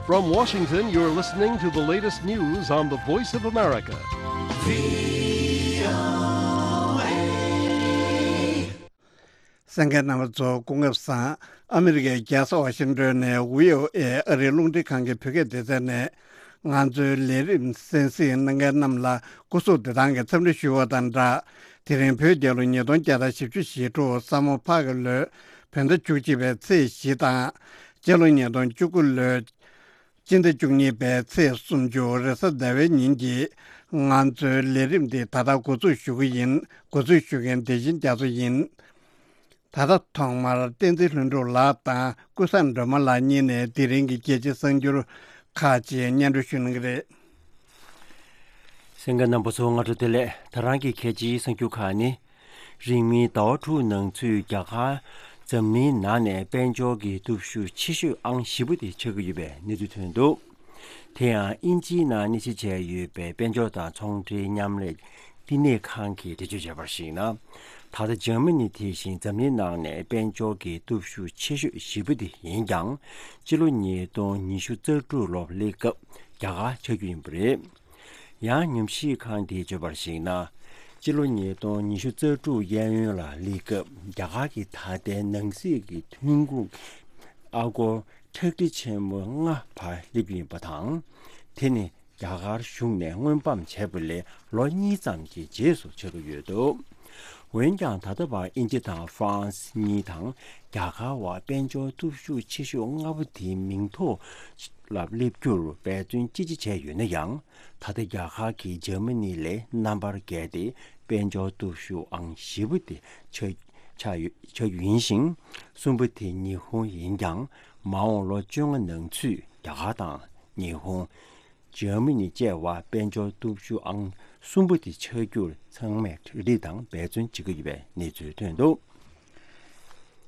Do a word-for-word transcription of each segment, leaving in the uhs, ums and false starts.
From Washington, you're listening to the latest news on the Voice of America. གསན་མཁན་རྣམ་པ་ཚོ་སྐུ་ཁམས་བཟང་། ཨ་མི་རི་ཀའི་རྒྱལ་ས་ཝ་ཤིང་ཏོན་ནས་བྷི་ཨོ་ཨེ་ཨ་རིའི་རླུང་འཕྲིན་ཁང་གི་བོད་སྐད་སྡེ་ཚན་ནས་ང་ཚོའི་ལས་རིམ་གསན་གཟིགས་གནང་མཁན་རྣམས་ལ་སྐུ་གཟུགས་བདེ་ཐང་གི་འཚམས་འདྲི་ཞུ་བ་དང་སྦྲགས། དེ་རིང་བོད་རྒྱལ་ལོ་ཉིས་སྟོང་བརྒྱ་དང་བཞི་བཅུ་ཞེ་དྲུག་ས་མོ་ཕག་གི་ལོའི་བོད་ཟླ་བཅུ་གཅིག་པའི་ཚེས་བཞི་དང་། སྤྱི་ལོ་ཉིས་སྟོང་བཅུ་དགུ་ལོའི་སྤྱི་ཟླ་བཅུ་གཉིས་པའི་ཚེས་སུམ་ཅུ་རེས་གཟའ་ཟླ་བའི་ཉིན་གྱི་ང་ཚོའི་ལས་རིམ་འདི་ད་ལྟ་འགོ་འཛུགས་ཞུ་གི་ཡིན། འགོ་འཛུགས་ཞུ་མཁན་བདེ་ཆེན་རྒྱ་མཚོ་ཡིན། ད་ལྟ་ཐོག་མར་བསྟན་འཛིན་ལྷུན་གྲུབ་ལགས་དང་ཀུན་བཟང་སྒྲོལ་མ་ལགས་གཉིས་ནས་དེ་རིང་གི་རྒྱལ་སྤྱིའི་གསར་འགྱུར་ཁག་ཅིག་སྙན་སྒྲོན་ཞུ་གནང་གི་རེད། གསན་མཁན་རྣམ་པ་ཚོ་སྔ་དྲོ་བདེ་ལེགས། ད་རང་གི་གལ་ཆེའི་གསར་འགྱུར་ཁག་ནི། རིང་མིན་ཟླ་བ་དྲུག་ནང་ཚུད་རྒྱ་གར་འཛམ་གླིང་ནང་ནས་དཔལ་འབྱོར་གྱི་སྟོབས་ཤུགས་ཆེ་ཤོས་ཨང་བཞི་པ་དེ་ཆགས་ཀྱི་ཡོད་པའི་གནས་ཚུལ་ཐོན་འདུག་དེ་ཡང་དབྱིན་ཇིའི་ནང་གནས་གཟིགས་བྱས་ཡོད་པའི་དཔལ་འབྱོར་དང་ཚོང་འབྲེལ་མཉམ་ལས་བསྟི་གནས་ཁང་གིས་འགྲེལ་བརྗོད་བྱས་པར་གཞིགས་ན། ད་ལྟ་འཇར་མ་ནི་དེ་བཞིན་འཛམ་གླིང་ནང་ནས་དཔལ་འབྱོར་གྱི་སྟོབས་ཤུགས་ཆེ་ཤོས་བཞི་པ་དེ་ཡིན་ཀྱང་། སྤྱི་ལོ་ཉིས་སྟོང་ཉི་ཤུ་རྩ་དྲུག་ལོར་སླེབས་སྐབས་རྒྱ་གར་ཆགས་རྒྱུ་ཡིན་པ་རེད། ཡང་ཉམས་ཞིབ་ཁང་དེས་བརྗོད་པར་གཞིགས་ན། སྤྱི་ལོ་ཉིས་སྟོང་ཉི་ཤུ་རྩ་དྲུག་གཡས་གཡོན་ལ་སླེབས་སྐབས་རྒྱ་གར་གྱི་ད་ལྟའི་ནང་སྲིད་ཀྱི་ཐོན་ཁུངས་ཨ་སྒོར་ཁྲག་ཁྲིག་ཆེན་མོ་ལྔ་བར་སླེབས་ཀྱི་ཡིན་པ་དང་། དེ་ནི་རྒྱ་གར་གཞུང་ནས་དངོས་འབམ་བྱས་པ་ལས་ལོ་གཉིས་ཙམ་གྱི་རྗེས་སུ་ཆགས་ཀྱི་ཡོད་འདུག་འོན་ཀྱང་ད་ལྟ་བར་དབྱིན་ཇི་དང་ཧྥ་རན་སི་གཉིས་དང་རྒྱ་གར་བར་དཔལ་འབྱོར་སྟོབས་ཤུགས་ཆེ་ཤོས་ལྔ་པོ་དེའི་མིང་ཐོག་ལ་སླེབས་རྒྱུར་འབད་བརྩོན་ཅི་ཆེ་བྱས་ཡོད་ན་ཡང་། ད་ལྟ་རྒྱ་གར་གྱིས་འཇར་མ་ནི་ལས་རྣམ་པར་རྒྱལ་ཏེ་དཔལ་འབྱོར་སྟོབས་ཤུགས་ཨང་བཞི་པ་དེ་ཆགས་ཆགས་ཡོད་ཆགས་རྒྱུ་ཡིན་ཞིང་། གསུམ་པ་དེ་ཉི་ཧོང་ཡིན་ཀྱང་། མ་འོངས་ལོ་བཅོ་ལྔ་ནང་ཚུད་རྒྱ་གར་དང་ཉི་ཧོང་། འཇར་མ་ནི་བཅས་པ་དཔལ་འབྱོར་སྟོབས་ཤུགས་ཨང་གསུམ་པ་དེ་ཆགས་རྒྱུར་ཚང་མས་གྲ་སྒྲིག་དང་འབད་བརྩོན་བྱེད་ཀྱི་ཡོད་པའི་གནས་ཚུལ་ཐོན་འདུག་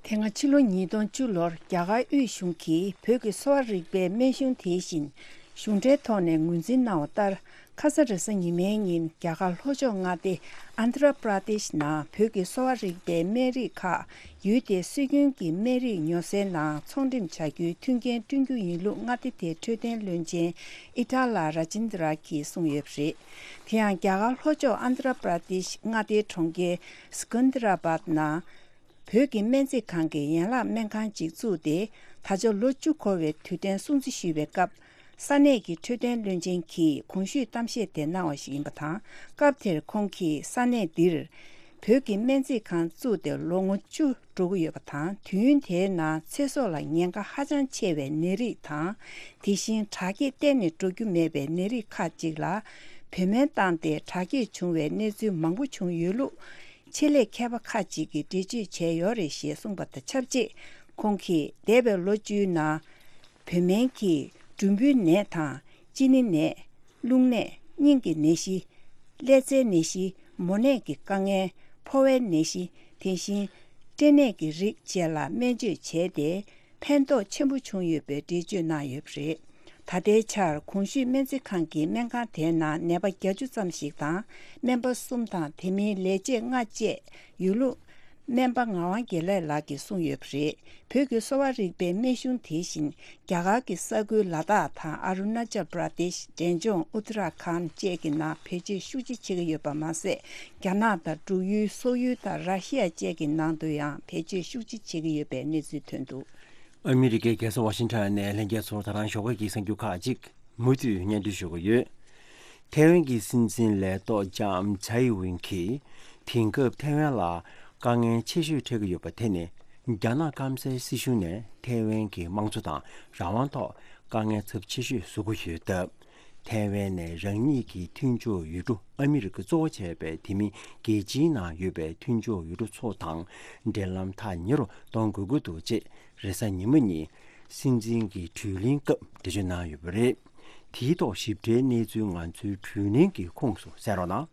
དེ་སྔ་ཕྱི་ལོ་ཉིས་སྟོང་བཅུ་ལོར་རྒྱ་གར་དབུས་གཞུང་གིས་བོད་ཀྱི་གསོ་བ་རིག་པའི་སྨན་གཞུང་དེ་བཞིན་གཞུང་འབྲེལ་ཐོག་ནས་ངོས་འཛིན་གནང་བ་ལྟར། ཁ་ས་རེས་གཟའ་ཉི་མའི་ཉིན་རྒྱ་གར་ལྷོ་ཕྱོགས་མངའ་སྡེ་ཨན་དྷ་ར་པྲ་དེཤ་ནང་བོད་ཀྱི་གསོ་བ་རིག་པའི་སྨན་རིགས་ཁག་ཡུལ་དེའི་སྲོལ་རྒྱུན་གྱི་སྨན་རིགས་ཉོ་སའི་ནང་ཚོང་འགྲེམས་བྱ་རྒྱུའི་མཐུན་རྐྱེན་བསྐྲུན་རྒྱུ་ཡིན་ལུགས་མངའ་སྡེ་དེའི་འཕྲོད་བསྟེན་བློན་ཆེན་ཨི་ཏཱ་ལ་ར་ཇིན་དྲ་གིས་གསུངས་ཡོད་པ་རེད། དེ་ཡང་རྒྱ་གར་ལྷོ་ཕྱོགས་ཨན་དྷ་ར་པྲ་དེཤ་མངའ་སྡེའི་གྲོང་ཁྱེར་སི་ཀན་དྷ་ར་བཱད་ནང་བོད་ཀྱི་སྨན་རྩིས་ཁང་གི་ཡན་ལག་སྨན་ཁང་ཅིག་བཙུགས་ཏེ། ད་ཆ་ལོ་བཅུ་འཁོར་བའི་དུས་དྲན་སྲུང་བརྩི་ཞུས་པའི་སྐབས། ས་གནས་ཀྱི་འཕྲོད་བསྟེན་བློན་ཆེན་གྱིས་གོང་ཞུས་གཏམ་བཤད་དེ་གནང་བ་ཞིག་ཡིན་པ་དང་། སྐབས་དེར་ཁོང་གིས་ས་གནས་འདིར་བོད་ཀྱི་སྨན་རྩིས་ཁང་བཙུགས་ཏེ་ལོ་ངོ་བཅུ་འགྲོ་གི་ཡོད་པ་དང་། དུས་ཡུན་དེའི་ནང་ཚེ་སྲོག་ལ་ཉེན་ཁ་ཧ་ཅང་ཆེ་བའི་ནད་རིགས་དང་། དེ་བཞིན་དྲག་སྐྱེད་གཏན་ནས་འགྲོ་རྒྱུ་མེད་པའི་ནད་རིགས་ཁག་ཅིག་ལ་བོད་སྨན་བཏང་སྟེ་དྲག་སྐྱེད་བྱུང་བའི་གནས་ཚུལ་མང་པོ་བྱུང་ཡོད་ལུགས། ཆེད་ལས་མཁས་པ་ཁག་ཅིག་གིས་འགྲེལ་བརྗོད་བྱས་ཡོད་རེད་ཞེས་གསུངས་པ་དང་ཆབས་ཅིག་ཁོང་གིས་འདས་པའི་ལོ་བཅུའི་ནང་། བོད་སྨན་གྱིས་འབྲུམ་བུའི་ནད་དང་། གཅིན་སྙི་ནད། རླུང་ནད། སྙིང་གི་ནད་གཞི། ཀླད་རྩའི་ནད་གཞི། མོ་ནད་ཀྱི་དཀའ་ངལ། ཕོ་བའི་ནད་གཞི། དེ་བཞིན། སྐྲན་ནད་ཀྱི་རིགས་བཅས་ལ་སྨན་བཅོས་བྱས་ཏེ། ཕན་ཐོགས་ཆེན་པོ་བྱུང་ཡོད་པའི་འགྲེལ་བརྗོད་གནང་ཡོད་པ་རེད། ད་ལྟའི་ཆར་གོང་ཞུས་སྨན་རྩིས་ཁང་གི་སྨན་ཁང་དེའི་ནང་ནད་པ་བརྒྱད་ཅུ་ཙམ་ཞིག་དང་སྨན་པ་གསུམ་དང་དེ་མིན་ལས་བྱེད་ལྔ་བཅས་ཡོད་ལུགས། སྨན་པ་ངག་དབང་དགེ་ལེགས་ལགས་ཀྱིས་གསུངས་ཡོད་པ་རེད། བོད་ཀྱི་གསོ་བ་རིག་པའི་སྨན་གཞུང་དེ་བཞིན་རྒྱ་གར་གྱི་ས་ཁུལ་ལ་དྭགས་དང་ཨ་རུ་ན་ཅལ་པྲ་དེཤ། འབྲས་ལྗོངས་ཨུ་ཏི་ར་ཁཱན་བཅས་ཀྱི་ནང་བེད་སྤྱོད་ཤུགས་ཆེ་བྱེད་ཀྱི་ཡོད་པ་མ་ཟད། རྒྱ་ནག་དང་འབྲུག་ཡུལ། སོག་ཡུལ་དང་ར་ཤི་ཡ་བཅས་ཀྱི་ནང་དུ་ཡང་བེད་སྤྱོད་ཤུགས་ཆེ་བྱེད་ཀྱི་ཡོད་པའི་གནས་ཚུལ་ཐོན་འདུག་ཨ་མི་རི་ཀའི་རྒྱལ་ས་ཝ་ཤིང་ཊོན་ནས་ལྷན་རྒྱས་ཚོར་ད་རང་ཞོགས་ཀས་ཀྱི་གསར་འགྱུར་ཁག་ཅིག་མུ་མཐུད་སྙན་སྒྲོན་ཞུ་གི་ཡོད། ཐའེ་ཝན་གྱི་སྲིད་འཛིན་ལས་ཐོག་ལྕམ་ཚའེ་ཝིན་གྱིས་དེང་སྐབས་ཐའེ་ཝན་ལ་དཀའ་ངལ་ཆེ་ཤོས་འཕྲད་ཀྱི་ཡོད་པ་དེ་ནི། རྒྱ་ནག་སྐམ་སའི་སྲིད་གཞུང་ནས་ཐའེ་ཝན་གྱི་དམངས་གཙོ་དང་རང་དབང་ཐོག་དཀའ་ངལ་ཚབས་ཆེ་ཤོས་བཟོ་གི་ཡོད་སྟབས། ཐའེ་ཝན་ནས་རང་ཉིད་ཀྱི་མཐུན་ཕྱོགས་ཡུལ་གྲུ་ཨ་མི་རི་ཀ་གཙོ་བོ་བྱས་པའི་དེ་མིན་རྒྱལ་སྤྱིའི་ནང་ཡོད་པའི་མཐུན་ཕྱོགས་ཡུལ་གྲུ་ཚོ་དང་འབྲེལ་ལམ་ཐག་ཉེ་རུ་གཏོང་དགོས་ཀྱི་འདུག་ཅེས་རེས་གཟའ་ཉི་མ་ཉིན་སྲིད་འཛིན་གྱི་གྲོས་གླེང་སྐབས་འགྲེལ་བརྗོད་གནང་ཡོད་པ་རེད། དེའི་ཐོག་ཞིབ་ཕྲའི་གནས་ཚུལ་ང་ཚོའི་གྲོས་གླེང་གི་ཁོངས་སུ་གསན་རོགས་གནང་།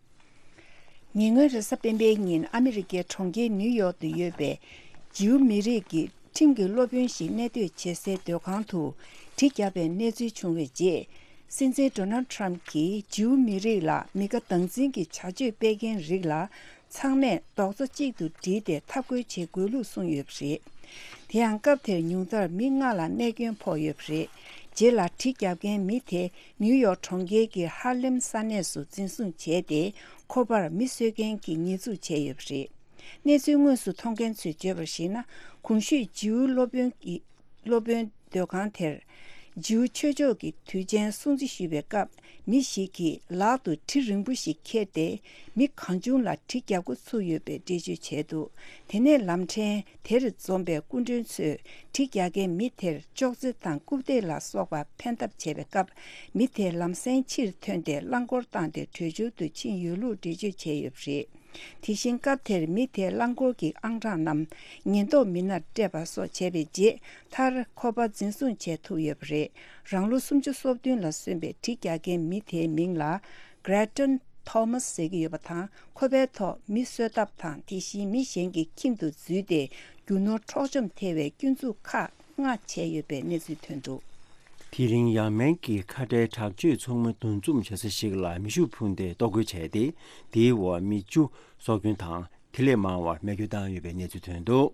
ཉེ་སྔོན་རེས་གཟའ་སྤེན་པའི་ཉིན་ཨ་མི་རི་ཀའི་གྲོང་ཁྱེར་ནིའུ་ཡོག་ཏུ་ཡོད་པའི་ཇིའུ་མི་རིགས་ཀྱི་ཁྲིམས་ཀྱི་སློབ་དཔོན་ཞིག་གནས་སྡོད་བྱེད་སའི་སྡོད་ཁང་དུ་གྲི་བརྒྱབ་པའི་གནས་ཚུལ་བྱུང་བའི་རྗེས། སྲིད་འཛིན་ཌོ་ནལ་ཌི་ཊརམ་གྱིས་ཇིའུ་མི་རིགས་ལ་མི་དགའ་སྡང་འཛིན་གྱི་བྱ་སྤྱོད་སྤེལ་མཁན་རིགས་ལ་ཚང་མས་རྡོག་རྩ་གཅིག་ཏུ་བསྒྲིལ་ཏེ་འཐབ་རྒོལ་བྱེད་དགོས་ལུགས་གསུངས་ཡོད་པ་རེད། དེ་ཡང་སྐབས་དེར་ཉུང་མཐར་མི་ལྔ་ལ་རྨས་སྐྱོན་ཕོག་ཡོད་པ་རེད། རྗེས་ལ་གྲི་བརྒྱབ་མཁན་མི་དེ་ནིའུ་ཡོག་གྲོང་ཁྱེར་གྱི་ཧར་ལེམ་ས་གནས་སུ་འཛིན་བཟུང་བྱས་ཏེ། ཁོ་པར་མི་གསོད་མཁན་གྱི་ཉེས་འཛུགས་བྱས་ཡོད་པ་རེད། གནས་ཚུལ་དངོས་སུ་མཐོང་མཁན་ཚོས་བརྗོད་པར་གཞིགས་ན། གོང་ཞུས་ཇིའུ་སློབ་དཔོན་གྱི་སློབ་དཔོན་སྡོད་ཁང་དེར། ཇིའུ་ཆོས་ཕྱོགས་ཀྱི་དུས་ཆེན་སྲུང་བརྩི་ཞུས་པའི་སྐབས། མི་ཞིག་གིས་ལག་ཏུ་གྲི་རིང་པོ་ཞིག་ཁྱེར་ཏེ། མི་གང་བྱུང་ལ་གྲི་རྒྱག་འགོ་ཚུགས་ཡོད་པའི་འགྲེལ་བརྗོད་བྱས་འདུག་དེ་ནས་ལམ་ཕྲན་དེར་འཛོམས་པའི་སྐུ་མགྲོན་ཚོས་གྲི་རྒྱག་མཁན་མི་དེར་ཅོག་ཙེ་དང་རྐུབ་སྟེགས་ལ་སོགས་པ་འཕེན་ཐབས་བྱས་པའི་སྐབས། མི་དེ་ལམ་སེང་ཕྱིར་ཐོན་ཏེ་རླངས་འཁོར་བཏང་སྟེ་བྲོས་བྱོལ་དུ་ཕྱིན་ཡོད་ལུགས་འགྲེལ་བརྗོད་བྱས་ཡོད་པ་རེད། དེ་བཞིན་སྐབས་དེར་མི་དེས་རླངས་འཁོར་གྱི་ཨང་གྲངས་རྣམས་ཉེན་རྟོག་མི་སྣར་སྤྲད་པ་སོགས་བྱས་པའི་རྗེས། མཐར་ཁོ་པ་འཛིན་བཟུང་བྱས་ཐུབ་ཡོད་པ་རེད། རང་ལོ་སུམ་ཅུ་སོ་བདུན་ལ་སོན་པའི་གྲི་རྒྱག་མཁན་མི་དེའི་མིང་ལ་Grattan Thomas ཟེར་གྱི་ཡོད་པ་དང་། ཁོ་པའི་ཐོག་མི་གསོད་ཐབས་དང་། དེ་བཞིན་མི་གཞན་གྱི་ཁྱིམ་དུ་འཛུལ་ཏེ་རྒྱུ་ནོར་འཕྲོག་བཅོམ་ཐེབས་པའི་སྐྱོན་འཛུགས་ཁག་ལྔ་བྱས་ཡོད་པའི་གནས་ཚུལ་ཐོན་འདུག་དེ་རིང་ཡ་མེན་གྱི་ཁ་བྲལ་དྲག་སྤྱོད་ཚོགས་མི་འདུ་འཛོམས་བྱེད་ས་ཞིག་ལ་མེ་ཤུགས་འཕུར་མདེལ་གཏོར་རྒོལ་བྱས་ཏེ། དེའི་འོག་མི་བཅུ་སྲོག་སྐྱོན་དང་། དེ་ལས་མང་བར་རྨས་སྐྱོན་བཏང་ཡོད་པའི་གནས་ཚུལ་ཐོན་འདུག་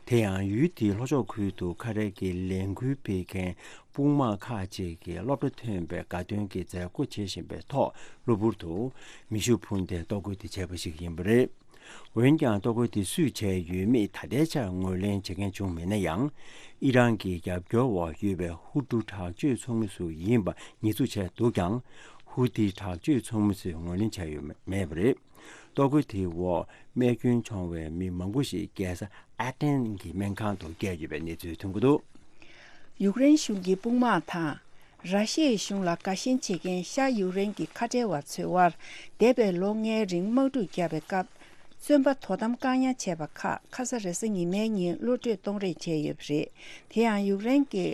དེ་ཡང་ཡུལ་དེའི་ལྷོ་ཕྱོགས་ཁུལ་དུ་ཁ་བྲལ་གྱི་ལས་འགུལ་སྤེལ་མཁན་དཔུང་དམག་ཁག་ཅིག་གིས་སློབ་གྲྭ་ཐོན་པའི་དགའ་སྟོན་གྱི་མཛད་སྒོ་བྱེད་བཞིན་པའི་ཐོག་གློ་བུར་དུ་མེ་ཤུགས་འཕུར་མདེལ་གཏོར་རྒོལ་དེ་བྱས་པ་ཞིག་ཡིན་པ་རེད། འོན་ཀྱང་། གཏོར་རྒོལ་དེ་སུས་བྱས་ཡོད་མེད་ད་ལྟའི་ཆར་ངོས་ལེན་བྱེད་མཁན་བྱུང་མེད་ན་ཡང་། ཨི་རན་གྱི་རྒྱབ་སྐྱོར་འོག་ཡོད་པའི་ཧུ་ཏུ་དྲག་སྤྱོད་ཚོགས་མི་ཚོ་ཡིན་པ་ཉེས་འཛུགས་བྱས་འདུག་ཀྱང་། ཧུ་ཏི་དྲག་སྤྱོད་ཚོགས་མི་ཚོས་ངོས་ལེན་བྱས་ཡོད་མེད་པ་རེད། གཏོར་རྒོལ་དེའི་འོག་རྨས་སྐྱོན་བྱུང་བའི་མི་མང་པོ་ཞིག་རྒྱལ་ས་ཨ་ཏན་གྱི་སྨན་ཁང་དུ་བསྐྱལ་ཡོད་པའི་གནས་ཚུལ་ཐོན་གྱི་འདུག་ཡུཀ་རེན་གཞུང་གི་དཔུང་དམག་དང་། ར་ཤི་ཡའི་གཞུང་ལ་དགའ་ཞེན་བྱེད་མཁན་ཤར་ཡུཀ་རེན་གྱི་ཁ་བྲལ་བ་ཚོའི་དབར། འདས་པའི་ལོ་ལྔའི་རིང་དམག་འཁྲུག་བརྒྱབ་པའི་སྐབས། བཙོན་པ་དོ་དམ་བཀག་ཉར་བྱས་པ་ཁག་ཁ་ས་རེས་གཟའ་ཉི་མའི་ཉིན་གློད་གྲོལ་གཏོང་རེས་བྱས་ཡོད་པ་རེད། དེ་ཡང་ཡུཀ་རེན་གྱི་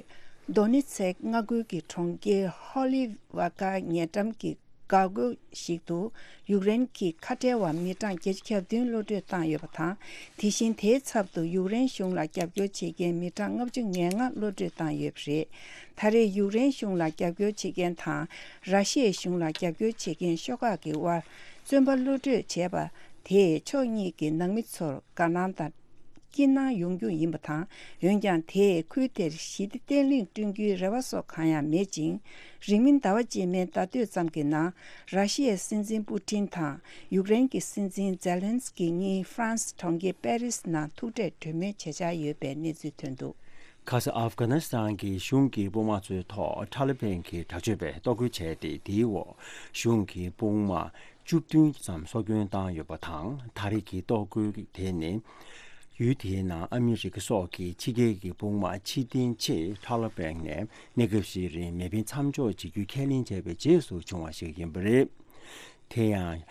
དོ་ནི་ཚེག་མངའ་ཁུལ་གྱི་གྲོང་ཁྱེར་ཧོ་ལི་ཝ་ཀ་ཉེ་འགྲམ་གྱི་འགག་སྒོ་ཞིག་ཏུ། ཡུཀ་རེན་གྱི་ཁ་བྲལ་བ་མི་གྲངས་བརྒྱད་ཅུ་གྱ་བདུན་གློད་གྲོལ་བཏང་ཡོད་པ་དང་། དེ་བཞིན་དེའི་ཚབ་ཏུ་ཡུཀ་རེན་གཞུང་ལ་རྒྱབ་སྐྱོར་བྱེད་མཁན་མི་གྲངས་ལྔ་བཅུ་ང་ལྔ་གློད་གྲོལ་བཏང་ཡོད་པ་རེད། ད་རེས་ཡུཀ་རེན་གཞུང་ལ་རྒྱབ་སྐྱོར་བྱེད་མཁན་དང་། ར་ཤི་ཡའི་གཞུང་ལ་རྒྱབ་སྐྱོར་བྱེད་མཁན་ཤོག་ཁག་གི་དབར་བཙོན་པ་གློད་གྲོལ་བྱས་པ་དེས་ཕྱོགས་གཉིས་ཀྱི་ནང་མི་ཚོར་དགའ་སྣང་དང་། སྐྱིད་སྣང་ཡོང་རྒྱུ་ཡིན་པ་དང་། འོན་ཀྱང་། དེས་ཁུལ་དེར་ཞི་བདེ་བརྟན་ལྷིང་བསྐྲུན་རྒྱུའི་རེ་བ་སོགས་གང་ཡང་མེད་ཅིང་། རིང་མིན་ཟླ་བ་རྗེས་མའི་ཟླ་སྟོད་ཙམ་གྱི་ནང་། ར་ཤི་ཡའི་སྲིད་འཛིན་པུ་ཏིན་དང་ཡུཀ་རེན་གྱི་སྲིད་འཛིན་ཛེ་ལན་སི་ཀི་གཉིས་ཧྥ་རན་སི་གྲོང་ཁྱེར་པེ་རིས་ནང་ཐུག་འཕྲད་གྲོས་མོལ་བྱེད་འཆར་ཡོད་པའི་གནས་ཚུལ་ཐོན་འདུག་ཁ་ས་ཨབ་གྷ་ནི་སི་ཐན་གྱི་གཞུང་གི་དཔུང་དམག་ཚོའི་ཐོག་ཐ་ལི་བན་གྱི་དྲག་སྤྱོད་པས་གཏོར་རྒོལ་བྱས་ཏེ། དེའི་འོག་གཞུང་གི་དཔུང་དམག་བཅུ་བདུན་ཙམ་སྲོག་སྐྱོན་བཏང་ཡོད་པ་དང་། ད་རེས་ཀྱི་གཏོར་རྒོལ་དེ་ནི། ཡུལ་དེའི་ནང་ཨ་མི་རི་ཀ་སོགས་ཀྱི་ཕྱི་རྒྱལ་གྱི་དཔུང་དམག་ཕྱིར་འཐེན་ཆེད་ཐ་ལི་བན་ནས་གནས་སྐབས་ཤིག་རིང་མེ་འཕེན་མཚམས་འཇོག་བྱེད་རྒྱུའི་ཁས་ལེན་བྱས་པའི་རྗེས་སུ་བྱུང་བ་ཞིག་ཡིན་པ་རེད། དེ་ཡང་།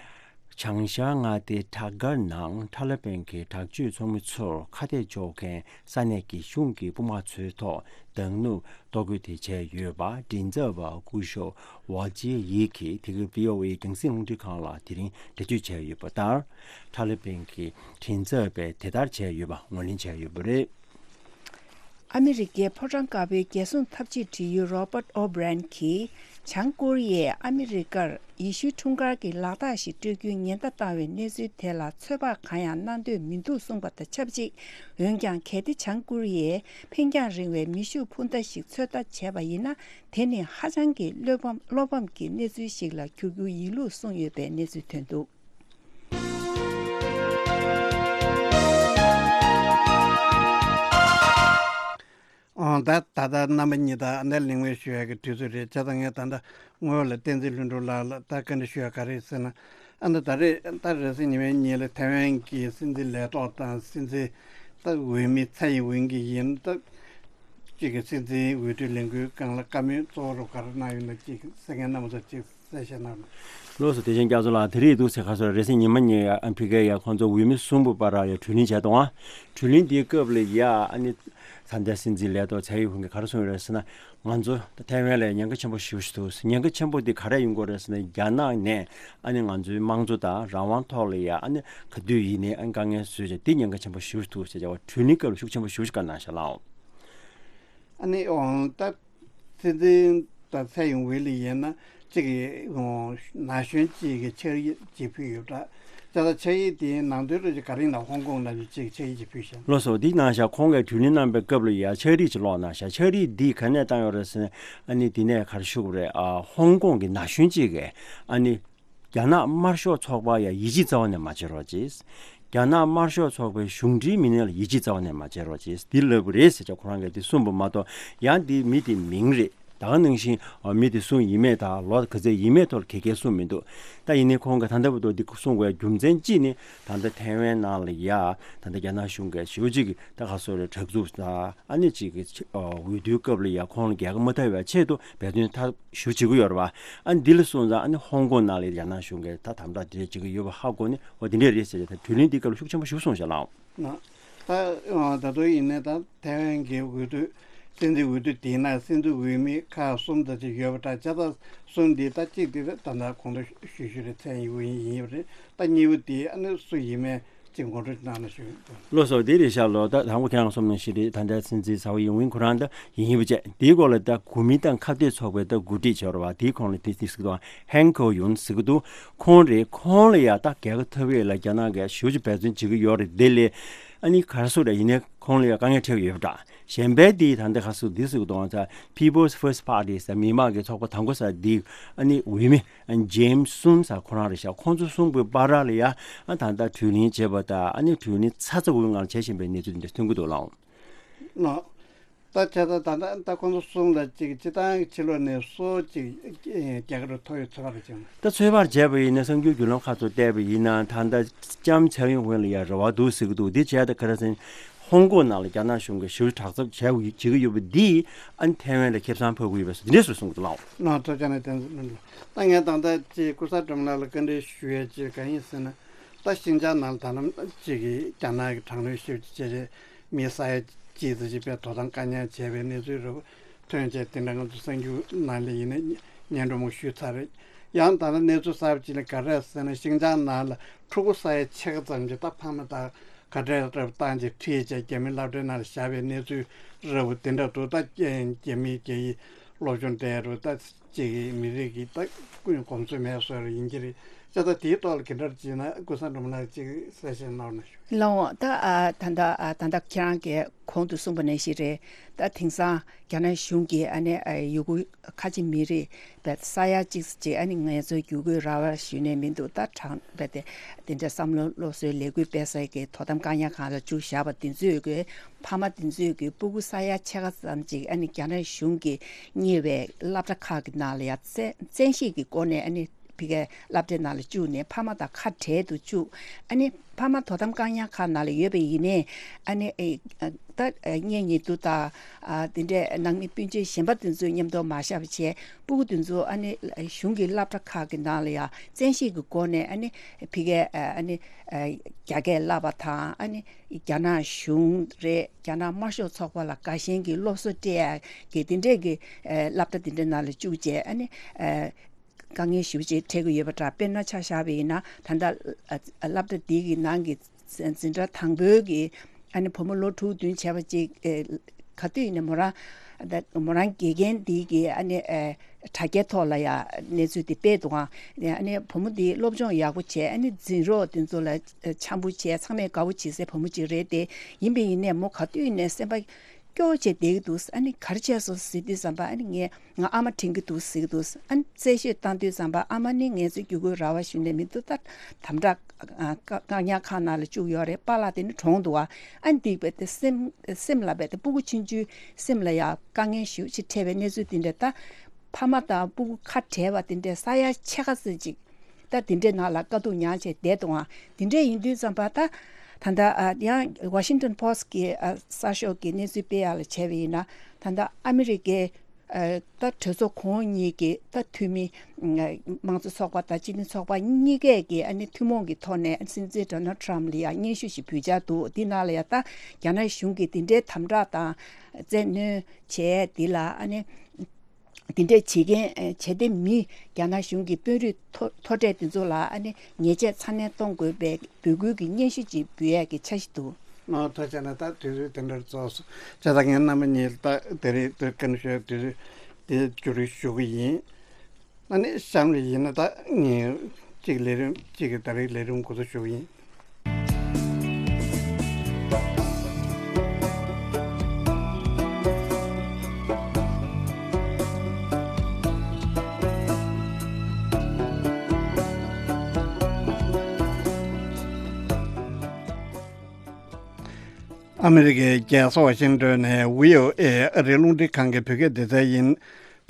བྱང་ཤར་མངའ་སྡེ་ཁྲག་སྒར་ནང་ཐ་ལི་བན་གྱི་དྲག་སྤྱོད་ཚོགས་མི་ཚོར་ཁ་གཏད་གཅོག་མཁན་ས་གནས་ཀྱི་གཞུང་གི་དཔུང་དམག་ཚོའི་ཐོག་མདང་ནུབ་གཏོར་རྒོལ་དེ་བྱས་ཡོད་པ། མགྲིན་ཚབ་པ་སྐུ་ཞབས་ཝལ་ཅི་ཡིག་གིས་དེ་སྐབས་བྷི་ཨོ་ཨེ་རྒྱང་སྲིང་རླུང་འཕྲིན་ཁང་ལ་དེ་རིང་འགྲེལ་བརྗོད་བྱས་ཡོད་པ་ལྟར། ཐ་ལི་བན་གྱི་མགྲིན་ཚབ་པས་དེ་ལྟར་བྱས་ཡོད་པ་ངོས་ལེན་བྱས་ཡོད་པ་རེད། ཨ་མི་རི་ཀའི་ཕོ་བྲང་དཀར་པོའི་རྒྱལ་སྲུང་འཐབ་ཇུས་དྲི་ཡུལ་རོ་པར་ཨོ་བྷི་རན་གྱིས། བྱང་ཀོ་རི་ཡས་ཨ་མི་རི་ཀར་ཡེ་ཤུའི་འཁྲུངས་སྐར་གྱི་ལག་རྟགས་ཤིག་སྤྲོད་རྒྱུའི་ཉེན་བརྡ་བཏང་བའི་གནས་ཚུལ་དེ་ལ་ཚོད་དཔག་གང་ཡང་གནང་འདོད་མི་འདུག་གསུངས་པ་དང་ཆབས་ཅིག་འོན་ཀྱང་། གལ་ཏེ་བྱང་ཀོ་རི་ཡས་འཕེན་རྒྱང་རིང་བའི་མེ་ཤུགས་འཕུར་མདའ་ཞིག་ཚོད་ལྟ་བྱས་པ་ཡིན་ན། དེ་ནི་ཧ་ཅང་གི་བློ་ཕམ་བློ་ཕམ་གྱི་གནས་ཚུལ་ཞིག་ལ་འགྱུར་རྒྱུ་ཡིན་ལུགས་གསུངས་ཡོད་པའི་གནས་ཚུལ་ཐོན་འདུག་ཨང་། ད་ད་ལྟ་རྣམ་པ་གཉིས་དང་ཨ་ནེ་གླིང་བས་ཞུ་ཡག་གི་དུས་ཚོད་རེད། བྱས་ཙང་ངས་ད་ལྟ་ངོས་ལ་བསྟན་འཛིན་ལྷུན་གྲུབ་ལགས་ལ་ད་བཀའ་འདྲི་ཞུ་ཡག་ག་རེ་ཟེར་ན། ཨ་ནི་ད་རེས་ད་རེས་གཟའ་ཉི་མའི་ཉིན་ལ་ཐའེ་ཝན་གྱི་སྲིད་འཛིན་ལས་ཐོག་དང་སྲིད་འཛིན་ད་འོས་མི་ཚའེ་ཡིན་ཝེན་གྱི་ཡིན་ད། གཅིག་གི་སྲིད་འཛིན་འོས་བསྡུ་ལས་འགུལ་སྒང་ལ་བཀའ་མོལ་གཙོ་བོ་རུ་ག་རེ་གནང་ཡོད་ན་གཅིག་གསན་མཁན་རྣམ་པ་ཚོ་གཅིག་གསལ་བཤད་གནང་རོགས། ལགས་སོ། བདེ་ཆེན་རྒྱ་མཚོ་ལགས། དེ་རིང་འདུག་ཟེར་ཁ་སོ་རེས་གཟའ་ཉི་མ་ཉིན་ཨ་ཕི་ཀའི་ཡ་ཁོང་ཚོ་འོས་མི་གསུམ་པོ་བར་ཡ་གྲོས་གླེང་བྱས་འདུག་ཨ། གྲོས་གླེང་དེའི་སྐབས་ལ་ཡ་ཨ་ནི་ས་མཐའི་སྲིད་འཛིན་ལས་ཐོག་ཚའེ་ཡིན་ཝེན་གྱིས་ག་རེ་གསུངས་ཡོད་རེད་ཟེར་ན། ང་ཚོ་ཐའེ་ཝན་ལ་ཉེན་ཁ་ཆེན་པོ་ཞེ་པོ་ཞིག་འདུག་ཉེན་ཁ་ཆེན་པོ་འདི་ག་རེ་ཡིན་དགོས་རེད་ཟེར་ན། རྒྱ་ནག་ནས་ཨ་ནི་ང་ཚོའི་དམངས་གཙོ་དང་རང་དབང་ཐོག་ལ་ཡ་ཨ་ནི་ག་དུས་ཡིན་ནའི་ཨ་ནི་དཀའ་ངལ་བཟོས་བྱས་འདི་ཉེན་ཁ་ཆེན་པོ་ཞེ་པོ་ཞིག་འདུག་ཟེར་བྱས་པ་གྲོས་གླེང་སྐབས་ལ་ཤུགས་ཆེན་པོ་ཞེ་པོ་ཞིག་བཀའ་གནང་ཤག་ལགས། ཨ་ནི་འོང་ད། སྲིད་འཛིན་དང་ཚའེ་ཡིན་ཝེན་ལ་ཡིན་ན་གཅིག་གི་ན་གཞོན་གཅིག་གི་ཕྱག་ཡིག་ཅིག་ཕུལ་ཡོད་འདྲ། ད་ལྟ་ཕྱག་ཡིག་དེའི་ནང་དོན་རེ་ཅིག་ག་རེ་ཡིན་ན། ཧོང་ཀོང་ནང་བཞིན་ཅིག་ཕྱག་ཡིག་ཅིག་ཕུལ་ཤག་ལགས་སོ། འདི་གནང་ཤག་ཁོང་གིས་དྲུས་ལན་གནང་པའི་སྐབས་ལ་ཡ་ཕྱག་བྲིས་ཅིག་ཀློག་གནང་ཤག་ཕྱག་བྲིས་འདི་ག་ནས་བཏང་ཡོད་རེད་ཟེར་ན། ཨ་ནི་འདི་ནས་ག་རེ་ཞུ་དགོས་རེད། ཨ་ཧོང་ཀོང་གི་ན་གཞོན་གཅིག་གིས་ཨ་ནི་རྒྱ་ནག་དམར་ཤོག་ཚོགས་པ་ཡ་ཡིད་ཆེས་རྩ་བ་ནས་མ་བྱེད་རོགས་གྱིས། རྒྱ་ནག་དམར་ཤོག་ཚོགས་པའི་གཞུང་འབྲེལ་མི་སྣ་ལ་ཡིད་ཆེས་རྩ་བ་ནས་མ་བྱེད་རོགས་གྱིས། འདི་ལབ་པ་རེད་ཟེར་ཅིག་ཁོ་རང་གིས་འདི་གསུངས་པ་མ་གཏོགས། ཡང་འདི་མི་དེའི་མིང་རེད། ད་ག་ནང་བཞིན་ཨ་མི་དེ་སུ་ཡིན་མིན་དང་ལོ་ག་ཚོད་ཡིན་མིན་ཐོག་ལ་ག་གེ་གསུངས་མི་འདུག་ད་ཡིན་ནའི་ཁོང་གིས་ད་ལྟ་བར་དུ་འདི་གསུང་དགོས་རྒྱུ་མཚན་གཅིག་ནི། ད་ལྟ་ཐའེ་ཝན་ནང་ལ་ཡ་ད་ལྟ་རྒྱ་ནག་གཞུང་གིས་ཞེ་པོ་ཅིག་གི་ད་ག་སོ་རེ་དྲག་རྩུབ་དང་ཨ་ནི་ཅིག་གི་འོས་བསྡུའི་སྐབས་ལ་ཡ་ཁོང་ལ་རྒྱལ་ཁ་མ་ཐོབ་པའི་ཆེད་དུ་འབད་བརྩོན་མཐའ་ཞུ་བྱེད་ཀྱི་ཡོད་རེད་བ། ཨ་ནི་འདི་ལ་སོང་ཙང་ཨ་ནི་ཧོང་ཀོང་ནང་ལ་རྒྱ་ནག་གཞུང་གིས་ད་དམ་དྲག་དེ་འདྲ་བྱེད་ཀྱི་ཡོད་པ་ཧ་གོ་ནས། འོ་དེ་འདྲས་རེད་ཟེར་ཏེ་ད་དྲུས་ལན་འདིའི་སྐབས་ལ་ཤུགས་ཆེན་པོ་ཞིག་གསུངས་ཤག་ལགས། ན། ད་ད་དུང་ཡིན་ནའི་ད་ཐའེ་ཝན་གྱི་འོས་བསྡུ། སྲིད་འཛིན་འོས་བསྡུ་དེའི་ནང་སྲིད་འཛིན་འོས་མི་ཁག་གསུམ་དང་ཅིག་ཡོད་པ་འདྲ། བྱས་ཙང་གསུམ་འདི་ད་གཅིག་དེ་ད་ད་ལྟ་གོང་དུ་ཞུས་ཞུས་རེད། ཚན་ཡིན་ཡིན་ཡིན་པ་རེད། ད་གཉིས་པ་དེ་ཨ་ནི་སུ་ཡིན་མིན་ཅིག་ངོ་སྤྲོད་གནང་ན་ཞུ། ལགས་སོ། དེ་རེད་ཤག་ལོ། ད་དང་པོ་ཁྱེད་རང་གསུངས་ནང་བཞིན་རེད། ད་ལྟ་སྲིད་འཛིན་ཚའོ་ཡིན་ཝིན་ཁོ་རང་ད་ཡིན་ཡིན་པ་བྱས། དེའི་སྐོར་ལ་ད་གུ་མིན་ཏང་ཁ་གཏད་ཚོགས་པའི་ད་འགོ་ཁྲིད་ཆོག་ར་བ་དེའི་ཁོང་ལ་དེ་དེ་ཟེར་གི་འདུག་ཧན་ཁོ་ཡུན་ཟེར་གི་འདུག་ཁོང་རེད། ཁོང་ལ་ཡ་ད་རྒྱལ་ཁ་ཐོབ་ཡས་ལ་རྒྱ་ནག་གིས་ཞེ་པོ་ཅིག་འབད་བརྩོན་བྱེད་ཀྱི་ཡོད་རེད། དེ་ལས་ཨ་ནི་ག་རེ་ཟེར་རེད། ཡིན་ནའི་ཁོང་ལ་ཡ་དཀའ་ངལ་འཕྲད་ཀྱི་ཡོད་པ་འདྲ། གཞན་པའི་དེ་ད་ལྟ་ག་ཟེར་འདི་ཟེར་གི་འདུག་ད་People's First Party ཟེར་མི་མང་གི་ཚོགས་པ་དང་པོ་ཟེར་འདི་ཨ་ནི་འོས་མི་ཨ་ནི་ཇེམ་སི་སུན་ཟེར་ཁོ་རང་རེད་ཤག་ཁོང་ཚོ་གསུམ་པོའི་བར་ལ་ཡ་ཨ་ད་ལྟ་དྲུས་ལེན་བྱས་པ་དང་ཨ་ནི་དྲུས་ལེན་ཚ་ཚ་འུར་འུར་ངང་བྱེད་བཞིན་པའི་གནས་ཚུལ་འདི་འདྲ་ཐོན་གི་འདུག་ལགས། ལགས། ད་བྱས་ཙང་ད་ལྟ་ད་ཁོང་ཚོ་གསུམ་ལ་ཅིག་སྤྱི་བཏང་གི་ཕྱི་ལོགས་ནས་སུ་ཅིག་རྒྱལ་ཁ་ཐོབ་ཡོད་ཚོད་དཔག་རེད་ཅིང་། ད་ཚོད་དཔག་བྱས་པ་ཡིན་ན་གསར་འགྱུར་བརྒྱུད་ལམ་ཁག་ཚོ་བལྟས་པ་ཡིན་ན་ད་ལྟ་ལྕམ་ཚའོ་ཡིན་ཝེན་ལ་ཡ་རེ་བ་འདུག་ཟེར་གི་འདུག་འདི་བྱས་ད་ག་རེ་ཟེར་ན་ཧོང་ཀོང་ནང་ལ་རྒྱ་ནག་གཞུང་གིས་ཞེ་པོ་དྲག་རྩུབ་བྱས་བྱེད་ཀྱི་ཡོད་པ་འདིས་ཨ་ནི་ཐའེ་ཝན་ལ་ཁེ་བཟང་ཕོག་གི་ཡོད་པ་འདི་འདྲས་སུ་གསུངས་འདུག་ལགས། ལགས་ཐུགས་རྗེ་གནང་། བསྟན་འཛིན་ལྷུན་གྲུབ། ད་ངས་ད་ལྟ་ཅིག་ཀུན་བཟང་སྒྲོལ་མ་ལགས་ལ་བཀའ་འདྲི་ཞུ་ཡས་ཅིག་གང་ཡིན་ཟེར་ན། ད་ཤིན་ཅང་ནང་ལ་ད་ལམ་ཅིག་གིས་རྒྱ་ནག་གི་དྲག་གནོན་ཞེ་པོ་ཅིག་བྱས་རྗེས་མི་ས་ཡ་གཅིག་ཙམ་ཅིག་པའི་དོ་དམ་བཀག་ཉར་བྱས་པའི་གནས་ཚུལ་རེ་བ་ཐོན་བྱས། དེ་འདྲ་ང་ཚོ་གསར་འགྱུར་ནང་ལ་ཡིན་ན་སྙན་སྒྲོན་མང་ཞུས་ཚར་རེད། ཡང་ད་ལྟ་གནས་ཚུལ་གསར་པ་ཅིག་ལ་ག་རེ་ཟེར་ན། ཤིན་ཅང་ནང་ལ་ཕྲུ་གུ་ས་ཡ་ཕྱེད་ཀ་ཙམ་ཅིག་ད་ཕ་མ་དང་ཁ་བྲལ་རབས་བཏང་བྱས་ཁྲིད་བྱས་རྒྱ་མིའི་སློབ་གྲྭའི་ནང་ལ་བཞག་པའི་གནས་ཚུལ་རེ་བ་དེ་འདྲ་འདུག་ད་རྒྱ་མིའི་རྒྱ་ཡིག་སློབ་སྦྱོང་སྤྲད་རུ་ད་ཅིག་གི་མི་རིགས་ཀྱི་ད་ཀུན་གོམས་སྲོལ་མེད་བཟོ་རུ་ཡིན་གྱི་རེད། བྱས་ཙང་དེའི་ཐོག་ལ་ག་འདྲ་བྱས་ན་ཀུན་བཟང་སྒྲོལ་མ་ལགས་ཅིག་གསལ་བཤད་གནང་རོགས་གནང་ཞུ། ལགས་འོང་། ད་ཨ་ད་ལྟ་ཨ་ད་ལྟ་ཁྱེད་རང་གིས་གོང་དུ་གསུངས་པ་ནང་བཞིན་རེད། ད་དེང་སང་རྒྱ་ནག་གཞུང་གིས་ཨ་ནི་ཨ་ཡུ་གུར་ཁ་ཆེ་མི་རིགས་པའི་ས་ཡ་གཅིག་ཅིག་ཨ་ནི་ངལ་རྩོལ་བསྒྱུར་བཀོད་ར་བ་ཞུས་ནས་མི་འདུག་ད་དྲང་པའི་དེ་དེ་འདྲ་བསམ་བློ་སློབ་གསོའི་ལས་འགུལ་སྤེལ་སའི་གི་དོ་དམ་བཀག་ཉར་ཁང་ལ་བཅུག་བཞག་པ་དེ་ཚོས་གི་ཕ་མ་དེ་ཚོས་གི་སྤུ་གུ་ས་ཡ་ཕྱེད་ཀ་ཙམ་ཅིག་ཨ་ནི་རྒྱ་ནག་གཞུང་གིས་གཉེར་བའི་སློབ་གྲྭ་ཁག་གི་ནང་ལ་ཡ་བཙན་བཙན་ཤེད་ཀྱི་སྒོ་ནས་ཨ་ནི་ཕ་གིའི་སློབ་གྲྭའི་ནང་ལ་བཅུག་ནས་ཕ་མ་དང་ཁ་བྲལ་དུ་བཅུག་ཨ་ནི་ཕ་མ་དོ་དམ་བཀག་ཉར་ཁང་ནང་ལ་ཡོད་པ་ཡིན་ནའི་ཨ་ནི་ཨེ་ཨ་ད་ཨ་གཉེན་ཉེ་དུ་དང་ཨ་དེ་འདྲའི་ནང་མི་སྤུན་མཆེད་གཞན་པ་དེ་ཚོའི་མཉམ་དུ་མ་བཞག་པ་བྱས། སྤུ་གུ་དེ་ཚོ་ཨ་ནི་གཞུང་གི་སློབ་གྲྭ་ཁག་གི་ནང་ལ་ཡང་བཙན་ཤེད་ཀྱི་སྒོ་ནས་ཨ་ནི་ཕ་གིའི་ཨ་ནི་རྒྱ་སྐད་བསླབ་པ་དང་། ཨ་ནི་རྒྱ་ནག་གཞུང་རེད། རྒྱ་ནག་དམར་ཤོག་ཚོགས་པ་ལ་དགའ་ཞེན་གྱི་སློབ་གསོ་སྤྲད་ཡ་གི་དེ་འདྲས་ཀྱི་སློབ་གྲྭ་དེ་འདྲའི་ནང་ལ་བཅུག་བྱས། ཨ་ནི་དཀའ་ངལ་ཞེ་པོ་ཅིག་འཕྲད་ཀྱི་ཡོད་པ་འདྲ། དཔེར་ན་ཆ་བཞག་པ་ཡིན་ན་ད་ལྟ་སློབ་གྲྭ་འདི་གི་ནང་གི་འཛིན་གྲྭ་དང་པོའི་གི་ཨ་ནི་བུ་མོ་ལོ་དྲུག་བདུན་བྱས་པ་ཅིག་ག་དུས་ཡིན་ནའི་མོ་རང་ད་མོ་རང་དགེ་རྒན་འདི་གི་ཨ་ནི་དྲ་རྒྱའི་ཐོག་ལ་ཡ་གནས་ཚུལ་དེ་སྤེལ་འདུག་ཨང་། ཨ་ནི་བུ་མོ་འདི་སློབ་སྦྱོང་ཡག་པོ་བྱས། ཨ་ནི་འཛིན་གྲོགས་དེ་ཚོ་ལ་འཆམ་པོ་བྱས། ཚང་མས་དགའ་པོ་བྱེད་སའི་བུ་མོ་ཅིག་རེད་དེ། ཡིན་པ་ཡིན་ནའི་མོ་ག་དུས་ཡིན་ནའི་སེམས་པ་སྐྱོ་བྱས་བསྡད་ཀྱི་འདུག་ཨ་ནི་ག་རེ་བྱས་སོང་ཟེར་དུས་ཙམ་པ་ཨ་ནི་ངས་ང་ཨ་མ་དྲན་གྱི་འདུག་ཟེར་གྱི་འདུག་ཨ་ནི་རྩད་གཞི་བཏང་དུས་ཙམ་པ་ཨ་མ་ནི་ངལ་རྩོལ་བསྒྱུར་བཀོད་ར་བ་ཞུས་ནས་མི་འདུག་ད་དམ་དྲག་བཀག་ཉར་ཁང་ནང་ལ་བཅུག་ཡོད་རེད། པཱ་ལགས་དེ་ནི་གྲོངས་འདུག་ཨ། ཨ་ནི་འདི་བས་དེ་སེམས་སེམས་ལ་བས་དེ་སྤུ་གུ་ཆུང་ཆུང་སེམས་ལ་ཡ་དཀའ་ངལ་ཞེ་པོ་ཅིག་འཕྲད་པའི་གནས་ཚུལ་འདི་འདྲ། ད་ཕ་མ་དང་སྤུ་གུ་ཁ་བྲལ་བ་དེ་འདྲ་ས་ཡ་ཕྱེད་ཀ་ཙམ་ཅིག་ད་དེ་འདྲའི་ནང་ལ་དཀའ་སྡུག་མྱངས་བྱས་བསྡད་འདུག་ཨ། དེ་འདྲ་ཡིན་དུས་ཙམ་པ་ད་ད་ལྟ་ཨ་ཡང་Washington Post་གི་ཨ་གསར་ཤོག་གི་གནས་ཚུལ་སྤེལ་ཡག་ལ་བྱས་པ་ཡིན་ན། ད་ལྟ་ཨ་མི་རི་ཀའི་ཨ་ད་གྲོས་ཚོགས་གོང་འོག་གཉིས་ཀྱི་ད་འཐུས་མི་དམངས་གཙོ་ཚོགས་པ་དང་སྤྱི་མཐུན་ཚོགས་པ་གཉིས་ཀས་ཀྱི་ཨ་ནི་ཐུན་མོང་གི་ཐོག་ནས་སྲིད་འཛིན་Donald Trump་ལ་ཡང་སྙན་ཞུ་ཞིག་ཕུལ་འཆར་འདུག་འདི་ནང་ལ་ཡང་ད་རྒྱ་ནག་གཞུང་གིས་འདི་འདྲའི་དམ་དྲག་དང་བཙན་གནོན་བྱས་འདི་ལ་ཨ་ནི། དེ་འདྲས་བྱེད་མཁན་ཨེ་བྱེད་བདེ་མི་རྒྱ་ནག་གཞུང་གི་དཔོན་རིགས་མཐོ་མཐོ་གྲས་དེ་ཚོ་ལ་ཨ་ནི་ཉེས་ཆད་ཚ་ནན་གཏོང་དགོས་པའི་འབོད་སྐུལ་གྱི་སྙན་ཞུ་ཅིག་འབུལ་ཡས་ཀྱི་འཆར་གཞི་འདུག་ཨ་ཐུགས་རྗེ་གནང་། ད་དུས་ཚོད་དེ་འདྲར་རྫོགས་སོང་། བྱས་ཙང་ངས་རྣམ་པ་གཉིས་ལ་ད་དེ་རིང་དུས་སྐབས་ཤོད་དུས་ཚོད་དེ་བསྡུ་རུབ་ཞུ་གི་ཡིན། ཨ་ནི་གཤམ་ལ་ཡིན་ན་ད་ངས་ གཅིག་ལས་རིམ་གཅིག་གི་ད་རེས་ལས་རིམ་འགོ་འཛུགས་ཞུ་གི་ཡིན། ཨ་མི་རི་ཀའི་རྒྱལ་ས་ཝ་ཤིང་ཏོན་ནས་བྷི་ཨོ་ཨེ་ཨ་རིའི་རླུང་འཕྲིན་ཁང་གི་བོད་སྐད་སྡེ་ཚན་ཡིན།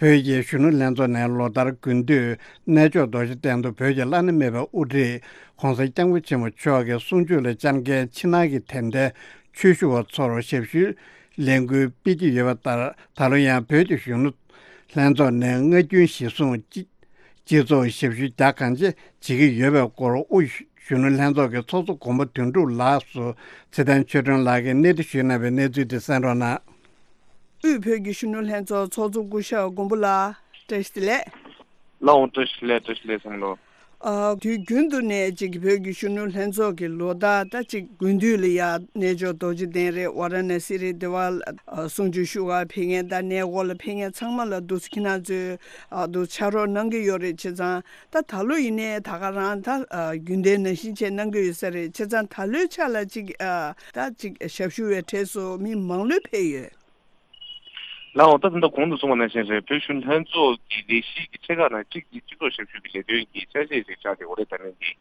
བོད་ཀྱི་གཞོན་ནུ་ལྷན་ཚོགས་ནས་ལོ་ལྟར་དགུན་དུས་གནས་མཆོག་རྡོ་རྗེ་གདན་དུ་བོད་ཀྱི་བླ་ན་མེད་པའི་དབུ་ཁྲིད་༸གོང་ས་༸སྐྱབས་མགོན་ཆེན་པོ་མཆོག་གི་གསུང་ཆོས་ལ་བཅར་མཁན་ཕྱི་ནང་གི་དད་ལྡན་ཆོས་ཞུ་བ་ཚོར་ཞབས་ཞུའི་ལས་འགུལ་སྤེལ་གྱི་ཡོད་པ་ལྟར། ད་ལོ་ཡང་བོད་ཀྱི་གཞོན་ནུ་ལྷན་ཚོགས་ནས་སྔ་རྒྱུན་གཞིར་བཟུང་སྤྱི་སྤྱི་ཚོགས་ཞབས་ཞུ་རྒྱག་གང་ཆེ་བྱེད་ཀྱི་ཡོད་པའི་སྐོར་དབུས་གཞོན་ནུ་ལྷན་ཚོགས་ཀྱི་ཚོགས་གཙོ་མགོན་པོ་དོན་གྲུབ་ལགས་སུ་ཚེ་བརྟན་ཆོས་སྒྲོན་ལགས་ཀྱིས་གནས་དྲི་ཞུས་གནང་བའི་གནས་ཚུལ་དེ་གསན་རོགས་གནང་། དབུས་བོད་ཀྱི་གཞོན་ནུ་ལྷན་ཚོགས་ཚོགས་གཙོ་སྐུ་ཞབས་མགོན་པོ་ལགས། བཀྲ་ཤིས་བདེ་ལེགས། ལགས་འོང་། བཀྲ་ཤིས་བདེ་ལེགས། བཀྲ་ཤིས་བདེ་ལེགས་བསམ་ལོ། ཨ། དུས་རྒྱུན་དུ་ནས་ཅིག་བོད་ཀྱི་གཞོན་ནུ་ལྷན་ཚོགས་ཀྱི་ལོ་ལྟར་ད་ཅིག་དགུན་དུས་ལ་ཡ་གནས་མཆོག་རྡོ་རྗེ་གདན་རེད། ཝཱ་ར་ཎ་སི་རེད། དེ་བ་ཨ་གསུང་ཆོས་ཞུ་བར་ཕེབས་མཁན་ད་གནས་སྐོར་ལ་ཕེབས་མཁན་ཚང་མ་ལ་འདུག་སེ་ཁྱེད་རང་ཚོས་ཨ་འདུག་ཕྱག་རོགས་གནང་གི་ཡོད་རེད། བྱས་ཙང་ད་ད་ལོ་ཡིན་ནའི་ད་ག་རང་ད་ཨ་རྒྱུན་ལྡན་ནང་བཞིན་བྱས་གནང་གི་ཡོད་ས་རེད། བྱས་ཙང་ད་ལོའི་ཆ་ལ་ཅིག་ཨ་ད་ཅིག་ཞབས་ཞུ་བའི་གྲས་སུ་མི་མང་ལོས་ཕེབས་ཡོད། ལགས་འོང་། ད་ད་ལྟ་གོང་དུ་གསུངས་པ་ནང་བཞིན་རེད། བོད་གཞོན་ལྷན་ཚོགས་ཀྱི་ལས་གཞི་གི་ཆེ་ཁག་ནང་གཅིག་དེ་སྤྱི་ཚོགས་ཞབས་ཞུ་གི་ལས་དོན་གྱི་ཆ་ཤས་ཤིག་ཆགས་བསྡད་ཡོད་རེད། ད་ནས་འདི་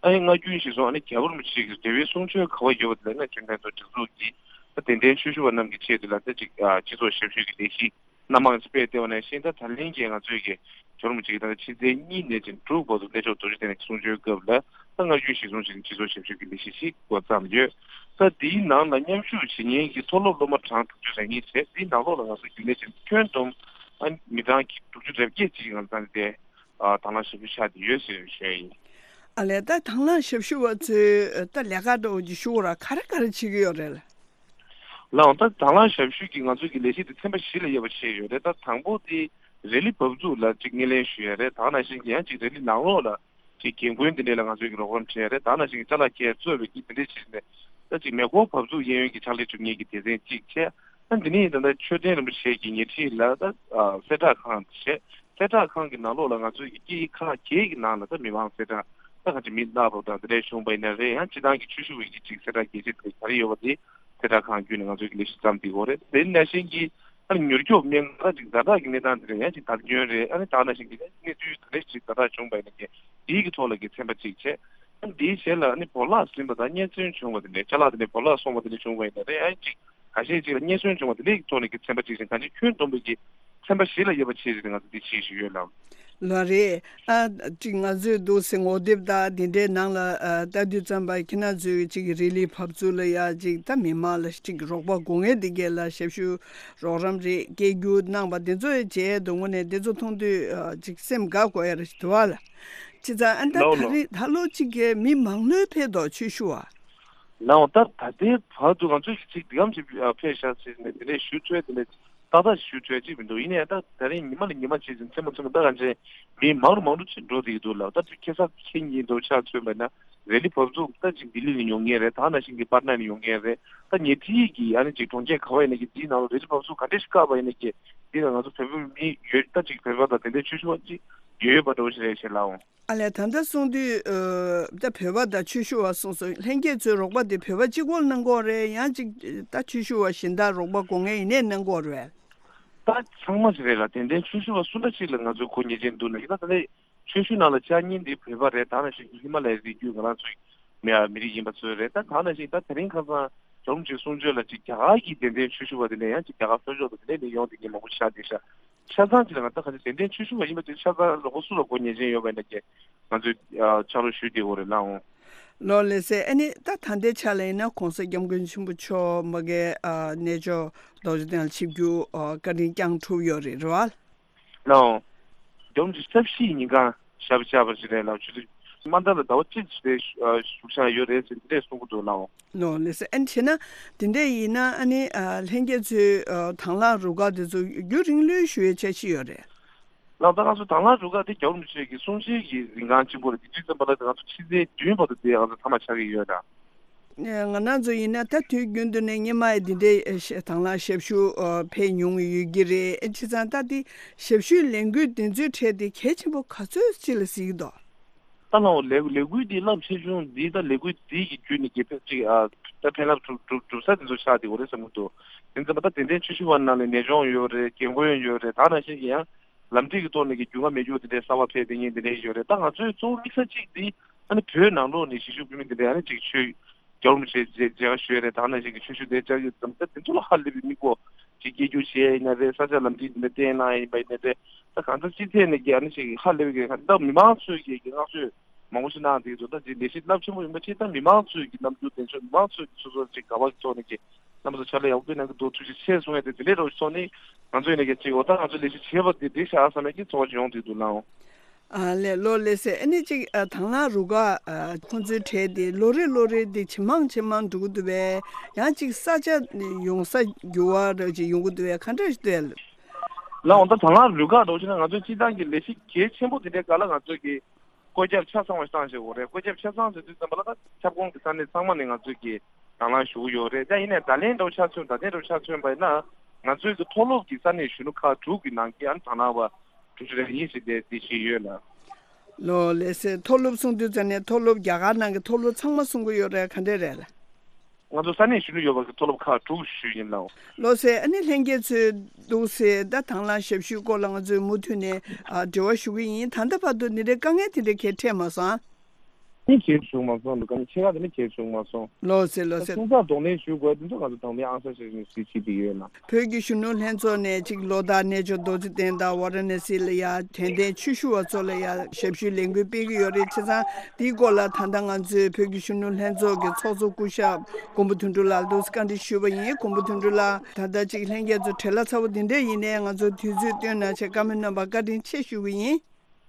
ཨ་ནི་སྔ་རྒྱུན་གཞིར་བཟུང་ཨ་ནི་རྒྱལ་བ་རིན་པོ་ཆེ་གི་འབྲེལ་བའི་གསུང་ཆོས་ག་བ་ཡོད་པ་དེ་ལ་ནི་གཞོན་ལྷན་ཚོགས་སྒྲིག་འཛུགས་ཀྱིས་ད་དད་ལྡན་ཆོས་ཞུ་བ་རྣམས་ཀྱི་ཆེད་དུ་ལ་ད་ཅིག་ཨ་སྤྱི་ཚོགས་ཞབས་ཞུ་གི་ལས་གཞི་སྣ་མང་ཞིག་སྤེལ་བསྡད་པ་ནང་བཞིན། ད་ད་ལན་གྱི་ང་ཚོའི་གི་རྒྱལ་བ་རིན་པོ་ཆེ་གི་ད་ལྟ་ཕྱི་ཚེས་གཉིས་ནས་བྱས་དྲུག་བར་དུ་གནས་མཆོག་རྡོ་རྗེ་གདན་གྱི་གསུང་ཆོས་སྐབས་ལ་ད་སྔར་རྒྱུན་གཞིར་བཟུང་བྱས་ནས་སྤྱི་ཚོགས་ཞབས་ཞུ་གི་ལས་གཞི་ཞིག་འགོ་བརྩམས་ཡོད། ད་འདིའི་ནང་ལ་མཉམ་ཞུགས་བྱེད་མཁན་གྱི་མཐོ་སློབ་སློབ་མ་གྲངས་དྲུག་ཅུ་རེ་གཉིས་བྱས། འདིའི་ནང་ལོགས་ལ་ང་ཚོ་རྒྱུན་ལས་བྱས་ཁྱོན་བསྡོམས་ཨ་མི་གྲངས་ཀྱི་དྲུག་ཅུ་རེ་བརྒྱད་ཅིག་ང་ཚོ་ད་ལྟའི་ཨ་དང་བླངས་ཞབས་ཞུ་ཆགས་བསྡད་ཡོད་ཟེར་ཞུ་ཡ་ཡིན། ཨ་ལས། ད་དང་བླངས་ཞབས་ཞུ་བ་ཚོས་ད་ལས་ཀ་འདྲ་བོ་ཅིག་ཞུ་དགོས་ར་ག་རེ་ག་རེ་བྱེད་ཀྱི་ཡོད་རེད། ལགས་འོང་། ད་དང་བླངས་ཞབས་ཞུ་གི་ང་ཚོ་གི་ལས་གཞི་དེ་ཚན་པ་བཞི་ལ་དབྱེ་བ་ཕྱེ་ཡོད་རེད། ད་དང་པོ་དེ་རེ་ལི་བབས་ཚུགས་ལ་ཅིག་སྣེ་ལེན་ཞུ་ཡ་རེད། ད་ནང་བཞིན་གྱི་ཡང་ཅིག་རེ་ལི་ནང་ལོགས་ལ་ཅིག་རྒན་རྒོན་དེ་འདྲས་ལ་ང་ཚོས་ཀྱི་རོགས་རམ་བྱེད་ཡ་རེད། ད་ནང་བཞིན་གྱི་ཅ་ལག་འཁྱེར་གཙོས་པའི་གི་དེ་འདྲས་བྱས་ནས་ད་ཅིག་མེ་འཁོར་བབས་ཚུགས་གཡས་གཡོན་གྱི་ཕྱག་ལས་སྒྲུབ་མཁན་གྱི་སྡེ་ཚན་གཅིག་བྱས། ད་འདི་ནས་ད་ལྟ་མཆོད་རྟེན་རིན་པོ་ཆེ་གི་ཉེ་འཁྲིས་ལ་ད་གསལ་བསྒྲགས་ཁང་བྱས། གསལ་བསྒྲགས་ཁང་གི་ནང་ལོགས་ལ་ང་ཚོས་ཀྱི་སྐྱེ་ཁག་བརྒྱད་ཀྱི་ནང་ལ་ད་མི་མང་གསལ་བསྒྲགས་ད་ག་ཅིག་མི་ནག་རོ་དང་དེ་འདྲས་བྱུང་བ་ཡིན་ན་རེད། ཡང་སྤྱི་བཏང་གི་ཆོས་ཞུ་བའི་གི་ཅིག་གསལ་བསྒྲགས་རྒྱས་བཤད་དེ་ག་རེ་ཡོད་པ་དེ་གསལ་བསྒྲགས་ཁང་བརྒྱུད་ནས་ང་ཚོས་ཀྱི་ལས་གཞི་བརྩམས་བསྡད་ཡོད་རེད། དེ་ནང་བཞིན་གྱི་ཨ་ནི་མྱུར་སྐྱོབ་སྨན་ཁང་ཅིག་ཛ་དྲག་གི་གནས་སྟངས་དེ་འདྲ་ཡང་ཅིག་བརྡ་སྐྱོན་རེད། ཨ་ནི་ད་ནང་བཞིན་གྱི་གནས་ཚུལ་ག་རེ་ཞིག་ཛ་དྲག་བྱུང་བ་ཡིན་ན་ཀྱི་དེའི་གི་ཐོག་ལ་གི་ཚན་པ་གཅིག་བྱས། ཨ་ནི་དེའི་ཞལ་ལ་ཨ་ནི་བོར་བརླག་ཟིན་པ་དང་རྙེད་སོན་བྱུང་བ་དེ་འདྲ། ཅ་ལག་དེ་འདྲ་བོར་བརླག་སོང་བ་དེ་འདྲ་བྱུང་བ་ཡིན་ན་རེད། ཨ་ནི་ཅིག་ཁ་ཤས་ཅིག་ལ་རྙེད་སོན་བྱུང་བ་དེ་འདྲའི་ཐོག་ནས་ཀྱི་ཚན་པ་གཅིག་བྱས། གང་ཅི་ཁྱོན་བསྡོམས་པའི་གི་ཚན་པ་བཞི་ལ་དབྱེ་བ་ཕྱེ་བྱས་ང་ཚོ་འདི་བྱེད་བཞིན་ཡོད་ལགས། ལགས་རེད། ཨ་ཅིག་ང་ཚོས་འདུག་སེ་ངོ་དེབ་དང་དེ་འདྲའི་ནང་ལ་ཨ་ལྟ་དུས་ཙམ་པ་ཁྱེད་རང་ཚོས་ཅིག་རི་ལི་བབས་ཚུགས་ལ་ཡ་ཅིག་ད་མི་མང་ལ་ཅིག་རོགས་པ་དགོས་ངེས་དེ་གས་ལ་ཞབས་ཞུ་རོགས་རམ་རེད་སྐད་སྒྱུར་གནང་པ་དེ་ཚོ་བྱས་འདུག་དངོས་གནས་དེ་ཚོ་མཐོང་དུས་ཨ་ཅིག་སེམས་དགའ་དགོས་ཡ་རེ་ཞིག་འདུག་ཨ་ལ། བྱས་ཙང་ཨ་ད་ལགས་ད་ལགས། རེས་ད་ལོ་གཅིག་གི་མི་མང་ལོས་ཕེབས་དོ་ཆོས་ཞུ་བ། ལགས་འོང་། ད་ད་ལྟའི་བར་དུ་ང་ཚོས་ཀྱི་ཅིག་འདི་གམ་ཅིག་ཕེབས་ཤག་ཟེར་ནས་དེ་འདྲས་ཞུ་ཐུབ་དེ་འདྲས་ཏག་ཏག་ཞུ་ཐུབ་ཅིག་མི་འདུག་ཡིན་ནའི་ད་ད་རིང་ཉི་མ་ལ་ཉི་མ་བྱས་ཙང་མཚན་མོ་མཚན་མོ་ད་གང་ཅི་མི་མང་རུ་མང་རུ་ཅིག་འགྲོ་བསྡད་ཀྱི་འདུག་ལགས། ད་དེ་ཁ་སང་ཁེ་ཉིན་འདུག་ཆ་མཚོན་པ་ན་རེ་ལི་བབས་ཚུགས་ད་ཅིག་ལྡི་ལི་ནས་ཡོང་མཁན་རེད། ད་ནང་བཞིན་གྱི་པར་ན་ནས་ཡོང་མཁན་རེད། ད་ཉེ་འཁྲིས་ཀྱི་ཨ་ནི་ཅིག་གྲོང་ཁྱེར་ག་བ་ཡིན་ན་གི་དེའི་ནང་ལ་རེ་ལི་བབས་ཚུགས་ག་འདྲས་ཞིག་བཀག་པ་ཡིན་ན་གི་དེ་ལ་ང་ཚོ་བོད་པ་མི་ཡོད་ད་ཅིག་བོད་པ་དང་དེ་འདྲའི་ཆོས་ཞུ་བ་ཅིག་ཡོད་ཡོད་པ་འདྲ་བོ་ཞིག་རེད་ཤག་ལགས་འོང་། ཨ་ལས། ད་ལྟ་གསུང་དུས་ཨ་ད་བོད་པ་དང་ཆོས་ཞུ་བ་གསུངས་སོང་། ལྷན་རྒྱས་ཚོའི་རོགས་པ་དེ་བོད་པ་གཅིག་པོར་གནང་གི་ཡོད་རེད། ཡང་ཅིག་ད་ཆོས་ཞུ་བ་གཞན་དག་རོགས་པ་དགོས་ངེས་ཡིན་ནའི་གནང་གི་ཡོད་རེད། ད་ཚང་མ་ཞིག་རེད་ལ། དེ་འདྲའི་ཆོས་ཞུ་བ་སུ་འདྲ་ཞིག་ལ་ང་ཚོས་གོ་ཉན་གྱིན་འདུག་ན་ཡིན་ན། ད་ལྟའི་ཆོས་ཞུ་ནང་ལ་བཅར་མཁན་འདི་བོད་པ་རེད། ད་ནང་བཞིན་གྱི་ཧི་མ་ལ་ཡའི་རི་རྒྱུད་ང་རང་ཚོའི་མི་ཡ་མི་རིགས་ཡིན་པ་ཚོ་རེད། ད་ད་ནང་བཞིན་ད་དེ་རིང་ཁ་སང་རྒྱལ་བ་རིན་པོ་ཆེའི་གསུང་ཆོས་ལ་ཅིག་རྒྱ་གར་གྱི་དད་ལྡན་ཆོས་ཞུ་བ་དེ་འདྲ་ཡང་ཅིག་རྒྱ་གར་ལྷོ་ཕྱོགས་དང་དེ་འདྲ་ནས་ཡོང་བསྡད་མཁན་མང་པོ་ཆགས་བསྡད་ཤག་ཆ་ཚང་ཅིག་ལ་ང་ད་ག་ཚོད་དད་ལྡན་ཆོས་ཞུ་བ་ཡིན་པ་དེ་ཆ་ཚང་རོགས་པ་སུ་ལ་གོ་ཉན་གྱིན་ཡོད་པ་ཡིན་ན་ཀྱེ་ང་ཚོས་ཕྱག་རོགས་ཞུས་བསྡད་ཡོད་རེད་ལགས་འོང་། ལགས་ལགས་སེ། ཨ་ནི་ད་ད་ལྟའི་ཆ་ལ་ཡིན་ན་གོང་ས་སྐྱབས་མགོན་ཆེན་པོ་མཆོག་མ་གི་ཨ་གནས་མཆོག་རྡོ་རྗེ་གདན་ལ་ཆིབས་བསྒྱུར་ཨ་བཀའ་དྲིན་བསྐྱངས་གྲུབ་ཡོད་རེད། རེད་བ། ལགས་འོང་། རྒྱལ་བ་རིན་པོ་ཆེ་ས་བཞི་ཉིན་གང་ཞབས་བཅགས་པ་ཞིག་རེད་ལགས། ཆུ་ཚོད་མ་མཐའ་ལ་ཟླ་བ་གཅིག་ཞིག་རེད་བཞུགས་བཞག་ཡོད་རེད་ཟེར་འདི་འདྲས་གསུང་གི་འདུག་ལགས་འོང་། ལགས་ལགས་སེ། ཨ་ནི་བྱས་ན་དེ་འདྲས་ཡིན་ན་ཨ་ནི་ཨ་ལྷན་རྒྱས་ཚོས་ཨ་དང་བླངས་རུ་ཁག་དེ་ཚོ་རྒྱུན་རིང་ལོས་ཞུ་ཡའི་འཆར་གཞི་ཡོད་རེད། ལགས། ད་ང་ཚོ་དང་བླངས་རུ་ཁག་དེ་རྒྱལ་བ་རིན་པོ་ཆེ་གི་གསུང་ཆོས་ཀྱི་རིང་གང་གཅིག་པོ་རེད། དེ་དུས་ཙམ་པ་ལ་ང་ཚོ་ཕྱི་ཚེས་བདུན་བར་དུ་དེ་ང་ཚོ་མཐའ་མ་ཆགས་ཀྱི་ཡོད་ལགས། ང་རང་ཚོ་ཡིན་ན་ད་དུས་རྒྱུན་དུ་ནས་སྔོན་མ་ཡི་འདི་འདྲའི་ཨེ་ཤ་དང་བླངས་ཞབས་ཞུ་ཨ་ཕེབས་མྱོང་ཡོད་ཀྱི་རེད། ཨེ་བྱས་ཙང་ད་འདི་ཞབས་ཞུའི་ལས་འགུལ་འདི་ཚོའི་གྲས་དེ་གལ་ཆེན་པོ་ག་ཚོད་ཅིག་ལ་གཟིགས་ཀྱི་འདུག་ད་ ཨ་ལའོ་ལས་ལས་འགུལ་འདི་རླབས་ཆེ་ཆུང་འདི་ད་ལས་འགུལ་འདི་གི་བརྒྱུད་ནས་གི་ཕན་ཅིག་ཨ་ད་ཕན་རླབས་གྲུབ་གྲུབ་གྲུབ་ས་དེ་ཚོ་ཆགས་བསྡད་ཡོད་རེད་བསམ་གྱི་འདུག་དེ་ཚོ་ད་དད་ལྡན་ཆོས་ཞུ་བ་ནང་ནས་ནད་གཅོང་ཡོད་རེད། རྒན་རྒོན་ཡོད་རེད། ད་ནང་བཞིན་གྱི་ཡང་ལམ་ཐིག་གི་ཐོག་ནས་ཀྱི་རྒྱུས་མངའ་མེད་རྒྱུ་དེ་འདྲའི་གསར་པ་ཕེབས་བསྡད་མཁན་དེ་འདྲའི་ཡོད་རེད། ད་ང་ཚོའི་གཙོ་བོ་དམིགས་ས་གཅིག་འདི་ཨ་ནི་བོད་ནང་ལོགས་ནས་གཞིས་བཞུགས་བོད་མི་དེ་འདྲའི་ཨ་ནི་ཅིག་ཆོས་རྒྱལ་བ་རིན་པོ་ཆེ་མཇལ་མཇལ་ཁ་ཞུས་རེད། ད་ནང་བཞིན་གྱི་ཆོས་ཞུ་དེ་བཅར་ཡོད་ཙམ་ད་དེ་ཚོ་ལ་ཧ་ལས་པའི་མིག་སྒོ་ཅིག་སྐྱེ་རྒྱུ་བྱས་ཡིན་ན་རེད། ས་ཆ་ལམ་ཐིག་དེ་འདྲ་བསྟན་གནང་ཡིན་པ་ཡིན་ན་རེད། ད་གང་ལྟར་སྤྱི་ཚོགས་ནས་ཀྱི་ཨ་ནི་ཅིག་ཧ་ལས་པའི་གི་ད་མི་མང་ཚོས་ཀྱི་ཀྱི་བསྔགས་བརྗོད་མང་པོ་ཞིག་གནང་བསྡད་ཡོད་འདུག་ད་ཅིག་ལས་གཞི་རླབས་ཆེན་པོ་ཡིན་པ་ཅིག་ད་མི་མང་ཚོས་ཀྱི་རྣམ་འགྱུར་དེ་ཚོ་མི་མང་ཚོས་ཀྱི་སོ་སོར་ཅིག་དགའ་བ་གི་ཐོག་ནས་ཀྱི་རྣམ་པ་ཚོ་ཕྱག་ལས་ཡག་པོ་སྤེལ་གནང་གི་འདུག་ཐུགས་རྗེ་ཆེ་གསུང་ཡ་དེ་དེ་འདྲའི་རོགས་ཞིག་ཐོག་ནས་ང་ཚོ་ཡིན་ན་ཀྱི་ཅིག་འོ་ད་ང་ཚོ་ལས་གཞི་བྱས་པ་དེ་འགྲིག་ཤག་བསམ་ཡ་གི་ཚོར་བ་ཅིག་ཡོང་བསྡད་འདུག་ལགས། ཨ་ལས་ལོ་ལེ་སེ་ཨ་ནི་ཅིག་ཨ་དང་བླངས་རུ་ཁག་ཨ་ཁོང་ཚོའི་གྲས་དེ་ལོ་རེ་ལོ་རེ་དེ་ཇེ་མང་ཇེ་མང་འགྲོ་གི་འདུག་པས། ཡང་ཅིག་ས་ཆ་ཡོང་ས་འགྱུར་བ་ར་ཅིག་ཡོང་གི་འདུག་པས། ག་འདྲ་ཞིག་འདུག་ལགས། འོ་ད་དང་བླངས་རུ་ཁག་འགྲོ་ཕྱིན་ན་ང་ཚོའི་སྤྱི་བཏང་གི་ལས་གཞི་གལ་ཆེན་པོ་དེ་འདྲའི་སྒང་ལ་ང་ཚོས་ཀྱི་བཀོད་ཁྱབ་ཆ་ཚང་བ་ཞིག་བཏང་བཞག་ཡོད་རེད། བཀོད་ཁྱབ་ཆ་ཚང་ཟེར་དུས་ཙམ་པ་ལ་ད་ཁྱབ་ཁོངས་ཀྱི་ས་གནས་ཚང་མ་ནས་ང་ཚོས་ཀྱི་དང་བླངས་ཞུ་གི་ཡོད་རེད། ད་ཡིན་ནའི་ད་ལན་འདྲ་བོ་ཆ་མཚོན་ད་ལན་འདྲ་བོ་ཆ་མཚོན་པ་ཡིན་ན་ང་ཚོའི་གི་མཐོ་སློབ་ཀྱི་ས་གནས་གཞོན་ནུ་ཁག་དྲུག་གི་ནང་གི་ཨ་ནི་དང་བླངས་པ་དྲུག་ཅུ་རེ་གཉིས་ཤིག་དེ་དེ་བཞིན་ཡོད་ལ། ལོ་ལེ་སེ་མཐོ་སློབ་གསུང་དུས་ཙམ་ནས་མཐོ་སློབ་རྒྱ་གར་ནང་གི་མཐོ་སློབ་ཚང་མ་གསུང་གི་ཡོད་རེད། ག་འདྲས་རེད་ལགས། ང་ཚོ་ས་གནས་གཞོན་ནུ་ཡོད་པ་གི་མཐོ་སློབ་ཁག་དྲུག་ཞུས་ཡིན་ལགས། ལོ་སེ་ཨ་ནི་ལྷན་རྒྱས་ཚོས་འདུག་སེ་ད་དང་བླངས་ཞབས་ཞུའི་སྐོར་ལ་ང་ཚོས་མུ་མཐུད་ནས་ཨ་འབྲེལ་བ་ཞུ་གི་ཡིན། ད་ལྟ་བར་དུ་འདི་འདྲའི་དཀའ་ངལ་དེ་འདྲ་གང་འཕྲད་མ་སོང་། ནི་གལ་བྱུང་མ་སོང་། འདུག་ག་ནི་ཆེ་ཁག་དེ་ནི་གལ་བྱུང་མ་སོང་། ལོ་སེ་ལོ་སེ། སོང་ཙང་གདོང་ལེན་ཞུ་དགོས་དེ་ཚོ་ང་ཚོ་དང་ལེན་ཨང་གསར་ཞིག་ཞིག་བྱེད་ཀྱི་ཡོད་ལ། བོད་ཀྱི་གཞོན་ནུ་ལྷན་ཚོགས་ནས་གཅིག་ལོ་ལྟར་གནས་མཆོག་རྡོ་རྗེ་གདན་དང་ཝཱ་ར་ཎ་སི་ལ་ཡ་དད་ལྡན་ཆོས་ཞུ་བ་ཚོ་ལ་ཡ་ཞབས་ཞུའི་ལས་འགུལ་སྤེལ་གྱི་ཡོད་རེད། བྱས་ཙང་དེའི་སྐོར་ལ་ད་ལྟ་ང་ཚོའི་བོད་ཀྱི་གཞོན་ནུ་ལྷན་ཚོགས་ཀྱི་ཚོགས་གཙོ་སྐུ་ཞབས་མགོན་པོ་དོན་གྲུབ་ལགས་འདུག་སེ་བཀའ་འདྲི་ཞུས་པ་ཡིན། མགོན་པོ་དོན་གྲུབ་ལགས་ད་ལྟ་གཅིག་ལྷན་རྒྱས་ཚོ་བྲེལ་བ་ཚ་པོ་འདི་འདྲས་ཡིན་ནའི་ང་ཚོ་དུས་ཚོད་བཏོན་གནང་བྱས་བཀའ་མོལ་གནང་བར་བཀའ་དྲིན་ཆེ་ཞུ་གི་ཡིན།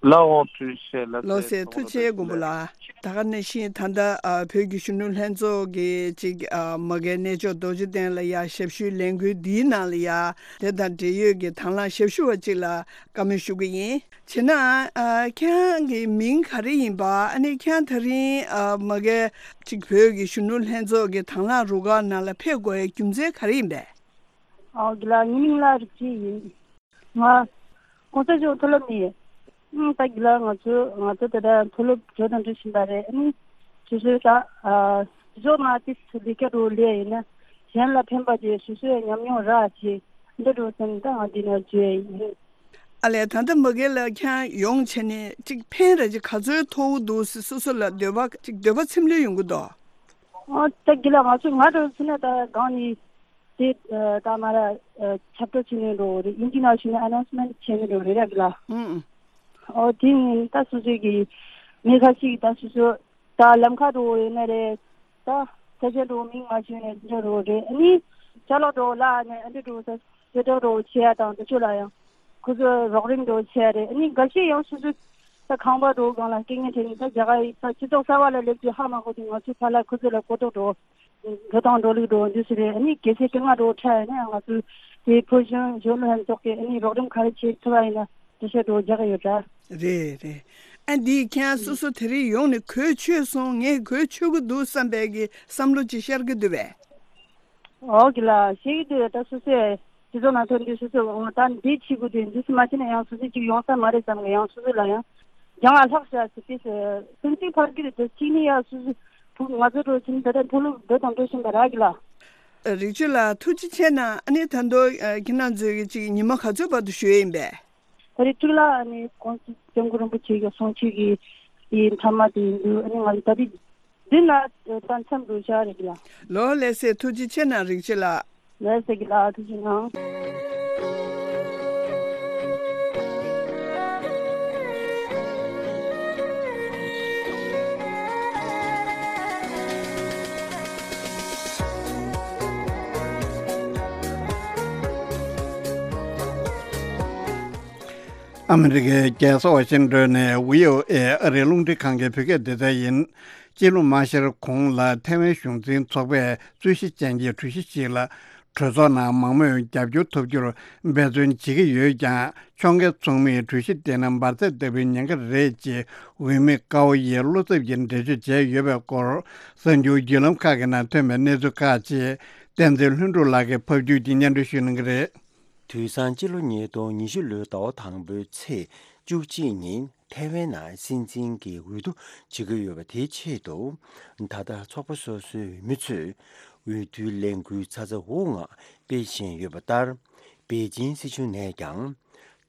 ལགས་འོང་། ཐུགས་རྗེ་ཆེ་ལགས། ལགས་སེ། ཐུགས་རྗེ་ཆེ་མགོན་པོ་ལགས། ད་ག་ནང་བཞིན་ད་ལྟ་ཨ་བོད་ཀྱི་གཞོན་ནུ་ལྷན་ཚོགས་ཀྱི་ཅིག་ཨ་མ་གིའི་གནས་མཆོག་རྡོ་རྗེ་གདན་ལ་ཡ་ཞབས་ཞུའི་ལས་འགུལ་འདིའི་ནང་ལ་ཡ་དེ་དང་འབྲེལ་ཡོད་ཀྱི་དང་བླངས་ཞབས་ཞུ་བ་ཅིག་ལ་བཀའ་མོལ་ཞུ་གི་ཡིན། བྱས་ན་ཨ་ཁྱེད་རང་གི་མིང་ག་རེ་ཡིན་པ། ཨ་ནི་ཁྱེད་རང་ད་རིང་ཨ་མ་གིའི་ཅིག་བོད་ཀྱི་གཞོན་ནུ་ལྷན་ཚོགས་ཀྱི་དང་བླངས་རུ་ཁག་ནང་ལ་ཕེབས་དགོས་ཡའི་རྒྱུ་མཚན་ག་རེ་ཡིན་པས། ཨོ་དགེ་ལགས། ངའི་མིང་ལ་རིག་བྱེད་ཡིན། ང་གོང་ས་མཆོག་མཐོ་སློབ་ནས། ཨང་། ད་གི་ལ་ང་ཚོ་ང་ཚོ་ད་ལྟ་མཐོ་སློབ་གྲོལ་དང་འགྲོ་བཞིན་པ་རེད། ཨ་ནི་སོ་སོའི་ད་ཨ་སོ་སོ་ང་ཏི་སི་ལས་ཀ་འགྲོ་ལས་ཡིན་ན་གཞན་ལ་ཕན་པ་དེ་སོ་སོའི་ཉམས་མྱོང་རག་བྱེད་འདི་འགྲོ་ཙམ་ད་ང་འདི་ན་བརྗོད་ཡིན། ཨ་ལས། ད་ལྟ་མ་གི་ལ་ཁྱེད་ཡོང་བྱས་ནས་ཅིག་ཕན་ར་ཅིག་ག་ཚོད་ཐོགས་འདུག་སོ་སོ་ལ་འདོད་པ་ཅིག་འདོད་པ་ཚིམ་ལོས་ཡོང་གི་འདུག་ཨ་ད་གི་ལ་ང་ཚོ་ང་འགྲོ་ཟིན་ན་ད་གང་ནས། དེ་ད་མ་ར་ཁྱབ་བསྒྲགས་བྱེད་ནས་འགྲོ་རེད། ཨིན་ཇི་ནང་བཞིན་ཨ་ནའུན་སི་མེན་ཊི་བྱེད་ནས་འགྲོ་རེད་ར་གི་ལ། ཨང་། ཨོ་དེ་ནི་ད་སོ་སོའི་གི་མི་ཁ་ཤས་ཀྱི་ད་སོ་སོ་ད་ལམ་ཁ་འགྲོ་ཡོད་ན་རེད། ད་ས་ཆ་འགྲོ་མིང་མ་ཤེས་ནས་འགྲོ་རོགས་རེད། ཨ་ནི་ཅ་ལག་འགྲོ་ལ་ནས་ཨ་འདྲ་འགྲོ་ས་ཟེ་འགྲོ་རོགས་བྱེད་ཡ་དང་དེ་ཚོ་ལ་ཡང་ཁོ་ཚོ་རོགས་རམ་འགྲོ་བྱེད་ཡ་རེད། ཨ་ནི་འགའ་ཤས་ཡང་སོ་སོ་ད་ཁང་པ་འགྲོ་སྒང་ལ་རྐྱེན་ངན་འཕྲད་ནས་ད་རྒྱ་གར་ཡི་ད་སྤྱི་ཚོགས་གསར་བ་ལ་སླེབས་དུས་ཧ་མ་གོ་དུས་ང་ཚོའི་ཕར་ལ་ཁོ་ཚོ་ལ་གོ་རྟོགས་འགྲོ། འགྲོ་དང་འགྲོ་ལུགས་འགྲོ་འདུག་སེ་རེད། ཨ་ནི་གལ་སྲིད་དཀའ་ངལ་འགྲོ་འཕྲད་ཡོད་ན་ང་ཚོའི་དེ་བོད་གཞོན་གཞོན་ནུ་ལྷན་ཚོགས་ཀྱིས་ཨ་ནི་རོགས་རམ་ག་རེ་བྱེད་ཐུབ་པ་ཡིན་ན་འགྲེལ་བཤད་འགྲོ་རྒྱག་གི་ཡོད་འདྲ། རེད་རེད། ཨ་འདི་ཁྱེད་སོ་སོ་དེ་རིང་ཡོང་ནས་གོ་ཆོད་སོང་། ངས་གོ་ཆོད་ཀྱི་འདུག་བསམ་པའི་གི་བསམ་བློ་ཅིག་ཤར་གྱི་འདུག་པས། འོ་གི་ལ་ཤེས་ཀྱི་འདུག་ད་སོ་སོས་སྤྱི་ཚོགས་ནང་ཐོན་དུས་སོ་སོས་འོ་ད་འདི་བྱེད་དགོས་དུས་འདི་སུ་མ་བྱས་ན་ཡང་སོ་སོ་ཅིག་ཡོང་ས་མ་རེད་བསམ་གི་ཡང་སོ་སོ་ལ་ཡང་། ཡང་ཨ་ལྷག་བྱ་ཟེར་ཏེ་སེམས་ཅན་ཕར་གྱི་རེད་དེ་གཅིག་ནི་ཡ་སུ་སུ་ཕུག་ང་ཚོ་འགྲོ་ཕྱིན་ད་ལྟ་མཐོ་སློབ་འགྲོ་དང་འགྲོ་བཞིན་པ་རག་གི་ལ། རིག་ཆུ་ལགས་ཐུགས་རྗེ་ཆེ་གནང་། ཨ་ནི་ད་དུང་ཁྱེད་རང་ཚོའི་གཅིག་ཉི་མ་ག་ཚོད་བར་དུ་བཞུགས་ཡིན་པས། ད་རེས་གཅིག་ལ་ཨ་ནི་ཁོང་ཚོ་སྐྱབས་མགོན་རིན་པོ་ཆེ་གི་གསུང་ཆོས་ཀྱི་དེའི་མཐའ་མ་དེ་ཡིན་དུས་ཨ་ནི་ང་ཚོ་ད་རེས་འདི་ན་ད་མཚམས་འགྲོ་བཞག་རེད་གི་ལ། ལོ་ལེགས་སེ་ཐུགས་རྗེ་ཆེ་གནང་རིག་ཆུ་ལགས། ལགས་སོ་གི་ལགས། ཐུགས་རྗེ་གནང་། ཨ་མི་རི་ཀའི་རྒྱལ་ས་ཝ་ཤིང་ཏོན་ནས་བྷི་ཨོ་ཨེ་ཨ་རིའི་རླུང་འཕྲིན་ཁང་གི་བོད་སྐད་སྡེ་ཚན་ཡིན། སྤྱི་ལོ་མ་ཤར་གོང་ལ་ཐའེ་ཝན་གཞུང་འཛིན་ཚོགས་པས་རྩོད་གཞི་ཅན་གྱི་གྲོས་གཞི་ཞིག་ལ། གྲོས་ཚོགས་ནང་མང་མོས་རྒྱབ་སྐྱོར་ཐོབ་རྒྱུར་འབད་བརྩོན་བྱེད་ཀྱི་ཡོད་ཀྱང་། ཕྱོགས་འགལ་ཚོགས་མིས་གྲོས་གཞི་དེ་ནི་འབར་རྫས་ལྟ་བུའི་ཉེན་ཁ་རེད་ཅེས་འོས་མི་ཀའོ་ཡིས་བློ་འཚབ་ཀྱི་འགྲེལ་བརྗོད་བྱས་ཡོད་པའི་སྐོར། གསར་འགྱུར་བརྒྱུད་ལམ་ཁག་གི་ནང་ཐོན་པའི་གནས་ཚུལ་ཁག་ཅིག་བསྟན་འཛིན་ལྷུན་གྲུབ་ལགས་ཀྱིས་ཕབ་བསྒྱུར་གྱིས་སྙན་སྒྲོན་ཞུ་གནང་གི་རེད། དུས་སང་སྤྱི་ལོ་ཉིས་སྟོང་ཉི་ཤུ་ལོའི་ཟླ་བ་དང་པོའི་ཚེས་ བཅུ་གཅིག་ཉིན་ཐའེ་ཝན་ནང་སྲིད་འཛིན་གྱི་འོས་བསྡུ་བྱེད་ཀྱི་ཡོད་པ་དེའི་ཆེད་དུ། ད་ལྟ་ཚོགས་པ་སོ་སོའི་འོས་མི་ཚོས་འོས་བསྡུའི་ལས་འགུལ་ཚ་ཚ་འུར་འུར་ངང་སྤེལ་བཞིན་ཡོད་པ་ལྟར། པེ་ཅིན་སྲིད་གཞུང་ནས་ཀྱང་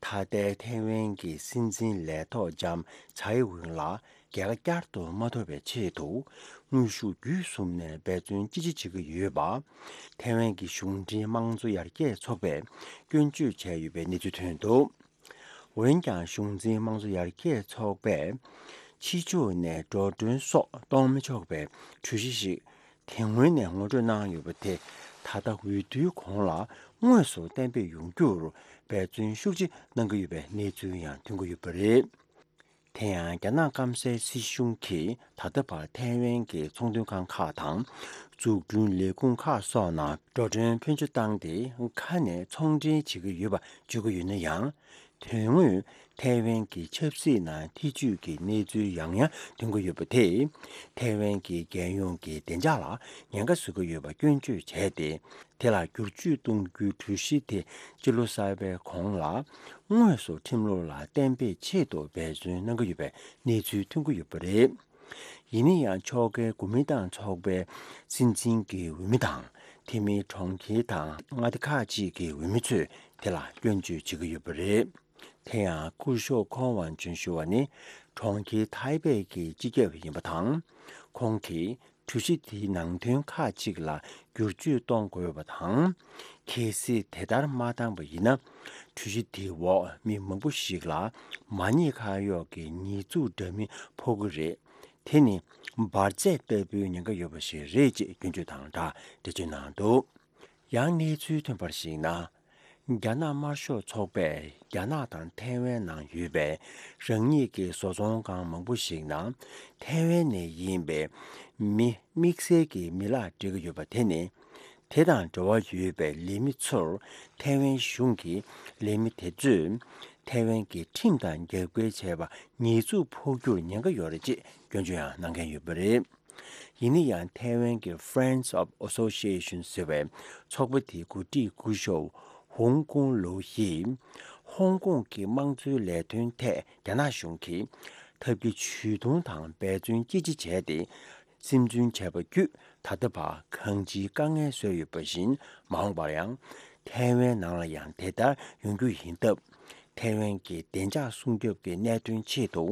ད་ལྟའི་ཐའེ་ཝན་གྱི་སྲིད་འཛིན་ལས་ཐོག་ལྕམ་ཚའེ་ཝེན་ལ་རྒྱལ་ཁ་བསྐྱར་དུ་མ་ཐོབ་པའི་ཆེད་དུ་དངོས་ཤུགས་བརྒྱུད་གསུམ་ནས་འབད་བརྩོན་ཅི་ཆེ་བྱེད་ཀྱི་ཡོད་པ། ཐའེ་ཝན་གྱི་གཞུང་འབྲེལ་དམངས་གཙོ་ཡར་རྒྱས་ཚོགས་པས་སྐྱོན་བརྗོད་བྱས་ཡོད་པའི་གནས་ཚུལ་ཐོན་འདུག། འོན་ཀྱང་གཞུང་འཛིན་དམངས་གཙོ་ཡར་རྒྱས་ཚོགས་པས་ཕྱི་ཕྱོགས་ནས་འགྲོ་གྲོན་སོགས་གཏོང་མི་ཆོག་པའི་གྲོས་གཞི་ཞིག་དེ་སྔོན་ནས་ངོ་སྤྲོད་གནང་ཡོད་པ་དེ། ད་ལྟ་འོས་བསྡུའི་གོང་ལ་དངོས་སུ་གཏན་འབེབས་ཡོང་རྒྱུར་འབད་བརྩོན་ཤུགས་ཆེ་གནང་གི་ཡོད་པའི་གནས་ཚུལ་ཡང་ཐོན་གྱི་ཡོད་པ་རེད། དེ་ཡང་རྒྱ་ནག་སྐམ་སའི་སྲིད་གཞུང་གིས་ད་ལྟ་བར་ཐའེ་ཝན་གྱི་ཚོང་དོན་ཁང་ཁག་དང་འཛུགས་སྐྲུན་ལས་ཁུངས་ཁག་སོགས་ནང་འགྲོ་གྲོན་ཕོན་ཆེ་བཏང་སྟེ་ཁ་ནས་ཚོང་འབྲེལ་བྱེད་ཀྱི་ཡོད་པ་བརྗོད་ཀྱི་ཡོད་ན་ཡང་། དོན་དངོས་ཐའེ་ཝན་གྱི་ཆབ་སྲིད་ནང་ཐེ་ཇུས་ཀྱི་གནས་ཚུལ་ཡང་ཡང་ཐོན་གྱི་ཡོད་པ་དེས། ཐའེ་ཝན་གྱི་རྒྱལ་ཡོངས་ཀྱི་བདེ་འཇགས་ལ་ཉེན་ཁ་བཟོ་གི་ཡོད་པ་སྐྱོན་བརྗོད་བྱས་ཏེ། དེ་ལ་བསྒྱུར་བཅོས་གཏོང་རྒྱུའི་གྲོས་གཞི་དེ་སྤྱི་ལོ་གསར་པའི་གོང་ལ་དངོས་སུ་ཁྲིམས་ལུགས་ལ་གཏན་འབེབས་ཆེད་དུ་འབད་བརྩོན་གནང་གི་ཡོད་པའི་གནས་ཚུལ་ཐོན་གྱི་ཡོད་པ་རེད། ཡིན་ན་ཡང་ཕྱོགས་འགལ་གོ་མིན་ཏང་ཚོགས་པའི་སྲིད་འཛིན་གྱི་འོས་མི་དང་། དེ་མིན་གྲོང་ཁྱེར་དང་མངའ་སྡེ་ཁག་ཅིག་གི་འོས་མི་ཚོས་དེ་ལ་སྐྱོན་བརྗོད་བྱེད་ཀྱི་ཡོད་པ་རེད། དེ་ཡང་སྐུ་ཞབས་ཁོང་ཝང་ཅུན་ཞུ་བ་ནི་གྲོང་ཁྱེར་ཐའེ་པེ་གི་སྤྱི་ཁྱབ་ཡིན་པ་དང་། ཁོང་གིས་གྲོས་གཞི་དེའི་ནང་དོན་ཁག་ཅིག་ལ་བསྒྱུར་བཅོས་གཏོང་དགོས་པ་དང་། གལ་སྲིད་དེ་ལྟར་མ་བཏང་པ་ཡིན་ན། གྲོས་གཞི་དེའི་འོག་མི་མང་པོ་ཞིག་ལ་མ་ཉེས་ཁ་གཡོགས་ཀྱི་ཉེས་འཛུགས་འདྲ་མིན་ཕོག་གི་རེད། དེ་ནི་འབར་རྫས་ལྟ་བུའི་ཉེན་ཁ་ཡོད་པ་ཞིག་རེད་ཅེས་སྐྱོན་བརྗོད་དང་སྦྲགས་འགྲེལ་བརྗོད་གནང་འདུག། ཡང་གནས་ཚུལ་ཐོན་པར་གཞིགས་ན། རྒྱ་ནག་དམར་ཤོག་ཚོགས་པས་རྒྱ་ནག་དང་ཐའེ་ཝན་ནང་ཡོད་པའི་རང་ཉིད་ཀྱི་བཟོ་ཚོང་ཁང་མང་པོ་ཞིག་ནང་ཐའེ་ཝན་ནས་ཡིན་པའི་མི་དམིགས་བསལ་གྱི་མི་ལག་སྤྲད་ཀྱི་ཡོད་པ་དེ་ནི། དེ་དང་འབྲེལ་བ་ཡོད་པའི་ལས་མི་ཚོར་ཐའེ་ཝན་གཞུང་གི་ལས་མི་དེ་ཚོས་ཐའེ་ཝན་གྱི་ཁྲིམས་དང་རྒྱབ་འགལ་བྱས་པ་ཉེས་འཛུགས་ཕོག་རྒྱུར་ཉེན་ཁ་ཡོད་རེད་ཅེས་སྐྱོན་བརྗོད་ཡང་གནང་མཁན་ཡོད་པ་རེད། ཡིན་ན་ཡང་ཐའེ་ཝན་གྱི་Friends of Association ཟེར་བའི་ཚོགས་པ་དེའི་འགོ་ཁྲིད་སྐུ་ཞབས་ཧོང་ཀོང་ལོ་ཡིས་ཧོང་ཀོང་གི་དམངས་གཙོའི་ལས་དོན་ཐད་རྒྱ་ནག་གཞུང་གིས་ཐབས་ཀྱི་ཇུས་གཏོང་དང་འབད་བརྩོན་ཅི་ཆེ་བྱས་ཏེ། སིམ་འཛུལ་བྱས་པ་བརྒྱུད་ད་ལྟ་བར་གང་ཅིའི་དཀའ་ངལ་བཟོས་ཡོད་པ་བཞིན། མ་འོངས་པར་ཡང་ཐའེ་ཝན་ནང་ལ་ཡང་དེ་ལྟར་ཡོང་རྒྱུ་ཡིན་སྟབས། ཐའེ་ཝན་གྱི་བདེ་འཇགས་སྲུང་སྐྱོབ་ཀྱི་གནད་དོན་ཆེད་དུ་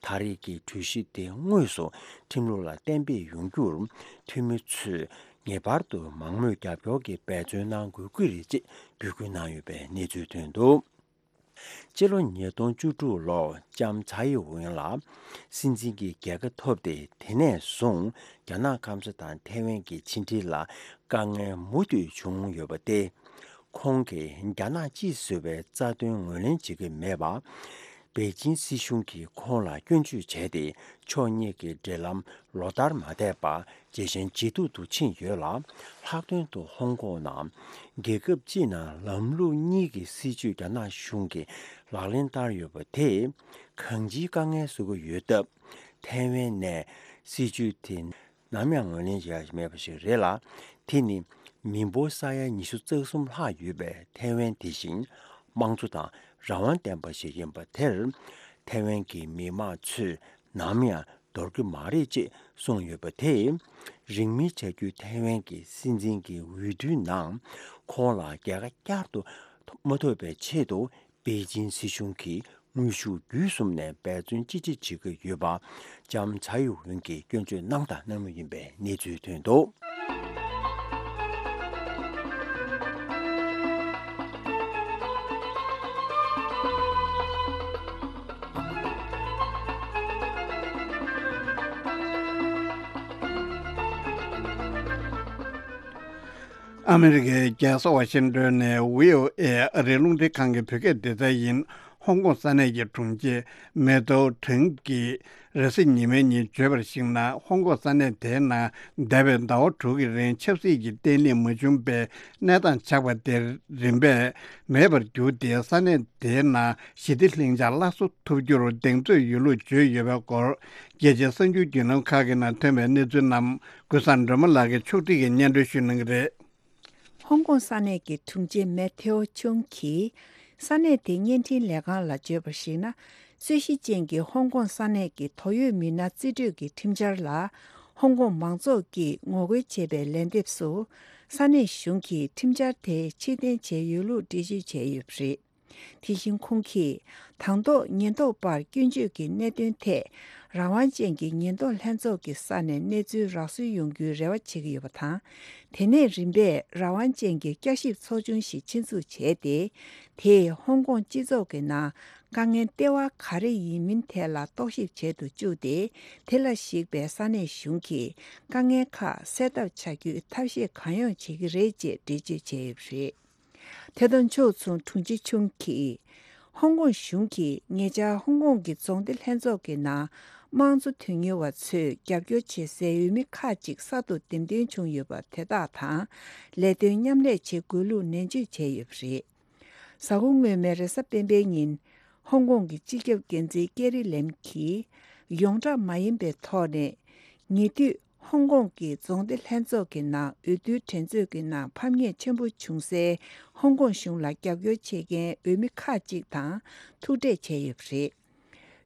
ད་རེས་ཀྱི་གྲོས་གཞི་དེ་དངོས་སུ་ཁྲིམས་ལུགས་ལ་གཏན་འབེབས་ཡོང་རྒྱུར་འཐུས་མི་ཚོས་ངེས་པར་དུ་མང་མོས་རྒྱབ་སྐྱོར་གྱི་འབད་བརྩོན་གནང་དགོས་ཀྱི་རེད་ཅེས་འབོད་སྐུལ་གནང་ཡོད་པའི་གནས་ཚུལ་ཐོན་འདུག། སྤྱི་ལོ་ཉིས་སྟོང་བཅུ་དྲུག་ལོར་ལྕམ་ཚའེ་ཝེན་ལ་སྲིད་འཛིན་གྱི་རྒྱལ་ཁ་ཐོབ་སྟེ། དེ་ནས་བཟུང་རྒྱ་ནག་སྐམ་ས་དང་ཐའེ་ཝན་གྱི་ཕྱི་འབྲེལ་ལ་དཀའ་ངལ་མུ་མཐུད་བྱུང་ཡོད་པ་སྟེ། ཁོང་གིས་རྒྱ་ནག་སྤྱི་བཟོ་བའི་རྩ་དོན་ངོས་ལེན་བྱེད་ཀྱི་མེད་པ། པེ་ཅིན་སྲིད་གཞུང་གིས་ཁོང་ལ་སྐྱོན་བརྗོད་བྱས་ཏེ། ཕྱོགས་གཉིས་ཀྱི་འབྲེལ་ལམ་ལོ་ལྟར་མ་བསྡད་པར་ཇེ་ཞན་ཇེ་སྡུག་ཏུ་ཕྱིན་ཡོད་ལ། ལྷག་དོན་དུ་ཧོང་ཀོང་ནང་རྒྱལ་ཁབ་སྤྱི་ནང་ལམ་ལུགས་གཉིས་ཀྱི་སྲིད་བྱུས་རྒྱ་ནག་གཞུང་གིས་ལག་ལེན་བསྟར་ཡོད་པ་དེས་གང་ཅིའི་དཀའ་ངལ་བཟོ་གི་ཡོད་སྟབས། ཐའེ་ཝན་ནས་སྲིད་བྱུས་དེ་ནམ་ཡང་ངོས་ལེན་བྱེད་ཡ་མེད་པ་ཞིག་རེད་ལ། དེ་ནི་མི་འབོར་ས་ཡ་ཉི་ཤུ་རྩ་གསུམ་ལྷག་ཡོད་པའི་ཐའེ་ཝན་དེ་བཞིན་དམངས་གཙོ་དང་རང་དབང་ལྡན་པ་ཞིག་ཡིན་པ་དེར། ཐའེ་ཝན་གྱི་མི་དམངས་ཚོས་ནམ་ཡང་འདོར་གྱི་མ་རེད་ཅེས་གསུངས་ཡོད་པ་དེས། རིང་མིན་བྱ་རྒྱུའི་ཐའེ་ཝན་གྱི་སྲིད་འཛིན་གྱི་འོས་བསྡུའི་ནང་ཁོང་ལ་རྒྱལ་ཁ་བསྐྱར་དུ་མ་ཐོབ་པའི་ཆེད་དུ། པེ་ཅིན་སྲིད་གཞུང་གིས་དངོས་ཤུགས་བརྒྱུད་གསུམ་ནས་འབད་བརྩོན་ཅི་ཆེ་བྱེད་ཀྱི་ཡོད་པ། ལྕམ་ཚའེ་ཝེན་གྱིས་སྐྱོན་བརྗོད་གནང་དང་གནང་མུས་ཡིན་པའི་གནས་ཚུལ་ཐོན་འདུག། ཨ་མི་རི་ཀའི་རྒྱལ་ས་ཝ་ཤིང་ཏོན་ནས་བྷི་ཨོ་ཨེ་ཨ་རིའི་རླུང་འཕྲིན་ཁང་གི་བོད་སྐད་སྡེ་ཚན་ཡིན། ཧོང་ཀོང་ས་གནས་ཀྱི་དྲུང་ཆེ་མེ་ཏོ་ཁྲེང་གིས་རེས་གཟའ་ཉི་མའི་ཉིན་བརྗོད་པར་གཞིགས་ན། ཧོང་ཀོང་ས་གནས་དེའི་ནང་འདས་པའི་ཟླ་བ་དྲུག་གི་རིང་ཆབ་སྲིད་ཀྱི་བརྟན་ལྷིང་མ་བྱུང་བའི་གནས་སྟངས་ཆགས་པ་དེར་རིམ་པས་མེད་པར་གྱུར་ཏེ། ས་གནས་དེའི་ནང་ཞི་བདེ་ལྷིང་འཇགས་སླར་གསོ་ཐུབ་རྒྱུར་གདེང་ཚོད་ཡོད་ལུགས་བརྗོད་ཡོད་པའི་སྐོར། རྒྱལ་སྤྱིའི་གསར་འགྱུར་བརྒྱུད་ལམ་ཁག་གི་ནང་ཐོན་པའི་གནས་ཚུལ་རྣམས་ཀུན་བཟང་སྒྲོལ་མ་ལགས་ཀྱིས་ཕྱོགས་སྒྲིག་གིས་སྙན་སྒྲོན་ཞུ་གནང་གི་རེད། ཧོང་ཀོང་ས་གནས་ཀྱི་དྲུང་ཆེ་མེ་ཐེའོ་ཆུང་གིས། ས་གནས་དེའི་བརྙན་འཕྲིན་ལས་ཁང་ལ་བརྗོད་པར་གཞིགས་ན། རྩོད་གཞི་ཅན་གྱི་ཧོང་ཀོང་ས་གནས་ཀྱི་དོགས་ཡོད་མི་སྣ་རྩིས་སྤྲོད་ཀྱི་ཁྲིམས་འཆར་ལ། ཧོང་ཀོང་མང་ཚོགས་ཀྱིས་ངོ་རྒོལ་བྱས་པའི་ལན་འདེབས་སུ། ས་གནས་གཞུང་གིས་ཁྲིམས་འཆར་དེ་ཕྱིར་འཐེན་བྱས་ཡོད་ལུགས་འགྲེལ་བརྗོད་བྱས་ཡོད་པ་རེད། དེ་བཞིན་ཁོང་གིས། དང་ཐོག་ཉེན་རྟོག་པར་སྐྱོན་བརྗོད་ཀྱི་གནད་དོན་ཐད། རང་དབང་ཅན་གྱི་ཉེན་རྟོག་ལྷན་ཚོགས་ཀྱི་ས་ནས་གནས་ཚུལ་རག་སོན་ཡོང་རྒྱུའི་རེ་བ་བྱེད་ཀྱི་ཡོད་པ་དང་། དེ་ནས་རིམ་པས་རང་དབང་ཅན་གྱི་བསྐྱར་ཞིབ་ཚོགས་ཆུང་ཞིག་ཆེད་འཛུགས་བྱས་ཏེ། དེས་ཧོང་ཀོང་སྤྱི་ཚོགས་ཀྱི་ནང་དཀའ་ངལ་ལྟེ་བ་ག་རེ་ཡིན་མིན་ཐད་ལ་རྟོག་ཞིབ་བྱེད་དུ་བཅུག་སྟེ། དེ་ལ་གཞིགས་པའི་ས་གནས་གཞུང་གིས་དཀའ་ངལ་ཁག་སེལ་ཐབས་བྱ་རྒྱུའི་ཐབས་ཤེས་གང་ཡོང་བྱེད་ཀྱི་རེད་ཅེས་འགྲེལ་བརྗོད་བྱས་ཡོད་པ་རེད། དེ་དང་ཕྱོགས་མཚུངས་དྲུང་ཆེ་ཆུང་གིས། ཧོང་ཀོང་གཞུང་གིས་ཉེ་ཆར་ཧོང་ཀོང་གི་རྫོང་སྡེ་ལྷན་ཚོགས་ཀྱི་ནང་དམངས་གཙོ་དོན་གཉེར་བ་ཚོས་རྒྱབ་སྐྱོར་བྱེད་སའི་འོས་མི་ཁག་ཅིག་གསར་དུ་འདེམས་ཐོན་བྱུང་ཡོད་པ་དེ་དག་དང་ལས་དོན་མཉམ་ལས་བྱེད་དགོས་ལུགས་ནན་བརྗོད་བྱས་ཡོད་པ་རེད། གཟའ་འཁོར་སྔོན་མའི་རེས་གཟའ་སྤེན་པའི་ཉིན། ཧོང་ཀོང་གི་སྤྱི་ཁྱབ་འགན་འཛིན་ཀེ་རི་ལེམ་གྱིས་ཡོངས་གྲགས་མ་ཡིན་པའི་ཐོག་ནས། ཉེ་དུས་ཧོང་ཀོང་གི་རྫོང་སྡེ་ལྷན་ཚོགས་ཀྱི་ནང་འོས་བསྡུའི་འགྲན་རྩོད་ཀྱི་ནང་ཕམ་ཉེས་ཆེན་པོ་བྱུང་སའི་ཧོང་ཀོང་གཞུང་ལ་རྒྱབ་སྐྱོར་བྱེད་མཁན་འོས་མི་ཁག་ཅིག་དང་ཐུག་འཕྲད་བྱས་ཡོད་པ་རེད།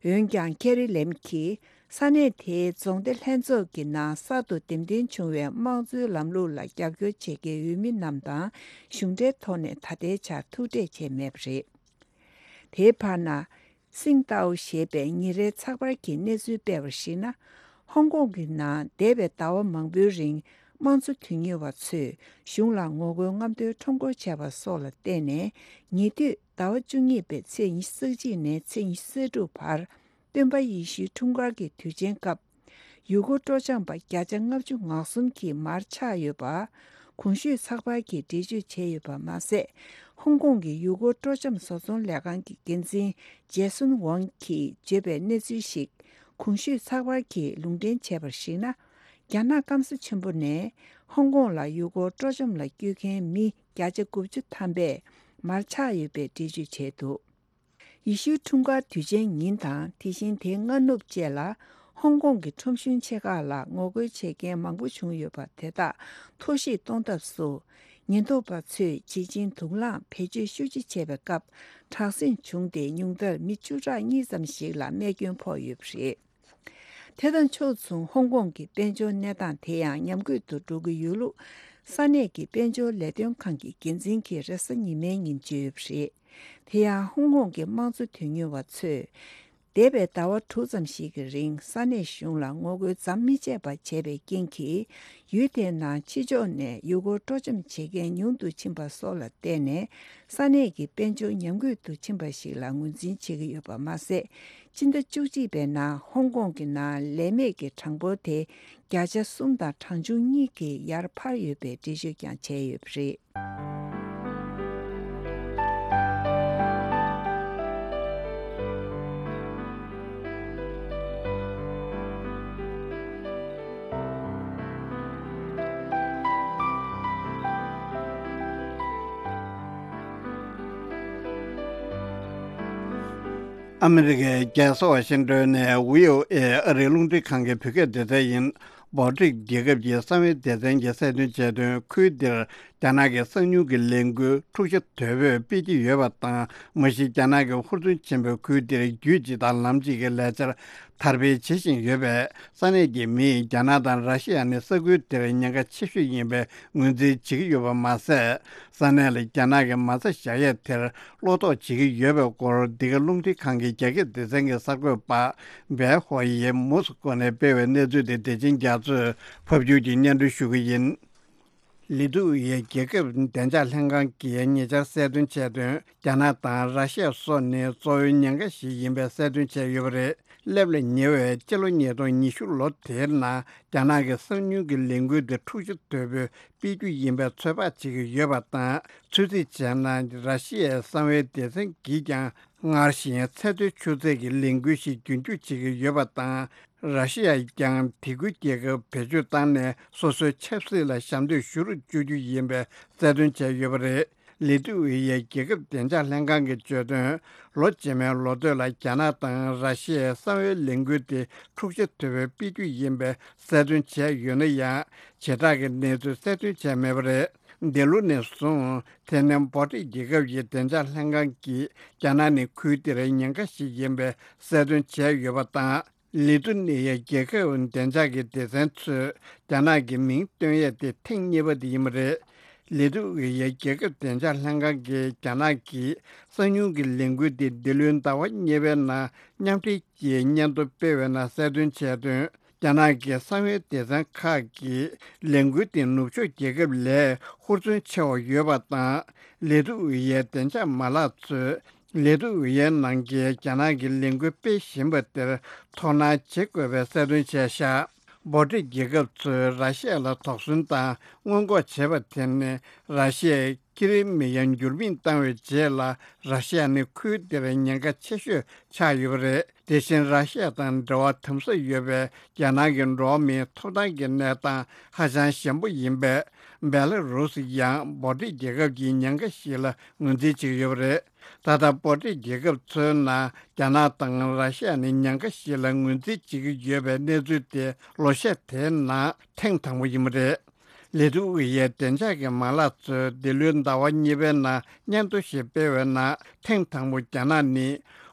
འོན་ཀྱང་ཁེ་རི་ལེམ་གྱིས་ས་གནས་དེའི་རྫོང་སྡེ་ལྷན་ཚོགས་ཀྱི་ནང་གསར་དུ་འདེམས་ཐོན་བྱུང་བའི་དམངས་གཙོའི་ལམ་ལུགས་ལ་རྒྱབ་སྐྱོར་བྱེད་མཁན་འོས་མི་རྣམས་དང་གཞུང་འབྲེལ་ཐོག་ནས་ད་ལྟའི་ཆར་ཐུག་འཕྲད་བྱས་མེད་པ་རེད། དེའི་བར་ན། སིང་ཏའོ་ཞེས་པའི་ཉིན་རེའི་ཚགས་པར་གྱིས་གནས་ཚུལ་སྤེལ་བར་གཞིགས་ན། ཧོང་ཀོང་གི་ནང་འདས་པའི་ཟླ་བ་མང་པོའི་རིང་དམངས་གཙོ་དོན་གཉེར་བ་ཚོས་གཞུང་ལ་ངོ་རྒོལ་རྔམ་སྟོན་ཁྲོམ་སྐོར་བྱས་པ་སོགས་ལ་བརྟེན་ནས། ཉེ་དུས་ཟླ་བ་བཅུ་གཉིས་པའི་ཚེས་ཉི་ཤུ་རྩ་གཅིག་ནས་ཚེས་ཉི་ཤུ་རྩ་དྲུག་བར། སྟོན་པ་ཡེ་ཤུའི་འཁྲུངས་སྐར་གྱི་དུས་ཆེན་སྐབས། ཡུལ་སྐོར་སྤྲོ་འཆམ་པ་བརྒྱ་ཆ་ལྔ་བཅུ་ང་གསུམ་གྱིས་མར་ཆག་ཡོད་པ། གོང་ཞུས་ཚགས་པར་གྱིས་འགྲེལ་བརྗོད་བྱས་ཡོད་པ་མ་ཟད། ཧོང་ཀོང་གི་ཡུལ་སྐོར་སྤྲོ་འཆམ་བཟོ་ཚོང་ལས་ཁང་གི་འགན་འཛིན་ཇེ་སུན་ཝང་གིས་བརྗོད་པའི་གནས་ཚུལ་ཞིག་གོང་ཞུས་ཚགས་པར་གྱིས་ལུང་འདྲེན་བྱས་པར་གཞིགས་ན། རྒྱ་ནག་སྐམ་ས་ཆེན་པོ་ནས་ཧོང་ཀོང་ལ་ཡུལ་སྐོར་སྤྲོ་འཆམ་ལ་བསྐྱོད་མཁན་མི་བརྒྱ་ཆ་དགུ་བཅུ་ཐམ་པས་མར་ཆག་ཡོད་པའི་འགྲེལ་བརྗོད་བྱས་འདུག་ཡེ་ཤུའི་འཁྲུངས་སྐར་དུས་ཆེན་ཉིན་དང་དེ་བཞིན་དེའི་སྔ་ནུབ་བཅས་ལ། ཧོང་ཀོང་གི་ཁྲོམ་གཞུང་ཆེ་ཁག་ལ་ངོ་རྒོལ་བྱེད་མཁན་མང་པོ་བྱུང་ཡོད་པ་དེ་དག་ཐོར་ཞིག་གཏོང་ཐབས་སུ། ཉེན་རྟོག་པ་ཚོས་ཇི་བཞིན་དུག་རླངས་བེད་སྤྱོད་ཤུགས་ཆེ་བྱས་པའི་སྐབས། དྲག་ཟིང་བྱུང་སྟེ་ཉུང་མཐར་མི་བཅུ་ཕྲག་གཉིས་ཙམ་ཞིག་ལ་རྨས་སྐྱོན་ཕོག་ཡོད་པ་རེད། དེ་དང་ཕྱོགས་མཚུངས་ཧོང་ཀོང་གི་དཔལ་འབྱོར་གནས་སྟངས་དེ་ཡང་ཉམས་རྒུད་དུ་འགྲོ་གི་ཡོད་ལུགས། ས་གནས་ཀྱི་དཔལ་འབྱོར་ལས་དོན་ཁང་གི་འགན་འཛིན་གྱིས་རེས་གཟའ་ཉི་མའི་ཉིན་བརྗོད་ཡོད་པ་རེད། དེ་ཡང་ཧོང་ཀོང་གི་དམངས་གཙོ་དོན་གཉེར་བ་ཚོས། འདས་པའི་ཟླ་བ་དྲུག་ཙམ་ཞིག་གི་རིང་ས་གནས་གཞུང་ལ་ངོ་རྒོལ་མཚམས་མི་ཆད་པ་བྱས་པའི་རྐྱེན་གྱིས། ཡུལ་དེའི་ནང་ཕྱི་ཕྱོགས་ནས་ཡུལ་སྐོར་སྤྲོ་འཆམ་བྱེད་མཁན་ཉུང་དུ་ཕྱིན་པ་སོགས་ལ་བརྟེན་ནས། ས་གནས་ཀྱི་དཔལ་འབྱོར་ཉམས་རྒུད་དུ་ཕྱིན་པ་ཞིག་ལ་ངོས་འཛིན་བྱེད་ཀྱི་ཡོད་པ་མ་ཟད། སྤྱི་ཟླ་བཅུ་གཅིག་པའི་ནང་ཧོང་ཀོང་གི་ནང་ལས་མེད་ཀྱི་གྲངས་འབོར་དེ་བརྒྱ་ཆ་གསུམ་དང་གྲངས་ཆུང་གཉིས་ཀྱིས་ཡར་འཕར་ཡོད་པའི་འགྲེལ་བརྗོད་ཀྱང་བྱས་ཡོད་པ་རེད། ཨ་མི་རི་ཀའི་རྒྱལ་ས་ཝ་ཤིང་ཏོན་ནས་བྷི་ཨོ་ཨེ་ཨ་རིའི་རླུང་འཕྲིན་ཁང་གི་བོད་སྐད་སྡེ་ཚན་ཡིན། སྦོ་ཊིག་རྒྱལ་ཁབ་ཀྱི་གསང་བའི་སྡེ་ཚན་གྱིས་གསལ་སྟོན་བྱས་དོན། ཁུལ་འདིར་རྒྱ་ནག་གི་གསང་ཉུལ་གྱི་ལས་འགུལ་འཁྲུག་ཆ་དོད་པོས་སྤེལ་གྱི་ཡོད་པ་དང་། མ་གཞི་རྒྱ་ནག་གི་ཧུར་བརྩོན་ཆེན་པོས་ཁུལ་འདིར་རྒྱུད་གཅིག་དང་ལམ་གཅིག་གི་ལས་འཆར་དར་སྤེལ་བྱེད་བཞིན་ཡོད་པས། ས་གནས་ཀྱི་མིས་རྒྱ་ནག་དང་ར་ཤི་ཡ་ནི་ས་ཁུལ་དེར་ཉེན་ཁ་ཆེ་ཤོས་ཡིན་པའི་ངོས་འཛིན་བྱེད་ཀྱི་ཡོད་པ་མ་ཟད། ས་གནས་ལ་རྒྱ་ནག་གི་མ་རྩ་བཞག་ཡས་དེར་བློ་དོགས་བྱེད་ཀྱི་ཡོད་པའི་སྐོར། འདི་ག་རླུང་འཕྲིན་ཁང་གི་རྒྱ་སྐད་སྡེ་ཚན་གྱི་གསར་འགོད་པ་བེ་ཧོ་ཡིས་མོ་སི་ཀོ་ནས་སྤེལ་བའི་གནས་ཚུལ་དེ་བདེ་ཆེན་རྒྱ་མཚོས་ཕབ་སྒྱུར་གྱིས་སྙན་སྒྲོན་ཞུ་གི་ཡིན། ལི་ཏུ་ཝེ་ཡའི་རྒྱལ་ཁབ་བདེ་འཇགས་ལྷན་ཁང་གིས་ཉེ་ཆར་གསལ་སྟོན་བྱས་དོན། རྒྱ་ནག་དང་ར་ཤི་ཡ་སོགས་ནི་གཙོ་བོའི་ཉེན་ཁ་ཞིག་ཡིན་པའི་གསལ་སྟོན་བྱས་ཡོད་པ་རེད། སླེབས་ལ་ཉེ་བའི་སྤྱི་ལོ་ཉིས་སྟོང་ཉི་ཤུ་ལོ་དེའི་ནང་རྒྱ་ནག་གི་གསང་ཉུལ་གྱི་ལས་འགུལ་དེ་འཁྲུག་ཆ་དོད་པོས་སྤེལ་རྒྱུ་ཡིན་པའི་ཚོད་དཔག་བྱེད་ཀྱི་ཡོད་པ་དང་། ཚོད་རྩིས་བྱས་ན་ར་ཤི་ཡའི་གསང་བའི་སྡེ་ཚན་གྱིས་ཀྱང་སྔར་བཞིན་ཚད་མཐོའི་ཆུ་ཚད་ཀྱི་ལས་འགུལ་ཞིག་རྒྱུན་སྐྱོང་བྱེད་ཀྱི་ཡོད་པ་དང་། ར་ཤི་ཡས་ཀྱང་དེ་ཁུལ་རྒྱལ་ཁབ་བེད་སྤྱོད་བཏང་ནས་སོ་སོའི་ཆབ་སྲིད་ལ་ཞབས་འདེགས་ཞུ་རུ་བཅུག་རྒྱུ་ཡིན་པའི་གསལ་སྟོན་བྱས་ཡོད་པ་རེད། ལི་ཏུ་ཝེ་ཡའི་རྒྱལ་ཁབ་བདེ་འཇགས་ལྷན་ཁང་གིས་བརྗོད་དོན། ལོ་རྗེས་མའི་ལོ་སྟོད་ལ་རྒྱ་ནག་དང་ར་ཤི་ཡའི་གསང་བའི་ལས་འགུལ་དེ་འཁྲུག་ཆ་དོད་པོས་སྤེལ་རྒྱུ་ཡིན་པའི་གསལ་སྟོན་བྱས་ཡོད་ན་ཡང་། བྱེ་བྲག་གི་གནས་ཚུལ་གསལ་སྟོན་བྱས་མེད་པ་རེད། འདི་ལོ་ནས་བཟུང་ཐེ་ནན་བྷོ་ཊི་རྒྱལ་ཁབ་ཀྱི་བདེ་འཇགས་ལྷན་ཁང་གིས་རྒྱ་ནག་ནི་ཁུལ་དེར་ཉེན་ཁ་ཞིག་ཡིན་པའི་གསལ་སྟོན་བྱས་ཡོད་པ་དང་། ལི་ཐུ་ནི་ཡ་རྒྱལ་ཁབ་བདེ་འཇགས་ཀྱི་སྡེ་ཚན་ཚོས་རྒྱ་ནག་གི་མིང་བཏོན་ཡས་དེ་ཐེངས་གཉིས་པ་དེ་ཡིན་པ་རེད། ལི་ཐུ་ཝེ་ཡའི་རྒྱལ་ཁབ་བདེ་འཇགས་ལྷན་ཁང་གིས་རྒྱ་ནག་གིས་གསང་མྱུལ་གྱི་ལས་འགུལ་དེ་འདི་ལོའི་ཟླ་བ་གཉིས་པའི་ནང་མཉམ་འབྲེལ་གྱིས་སྙན་ཐོ་སྤེལ་བའི་ནང་གསལ་སྟོན་བྱས་དོན། རྒྱ་ནག་གི་གསང་བའི་སྡེ་ཚན་ཁག་གིས་ལས་འགུལ་དེ་ནུབ་ཕྱོགས་རྒྱལ་ཁབ་ལས་ཧུར་བརྩོན་ཆེ་བ་ཡོད་པ་དང་། ལི་ཐུ་ཝེ་ཡའི་བདེ་འཇགས་མ་ལག་ཚོས་ལི་ཐུ་ཝེ་ཡའི་ནང་གི་རྒྱ་ནག་གི་ལས་འགུལ་སྤེལ་བཞིན་པ་དེར་དོ་སྣང་བྱེད་དགོས་པའི་གསལ་སྟོན་བྱས་བཞག་བྷོ་ཊི་རྒྱལ་ཁབ་ཚོས་ར་ཤི་ཡ་ལ་དོགས་ཟོན་དང་སྔོན་འགོག་བྱས་པ་དེ་ནི་ར་ཤི་ཡས་ཀི་རི་མི་ཡ་འགྱུར་མེད་བཏང་བའི་རྗེས་ལ་ར་ཤི་ཡ་ནི་ཁུལ་དེར་ཉེན་ཁ་ཆེ་ཤོས་ཆགས་ཡོད་པ་རེད། དེ་བཞིན་ར་ཤི་ཡ་དང་འབྲེལ་བ་དམ་ཟབ་ཡོད་པའི་རྒྱ་ནག་གི་འགྲོ་བ་མིའི་ཐོབ་ཐང་གི་གནས་སྟངས་ཧ་ཅང་ཞན་པོ་ཡིན་པས། སྦེ་ལ་རུ་སི་ཡང་བྷོ་ཊི་རྒྱལ་ཁབ་ཀྱི་ཉེན་ཁ་ཞིག་ལ་ངོས་འཛིན་བྱེད་ཀྱི་ཡོད་པ་རེད། ད་ལྟ་བྷོ་ཊི་རྒྱལ་ཁབ་ཚོའི་ནང་རྒྱ་ནག་དང་ར་ཤི་ཡ་ནི་ཉེན་ཁ་ཞིག་ལ་ངོས་འཛིན་བྱེད་ཀྱི་ཡོད་པའི་གནས་ཚུལ་དེ་ལོ་ཤས་དེའི་ནང་ཐེངས་དང་པོ་ཡིན་པ་རེད། ལི་ཐུ་ཝེ་ཡའི་བདེ་འཇགས་ཀྱི་མ་ལག་ཚོས་འདི་ལོའི་ཟླ་བ་གཉིས་པའི་ནང་སྙན་ཐོ་ཞིག་སྤེལ་བའི་ནང་ཐེངས་དང་པོ་རྒྱ་ནག་ནི་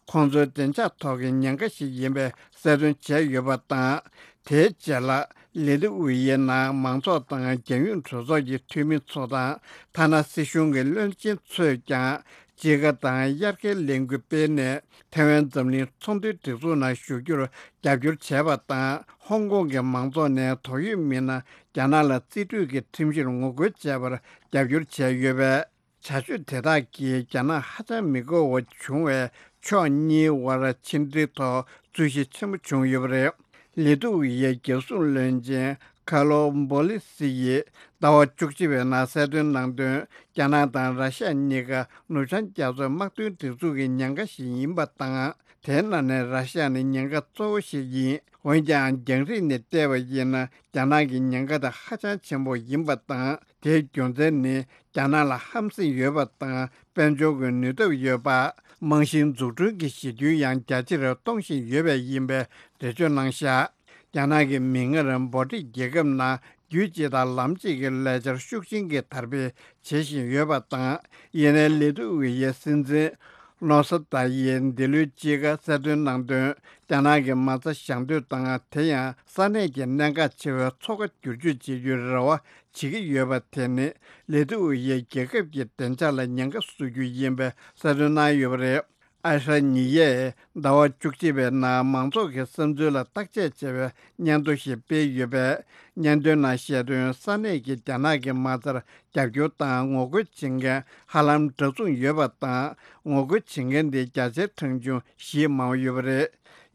ཁོང་ཚོའི་བདེ་འཇགས་ཐོག་གི་ཉེན་ཁ་ཞིག་ཡིན་པའི་གསལ་སྟོན་བྱས་ཡོད་པ་དང་། དེའི་རྗེས་ལ་ལི་ཐུ་ཝེ་ཡའི་ནང་མང་ཚོགས་དང་རྒྱལ་ཡོངས་གྲོས་ཚོགས་ཀྱི་འཐུས་མི་ཚོ་དང་ཐ་ན་སྲིད་གཞུང་གི་བློན་ཆེན་ཚོས་ཀྱང་དཔྱིད་ཀ་དང་དབྱར་ཁའི་ལས་འགུལ་སྤེལ་ནས་ཐེ་ཝན་འཛམ་གླིང་ཚོང་དོན་སྒྲིག་འཛུགས་ནང་ཞུགས་རྒྱུར་རྒྱབ་སྐྱོར་བྱས་པ་དང་། ཧོང་ཀོང་གི་མང་ཚོགས་ནས་དོགས་ཡོད་མི་སྣ་རྒྱ་ནག་ལ་རྩིས་སྤྲོད་ཀྱི་ཁྲིམས་གཞིར་ངོ་རྒོལ་བྱས་པར་རྒྱབ་སྐྱོར་བྱས་ཡོད་པས། བྱ་སྤྱོད་དེ་དག་གིས་རྒྱ་ནག་ཧ་ཅང་མི་དགའ་བ་བྱུང་བས། ཕྱོགས་གཉིས་དབར་ཕྱི་འབྲེལ་ཐོག་རྩོད་གཞི་ཆེན་པོ་བྱུང་ཡོད་པ་རེད། ལི་ཐུ་ཝེ་ཡའི་རྒྱལ་སྲུང་བློན་ཆེན་ཁ་ལོ་འབོ་ལི་སི་ཡིས་ཟླ་བ་བཅུ་གཅིག་པའི་ནང་གསལ་སྟོན་གནང་དོན། རྒྱ་ནག་དང་ར་ཤི་ཡ་གཉིས་ཀ་ནུབ་བྱང་རྒྱ་མཚོའི་དམག་དོན་སྒྲིག་འཛུགས་ཀྱི་ཉེན་ཁ་ཞིག་ཡིན་པ་དང་། དེའི་ནང་ནས་ར་ཤི་ཡ་ནི་ཉེན་ཁ་གཙོ་བོ་ཞིག་ཡིན། འོན་ཀྱང་། རྒྱང་རིང་ནས་བལྟས་པ་ཡིན་ན། རྒྱ་ནག་གི་ཉེན་ཁ་དེ་ཧ་ཅང་ཆེན་པོ་ཡིན་པ་དང་། དེའི་རྒྱུ་མཚན་ནི། རྒྱ་ནག་ལ་ཧམ་སེམས་ཡོད་པ་དང་། དཔལ་འབྱོར་གྱི་ནུས་སྟོབས་ཡོད་པ། རྨང་གཞིའི་འཛུགས་སྐྲུན་གྱི་གཞི་རྒྱུ་ཡང་རྒྱ་ཆེར་གཏོང་བཞིན་ཡོད་པས་ཡིན་པའི་འགྲེལ་བརྗོད་གནང་བཞག་རྒྱ་ནག་གི་མིག་སྔར་བྷོ་ཊི་རྒྱལ་ཁབ་ནང་རྒྱུད་གཅིག་དང་ལམ་གཅིག་གི་ལས་འཆར་ཤུགས་ཆེན་གྱིས་དར་སྤེལ་བྱེད་བཞིན་ཡོད་པ་དང་། ཡིན་ནའི་ལི་ཐུ་ཝེ་ཡའི་སྲིད་འཛིན་ནོ་སོ་ཏཱ་ཡིས་འདི་ལོའི་དཔྱིད་ཀ་གསལ་སྟོན་གནང་དོན། རྒྱ་ནག་གི་མ་རྩ་བཞག་འདོད་དང་། དེ་ཡང་ས་གནས་ཀྱི་གནད་འགག་ཆེ་བའི་མཚོ་ཁ་བསྒྱུར་བཅོས་བྱེད་རྒྱུའི་རེ་བ་བྱེད་ཀྱི་ཡོད་པ་དེ་ནི་ལི་ཐུ་ཝེ་ཡའི་རྒྱལ་ཁབ་ཀྱི་བདེ་འཇགས་ལ་ཉེན་ཁ་བཟོ་རྒྱུ་ཡིན་པའི་གསལ་སྟོན་གནང་ཡོད་པ་རེད། ཨ་ཧྲ་ཉི་ཡས་ཟླ་བ་བཅུ་གཅིག་པའི་ནང་མང་ཚོགས་ཀྱི་བསམ་ཚུལ་ལ་བརྟག་དཔྱད་བྱས་པའི་སྙན་ཐོ་ཞིག་སྤེལ་ཡོད་པས། སྙན་ཐོའི་ནང་བཤད་དོན། ས་གནས་ཀྱི་རྒྱ་ནག་གི་མ་རྩར་རྒྱབ་སྐྱོར་དང་ངོ་རྒོལ་བྱེད་མཁན་ཧ་ལམ་འདྲ་མཚུངས་ཡོད་པ་དང་། ངོ་རྒོལ་བྱེད་མཁན་དེ་བརྒྱ་ཆའི་གྲངས་ཆུང་གཞིས་མང་བོ་ཡོད་པ་རེད།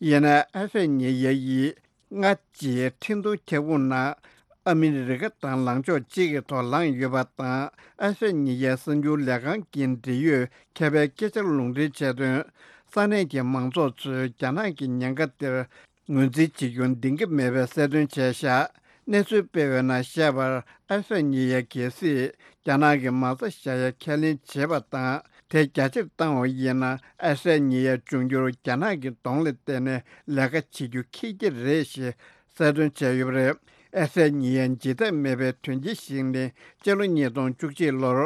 ཡིན་ནའི་ཨ་ཧྲ་ཉི་ཡ་ཡིས་སྔ་ཕྱིའི་འཕྲིན་གཏོང་ཁྱབ་ཁོངས་ནང་ཨ་མི་རི་ཀ་དང་ལངས་ཕྱོགས་གཅིག་གི་ཐོག་ལངས་ཡོད་པ་དང་། ཨ་ཧྲ་ཉི་ཡའི་གསར་འགྱུར་ལས་ཁང་གི་འབྲེལ་ཡོད་མཁས་པའི་སྐད་ཆར་ལུང་འདྲེན་བྱས་དོན། ས་གནས་ཀྱི་མང་ཚོགས་ཚོས་རྒྱ་ནག་གི་ཉེན་ཁ་དེར་ངོས་འཛིན་བྱེད་རྒྱུ་འདང་གི་མེད་པའི་གསལ་སྟོན་བྱས་བཞག་གནས་ཚུལ་སྤེལ་བའི་ནང་བཤད་པར། ཨ་ཧྲ་ཉི་ཡ་གལ་སྲིད་རྒྱ་ནག་གི་མ་རྩ་བཞག་ཡ་ཁས་ལེན་བྱས་པ་དང་། དེ་རྒྱ་ཆེར་བཏང་བ་ཡིན་ན། ཨ་ཧྲ་ཉི་ཡ་འབྱུང་འགྱུར་རྒྱ་ནག་གི་གདོང་ལ་བལྟས་ནས་ལས་ཀ་བྱེད་རྒྱུ་ཁེལ་གྱི་རེད་ཞེས་གསལ་སྟོན་བྱས་ཡོད་པ་རེད། ཨ་ཧྲ་ཉི་ཡ་འཇིགས་ཐབས་མེད་པའི་དོན་རྐྱེན་ཞིག་ནི། སྤྱི་ལོ་ཉིས་སྟོང་བཅུ་གཅིག་ལོར་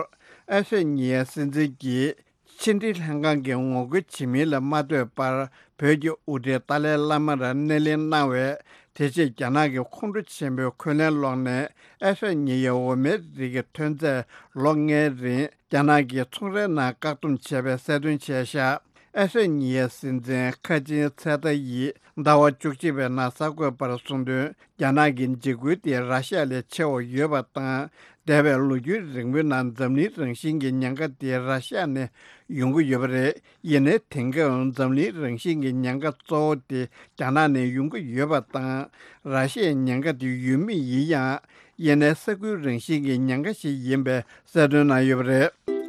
ཨ་ཧྲ་ཉི་ཡའི་སྲིད་འཛིན་གྱིས་ཕྱི་འབྲེལ་ལྷན་ཁང་གི་ངོ་རྒོལ་བྱེད་མིན་ལ་མ་ལྟོས་པར། བོད་ཀྱི་དབུ་ཁྲིད་ཏཱ་ལའི་བླ་མར་སྣེ་ལེན་གནང་བས། དེ་རྗེས་རྒྱ་ནག་གི་ཁོང་ཁྲོ་ཆེན་པོའི་འཁོན་ལན་སློག་ནས། ཨ་ཧྲ་ཉི་ཡའི་འོ་མའི་རིགས་ཀྱི་ཐོན་རྫས་ལོ་ལྔའི་རིང་རྒྱ་ནག་གི་ཚོང་རའི་ནང་བཀག་སྡོམ་བྱས་པའི་གསལ་སྟོན་བྱས་བཞག་ཨ་ཧྲ་ཉི་ཡའི་སྲིད་འཛིན་ཁ་ཆེན་ཚེ་ཏཱ་ཡིས་ཟླ་བ་བཅུ་གཅིག་པའི་ནང་གསར་འགོད་པར་གསུངས་དོན། རྒྱ་ནག་གི་འཇིགས་སྐུལ་དེ་ར་ཤི་ཡ་ལས་ཆེ་བ་ཡོད་པ་དང་། འདས་པའི་ལོ་རྒྱུས་རིང་པོའི་ནང་འཛམ་གླིང་རང་བཞིན་གྱི་ཉེན་ཁ་དེ་ར་ཤི་ཡ་ནས་ཡོང་གི་ཡོད་པ་རེད། ཡིན་ནའི་དེང་སྐབས་འཛམ་གླིང་རང་བཞིན་གྱི་ཉེན་ཁ་གཙོ་བོ་དེ་རྒྱ་ནག་ནས་ཡོང་གི་ཡོད་པ་དང་། ར་ཤི་ཡའི་ཉེན་ཁ་དེ་ཡོད་མུས་ཡིན་ཡང་། ཡིན་ནའི་ས་ཁུལ་རང་བཞིན་གྱི་ཉེན་ཁ་ཞིག་ཡིན་པའི་གསལ་སྟོན་གནང་ཡོད་པ་རེད།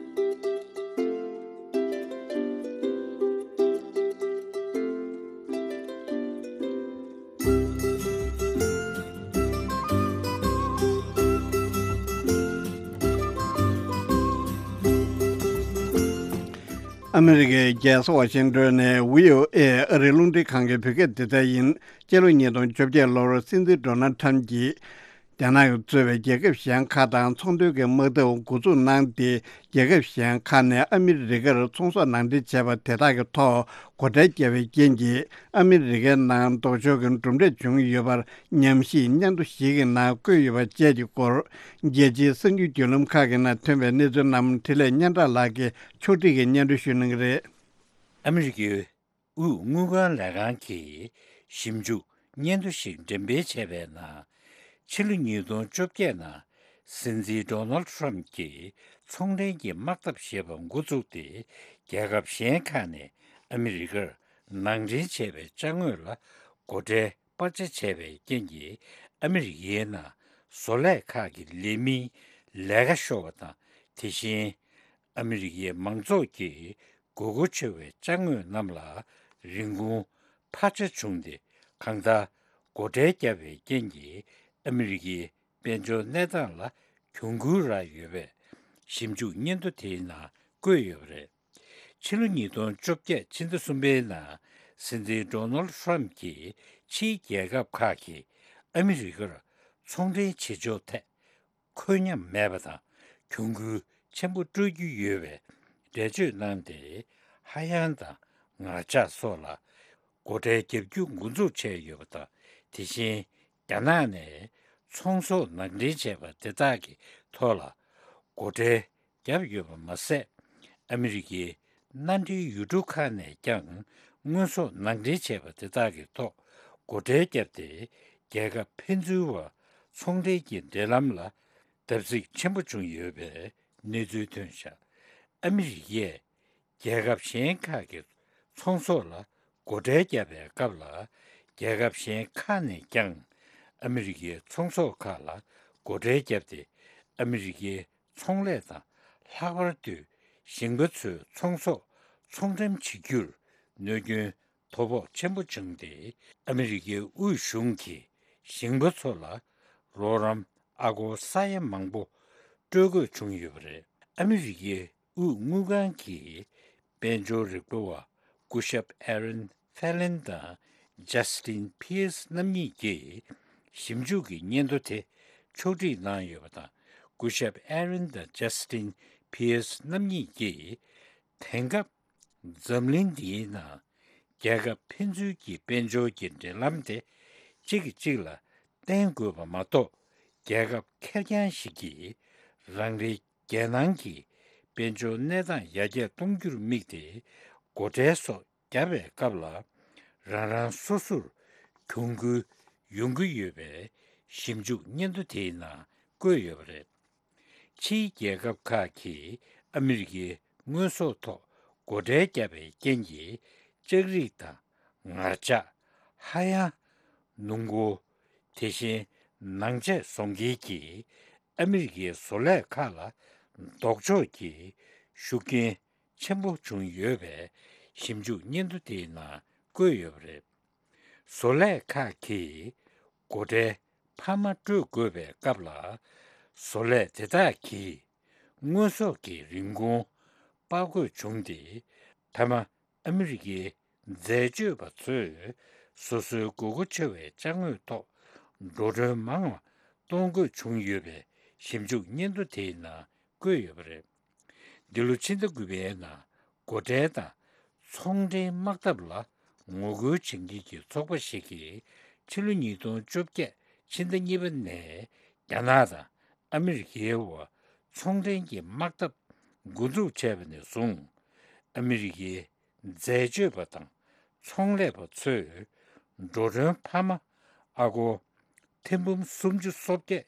ཨ་མི་རི་ཀའི་རྒྱལ་ས་ཝ་ཤིང་ཏོན་ནས་བྷི་ཨོ་ཨེ་ཨ་རིའི་རླུང་འཕྲིན་ཁང་གི་བོད་སྐད་སྡེ་ཚན་ཡིན། སྤྱི་ལོ་ཉིས་སྟོང་བཅོ་བརྒྱད་ལོར་སྲིད་འཛིན་ཌོ་ནལ་ཁྲམ་གྱིས། རྒྱ་ནག་གིས་གཙོས་པའི་རྒྱལ་ཁབ་གཞན་ཁག་དང་ཚོང་དོན་གྱི་དམག་འཐབ་འགོ་འཛུགས་གནང་སྟེ། རྒྱལ་ཁབ་གཞན་ཁག་ནས་ཨ་མི་རི་ཀར་ཚོང་ཟོག་ནང་འདྲེན་བྱས་པ་དེ་དག་གི་ཐོག་སྒོ་ཁྲལ་བརྒྱབ་པའི་རྐྱེན་གྱིས། ཨ་མི་རི་ཀའི་ནང་ལྡོག་ཕྱོགས་ཀྱི་གྲུབ་འབྲས་བྱུང་ཡོད་པར་ཉམས་ཞིབ་སྙན་ཐོ་ཞིག་གི་ནང་བཀོད་ཡོད་པ་བཅས་ཀྱི་སྐོར། རྒྱལ་སྤྱིའི་གསར་འགྱུར་བརྒྱུད་ལམ་ཁག་གི་ནང་ཐོན་པའི་གནས་ཚུལ་རྣམས་འཕྲིན་ལས་སྙན་གྲགས་ལགས་ཀྱིས་ཕྱོགས་སྒྲིག་གིས་སྙན་སྒྲོན་ཞུ་གནང་གི་རེད། ཨ་མི་རི་ཀའི་དབུས་དངུལ་ཁང་ལས་ཁང་གིས་ཞིབ་འཇུག་སྙན་ཐོ་ཞིག་འགྲེམས་སྤེལ་བྱས་པའི་ནང་། ཕྱི་ལོ་ཉིས་སྟོང་བཅོ་བརྒྱད་ནང་སྲིད་འཛིན་ཌོ་ནལ་ཊམ་གྱིས་ཚོང་འབྲེལ་གྱི་དམག་འཐབ་ཞེས་པ་འགོ་བཙུགས་ཏེ། རྒྱལ་ཁབ་གཞན་ཁག་ནས་ཨ་མི་རི་ཀར་ནང་འདྲེན་བྱས་པའི་ཅ་དངོས་ལ་སྒོ་ཁྲལ་སྤར་ཆ་བྱས་པའི་རྐྱེན་གྱིས། ཨ་མི་རི་ཀའི་ནང་བཟོ་ལས་ཁག་གི་ལས་མིའི་ལས་ཀ་ཤོར་བ་དང་། དེ་བཞིན། ཨ་མི་རི་ཀའི་མང་ཚོགས་ཀྱི་དགོས་མཁོ་ཆེ་བའི་ཅ་དངོས་རྣམས་ལ་རིན་གོང་འཕར་ཆ་བྱུང་སྟེ། གང་ལྟར་སྒོ་ཁྲལ་བརྒྱབ་པའི་རྐྱེན་གྱིས། ཨ་མི་རི་ཀའི་དཔལ་འབྱོར་གནས་སྟངས་ལ་གྱོང་གུན་རག་ཡོད་པའི་ཞིབ་འཇུག་སྙན་ཐོ་དེའི་ནང་བཀོད་ཡོད་པ་རེད། ཕྱི་ལོ་ཉིས་སྟོང་བཅོ་བརྒྱད་ཕྱི་ཟླ་གསུམ་པའི་ནང་སྲིད་འཛིན་ཌོ་ནལ་ཊམ་གྱིས་ཕྱིའི་རྒྱལ་ཁབ་ཁག་གིས་ཨ་མི་རི་ཀར་ཚོང་འབྲེལ་བྱེད་ཕྱོགས་ཐད། ཁོད་ཉམས་མེད་པ་དང་གྱོང་གུན་ཆེན་པོ་སྤྲོད་རྒྱུ་ཡོད་པའི་འགྲེལ་བརྗོད་གནང་སྟེ། ཧ་ཡང་དང་ངར་ལྕགས་སོགས་ལ་སྒོ་ཁྲལ་བརྒྱབ་རྒྱུ་འགོ་འཛུགས་བྱས་ཡོད་པ་དང་། དེ་བཞིན་རྒྱ་ནག་ནས་ཚོང་ཟོག་ནང་འདྲེན་བྱས་པ་དེ་དག་གི་ཐོག་ལ་སྒོ་ཁྲལ་བརྒྱབ་ཡོད་པ་མ་ཟད། ཨ་མི་རི་ཀའི་མནའ་འབྲེལ་ཡུལ་གྲུ་ཁག་ནས་ཀྱང་དངོས་ཟོག་ནང་འདྲེན་བྱས་པ་དེ་དག་གི་ཐོག་སྒོ་ཁྲལ་བརྒྱབ་སྟེ། རྒྱལ་ཁབ་ཕན་ཚུན་བར་ཚོང་འབྲེལ་གྱི་འབྲེལ་ལམ་ལ་བརྡབ་གསིག་ཆེན་པོ་བྱུང་ཡོད་པའི་གནས་ཚུལ་ཐོན་བཞག་ཨ་མི་རི་ཀས་རྒྱལ་ཁབ་གཞན་ཁག་གི་ཚོང་ཟོག་ལ་སྒོ་ཁྲལ་བརྒྱབ་པའི་སྐབས་ལ། རྒྱལ་ཁབ་གཞན་ཁག་ནས་ཀྱང་ཨ་མི་རི་ཀའི་ཚོང་ཟོག་ཁག་ལ་སྒོ་ཁྲལ་བརྒྱབ་སྟེ། ཨ་མི་རི་ཀའི་ཚོང་ལས་དང་། ལྷག་པར་དུ་ཞིང་པ་ཚོའི་ཚོང་ཟོག་ཚོང་འགྲེམས་བྱེད་རྒྱུར་གནོད་སྐྱོན་དོ་ཕོག་ཆེན་པོ་བྱུང་སྟེ། ཨ་མི་རི་ཀའི་དབུས་གཞུང་གིས་ཞིང་པ་ཚོ་ལ་རོགས་རམ་ཨ་སྒོར་ས་ཡ་མང་པོ་སྤྲོད་དགོས་བྱུང་ཡོད་པ་རེད། ཨ་མི་རི་ཀའི་དབུས་དངུལ་ཁང་གི་དཔལ་འབྱོར་རིག་པ་བ་སྐུ་ཞབས་ཨེ་རན་ཧྥེ་ལིན་དང་ཇ་སི་ཏིན་ཕི་ཨེ་སི་རྣམ་གཉིས་ཀྱིས་ཞིབ་འཇུག་གི་སྙན་ཐོ་དེ་ཕྱོགས་སྒྲིག་གནང་ཡོད་པ་དང་། སྐུ་ཞབས་ཨེ་རན་དང་ཇ་སི་ཏིན་ཕི་ཨེ་སི་རྣམ་གཉིས་ཀྱིས། དེང་སྐབས་འཛམ་གླིང་འདིའི་ནང་རྒྱལ་ཁབ་ཕན་ཚུན་གྱི་དཔལ་འབྱོར་གྱི་འབྲེལ་ལམ་དེ་གཅིག་གིས་གཅིག་ལ་བརྟེན་དགོས་པ་མ་གཏོགས། རྒྱལ་ཁབ་ཁེར་རྐྱང་ཞིག་གིས་རང་རེའི་རྒྱལ་ནང་གི་དཔལ་འབྱོར་གནས་སྟངས་ཡར་རྒྱས་གཏོང་རྒྱུར་དམིགས་ཏེ་སྒོ་ཁྲལ་སོགས་བརྒྱབ་པའི་སྐབས་ལ། རང་རང་སོ་སོར་གྱོང་གུན་ཡོང་གི་ཡོད་པའི་ཞིབ་འཇུག་སྙན་ཐོ་དེའི་ནང་བཀོད་ཡོད་པ་རེད། ཕྱིའི་རྒྱལ་ཁབ་ཁག་གིས་ཨ་མི་རི་ཀའི་དངོས་ཟོག་ཐོག་སྒོ་ཁྲལ་བརྒྱབ་པའི་རྐྱེན་གྱིས། ལྕགས་རིགས་དང་ངར་ལྕགས། ཧ་ཡང་། སྣུམ་འཁོར། དེ་བཞིན་ནང་ཆས་བཟོ་མཁན་གྱི་ཨ་མི་རི་ཀའི་བཟོ་ལས་ཁག་ལ་ལྡོག་ཕྱོགས་ཀྱི་ཤུགས་རྐྱེན་ཆེན་པོ་བྱུང་ཡོད་པའི་ཞིབ་འཇུག་སྙན་ཐོ་དེའི་ནང་བཀོད་ཡོད་པ་རེད། བཟོ་ལས་ཁག་གིས་སྒོ་ཁྲལ་འཕར་མ་སྤྲོད་དགོས་པའི་སྐབས་ལ། བཟོ་ལས་དེ་དག་གིས་དངོས་ཟོག་གི་རིན་གོང་སྤར་དགོས་བྱུང་སྟེ། མཐའ་མ་ཨ་མི་རི་ཀའི་འཛད་སྤྱོད་པ་ཚོས་སོ་སོའི་དགོས་མཁོ་ཆེ་བའི་ཅ་དངོས་ཐོག་འགྲོ་གྲོན་མང་བ་གཏོང་དགོས་བྱུང་ཡོད་པའི་ཞིབ་འཇུག་སྙན་ཐོ་དེའི་ནང་བཀོད་ཡོད་པ་རེད། འདི་ལོ་ཕྱི་ཟླ་དགུ་པའི་ནང་སྒོ་ཁྲལ་དང་ཚོང་འབྲེལ་དམག་འཐབ་ལ་ངོ་རྒོལ་བྱེད་མཁན་གྱི་ཚོགས་པ་ཞིག་གིས་ཕྱི་ལོ་ཉིས་སྟོང་བཅོ་བརྒྱད་ཕྱི་ཟླ་གཉིས་པ་ནས་རྒྱ་ནག་དང་ཨ་མི་རི་ཀའི་བར་ཚོང་འབྲེལ་གྱི་དམག་འཐབ་འགོ་འཛུགས་བྱས་པ་ནས་བཟུང་། ཨ་མི་རི་ཀའི་འཛད་སྤྱོད་པ་དང་ཚོང་ལས་པ་ཚོས་འགྲོ་གྲོན་འཕར་མ་ཨ་སྒོར་ཐེར་འབུམ་སུམ་ཅུ་སོ་བརྒྱད་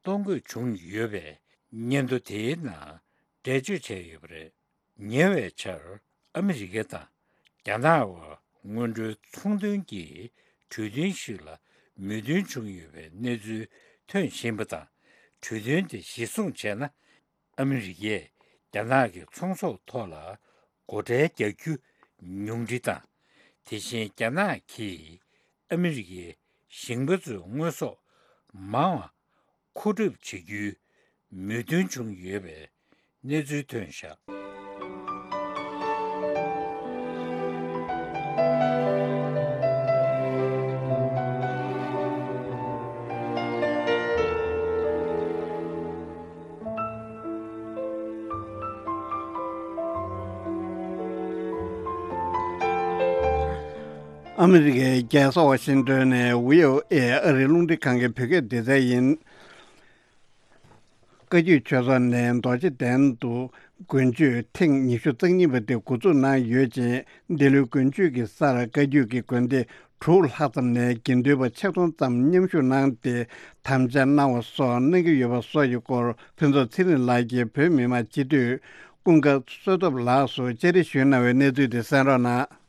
གཏོང་དགོས་བྱུང་ཡོད་པའི་སྙན་ཐོ་དེའི་ནང་འགྲེལ་བརྗོད་བྱས་ཡོད་པ་རེད། ཉེ་བའི་ཆར་ཨ་མི་རི་ཀ་དང་རྒྱ་ནག་བར་སྔོན་འགྲོའི་ཚོང་དོན་གྱི་གྲོས་མཐུན་ཞིག་ལ་མོས་མཐུན་བྱུང་ཡོད་པའི་གནས་ཚུལ་ཐོན་བཞིན་པ་དང་། གྲོས་མཐུན་དེ་གཞིར་བཟུང་བྱས་ན། ཨ་མི་རི་ཀས་རྒྱ་ནག་གི་ཚོང་ཟོག་ཐོག་ལ་སྒོ་ཁྲལ་རྒྱག་རྒྱུ་ཉུང་འཕྲི་དང་། དེ་བཞིན་རྒྱ་ནག་གིས་ཨ་མི་རི་ཀའི་ཞིང་པ་ཚོའི་དངོས་ཟོག་མང་བ་མཁོ་སྒྲུབ་བྱེད་རྒྱུའི་མོས་མཐུན་བྱུང་ཡོད་པའི་གནས་ཚུལ་ཐོན་བཞག་ཨ་མི་རི་ཀའི་རྒྱལ་ས་ཝ་ཤིང་ཏོན་ནས་བྷི་ཨོ་ཨེ་ཨ་རིའི་རླུང་འཕྲིན་ཁང་གི་བོད་སྐད་སྡེ་ཚན་ཡིན། བཀའ་བརྒྱུད་ཆོས་ཚོགས་ནས་རྡོ་རྗེ་གདན་དུ་དགུན་ཆོས་ཐེངས་ཉི་ཤུ་རྩ་གཉིས་པ་དེ་འགོ་འཛུགས་གནང་ཡོད་ཅིང་། འདི་ལོའི་དགུན་ཆོས་ཀྱི་སར་བཀའ་བརྒྱུད་ཀྱི་དགོན་སྡེ་དྲུག་ལྷག་ཙམ་ནས་དགེ་འདུན་པ་ཆིག་སྟོང་ཙམ་མཉམ་ཞུགས་གནང་སྟེ། དམ་བཅའ་གནང་བ་སོགས་གནང་གི་ཡོད་པ་སོགས་ཀྱི་སྐོར་ཕུན་ཚོགས་ཚེ་རིང་ལགས་ཀྱིས་བོད་མི་མང་སྤྱི་འཐུས་ཀུན་དགའ་བསོད་སྟོབས་ལགས་སུ་བཅར་འདྲི་ཞུས་གནང་བའི་གནས་ཚུལ་དེ་གསན་རོགས་གནང་།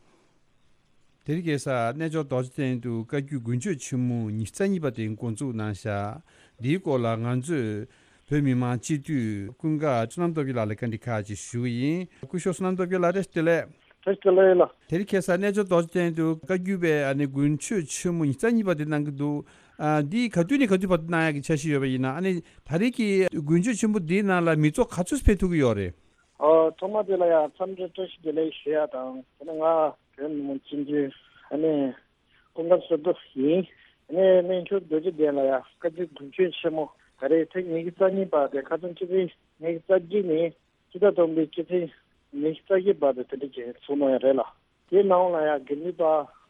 དེ་རིང་ཁ་སང་གནས་མཆོག་རྡོ་རྗེ་གདན་དུ་བཀའ་བརྒྱུད་དགུན་ཆོས་ཆེན་མོ་ཉི་ཤུ་རྩ་གཉིས་པ་དེ་འགོ་འཛུགས་གནང་ཤག་འདིའི་སྐོར་ལ་ང་ཚོས་བོད་མི་མང་སྤྱི་འཐུས་ཀུན་དགའ་བསོད་ནམས་སྟོབས་རྒྱལ་ལགས་ལ་བཀའ་འདྲི་ཁག་ཅིག་ཞུ་གི་ཡིན། སྐུ་ཞབས་བསོད་ནམས་སྟོབས་རྒྱལ་ལགས། བཀྲ་ཤིས་བདེ་ལེགས། བཀྲ་ཤིས་བདེ་ལེགས་ལགས། དེ་རིང་ཁ་སང་གནས་མཆོག་རྡོ་རྗེ་གདན་དུ་བཀའ་བརྒྱུད་པའི་ཨ་ནི་དགུན་ཆོས་ཆེན་མོ་ཉི་ཤུ་རྩ་གཉིས་པ་དེ་གནང་གི་འདུག་ཨ། འདི་ག་དུས་ནས་ག་དུས་བར་དུ་གནང་ཡག་གི་འཆར་གཞི་ཡོད་པ་ཡིན་ན། ཨ་ནི་ད་རེས་ཀྱི་དགུན་ཆོས་ཆེན་པོ་འདིའི་ནང་ལ་མི་ཚོགས་ག་ཚོད་ཕེབས་ཐུབ་ཀྱི་ཡོད་རེད། ཨོ། ཐོག་མ་དེ་ལ་ཡང་འཚམས་འདྲི་བཀྲ་ཤིས་བདེ་ལེགས་ཞུ་ཡ་དང་། དེ་ནས་ང་བོད་མི་མང་སྤྱི་འཐུས་ཨ་ནི་ཀུན་དགའ་བསོད་སྟོབས་ཡིན། ཨ་ནི་གནས་མཆོག་རྡོ་རྗེ་གདན་ལ་ཡང་བཀའ་བརྒྱུད་དགུན་ཆོས་ཆེན་མོ་ད་རེས་ཐེངས་ཉི་ཤུ་རྩ་གཉིས་པ་དེ་ཁ་སང་ཕྱི་ཚེས་ཉི་ཤུ་རྩ་གཅིག་ནས་ཕྱི་ཟླ་དང་པོའི་ཕྱི་ཚེས་ཉི་ཤུ་རྩ་བཞི་བར་དུ་དེ་འདྲ་ཅིག་ཚུགས་གནང་ཡ་རེད་ལགས། དེའི་ནང་ལ་ཡང་དགེ་འདུན་པ་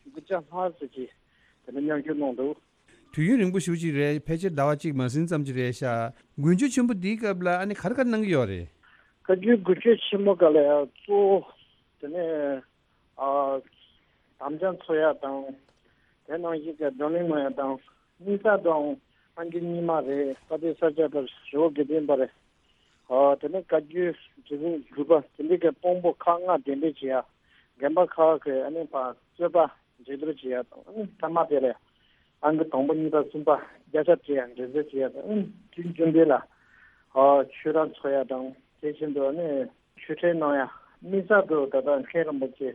དགུ་བརྒྱ་ལྷག་ཙམ་ཅིག་དེ་འདྲ་མཉམ་ཞུགས་གནང་འདུག་དུས་ཡུན་རིང་པོ་ཞེ་པོ་ཅིག་རེད། ཕལ་ཆེར་ཟླ་བ་གཅིག་མ་ཟིན་ཙམ་ཅིག་རེད་ཤག་དགུན་ཆོས་ཆེན་པོ་འདིའི་སྐབས་ལ་ཨ་ནི་ག་རེ་ག་རེ་གནང་གི་ཡོད་རེད། བཀའ་བརྒྱུད་དགུན་ཆོས་ཆེན་མོ་སྐབས་ལ་ཡང་གཙོ་བོ་དེ་ནས་ཨ་དམ་བཅའ་འཚོགས་ཡ་དང་། དེ་ནང་བཞིན་གྱི་བགྲོ་གླེང་གནང་ཡ་དང་། དམིགས་བསལ་དུའང་སངས་རྒྱས་རྙིང་མ་རེད། དཔལ་ལྡན་ས་སྐྱ་པ་རེད། ཇོ་བོ་དགེ་ལྡན་པ་རེད། ཨ་དེ་ནས་བཀའ་བརྒྱུད་རིག་གཞུང་དགུ་པ་དེ་འདྲའི་གི་དཔང་པོ་ཁག་ལྔ་གདན་འདྲེན་བྱེད་ཡ། རྒན་པ་ཁག་གི་ཨ་ནི་ཕར་རྩོད་པ་འགྲན་བསྡུར་བྱེད་ཡ་དང་། ཨ་ནི་ཐ་མ་དེ་ལ་ཨང་ཀི་དང་པོ་གཉིས་པ་གསུམ་པ་བརྒྱ་ཆ་སྤྲད་ཡ་འགྲན་བསྡུར་བྱེད་ཡ་དང་། ཨ་ནི་དུས་རྒྱུན་དེ་ལ་ཨ་ཆོས་ར་འཚོགས་ཡ་དང་། དེ་བཞིན་དུ་ཨ་ནི་ཆོས་འཕྲིན་གནང་ཡ། དམིགས་བསལ་དུ་ད་ལྟ་མཁན་རིན་པོ་ཆེ་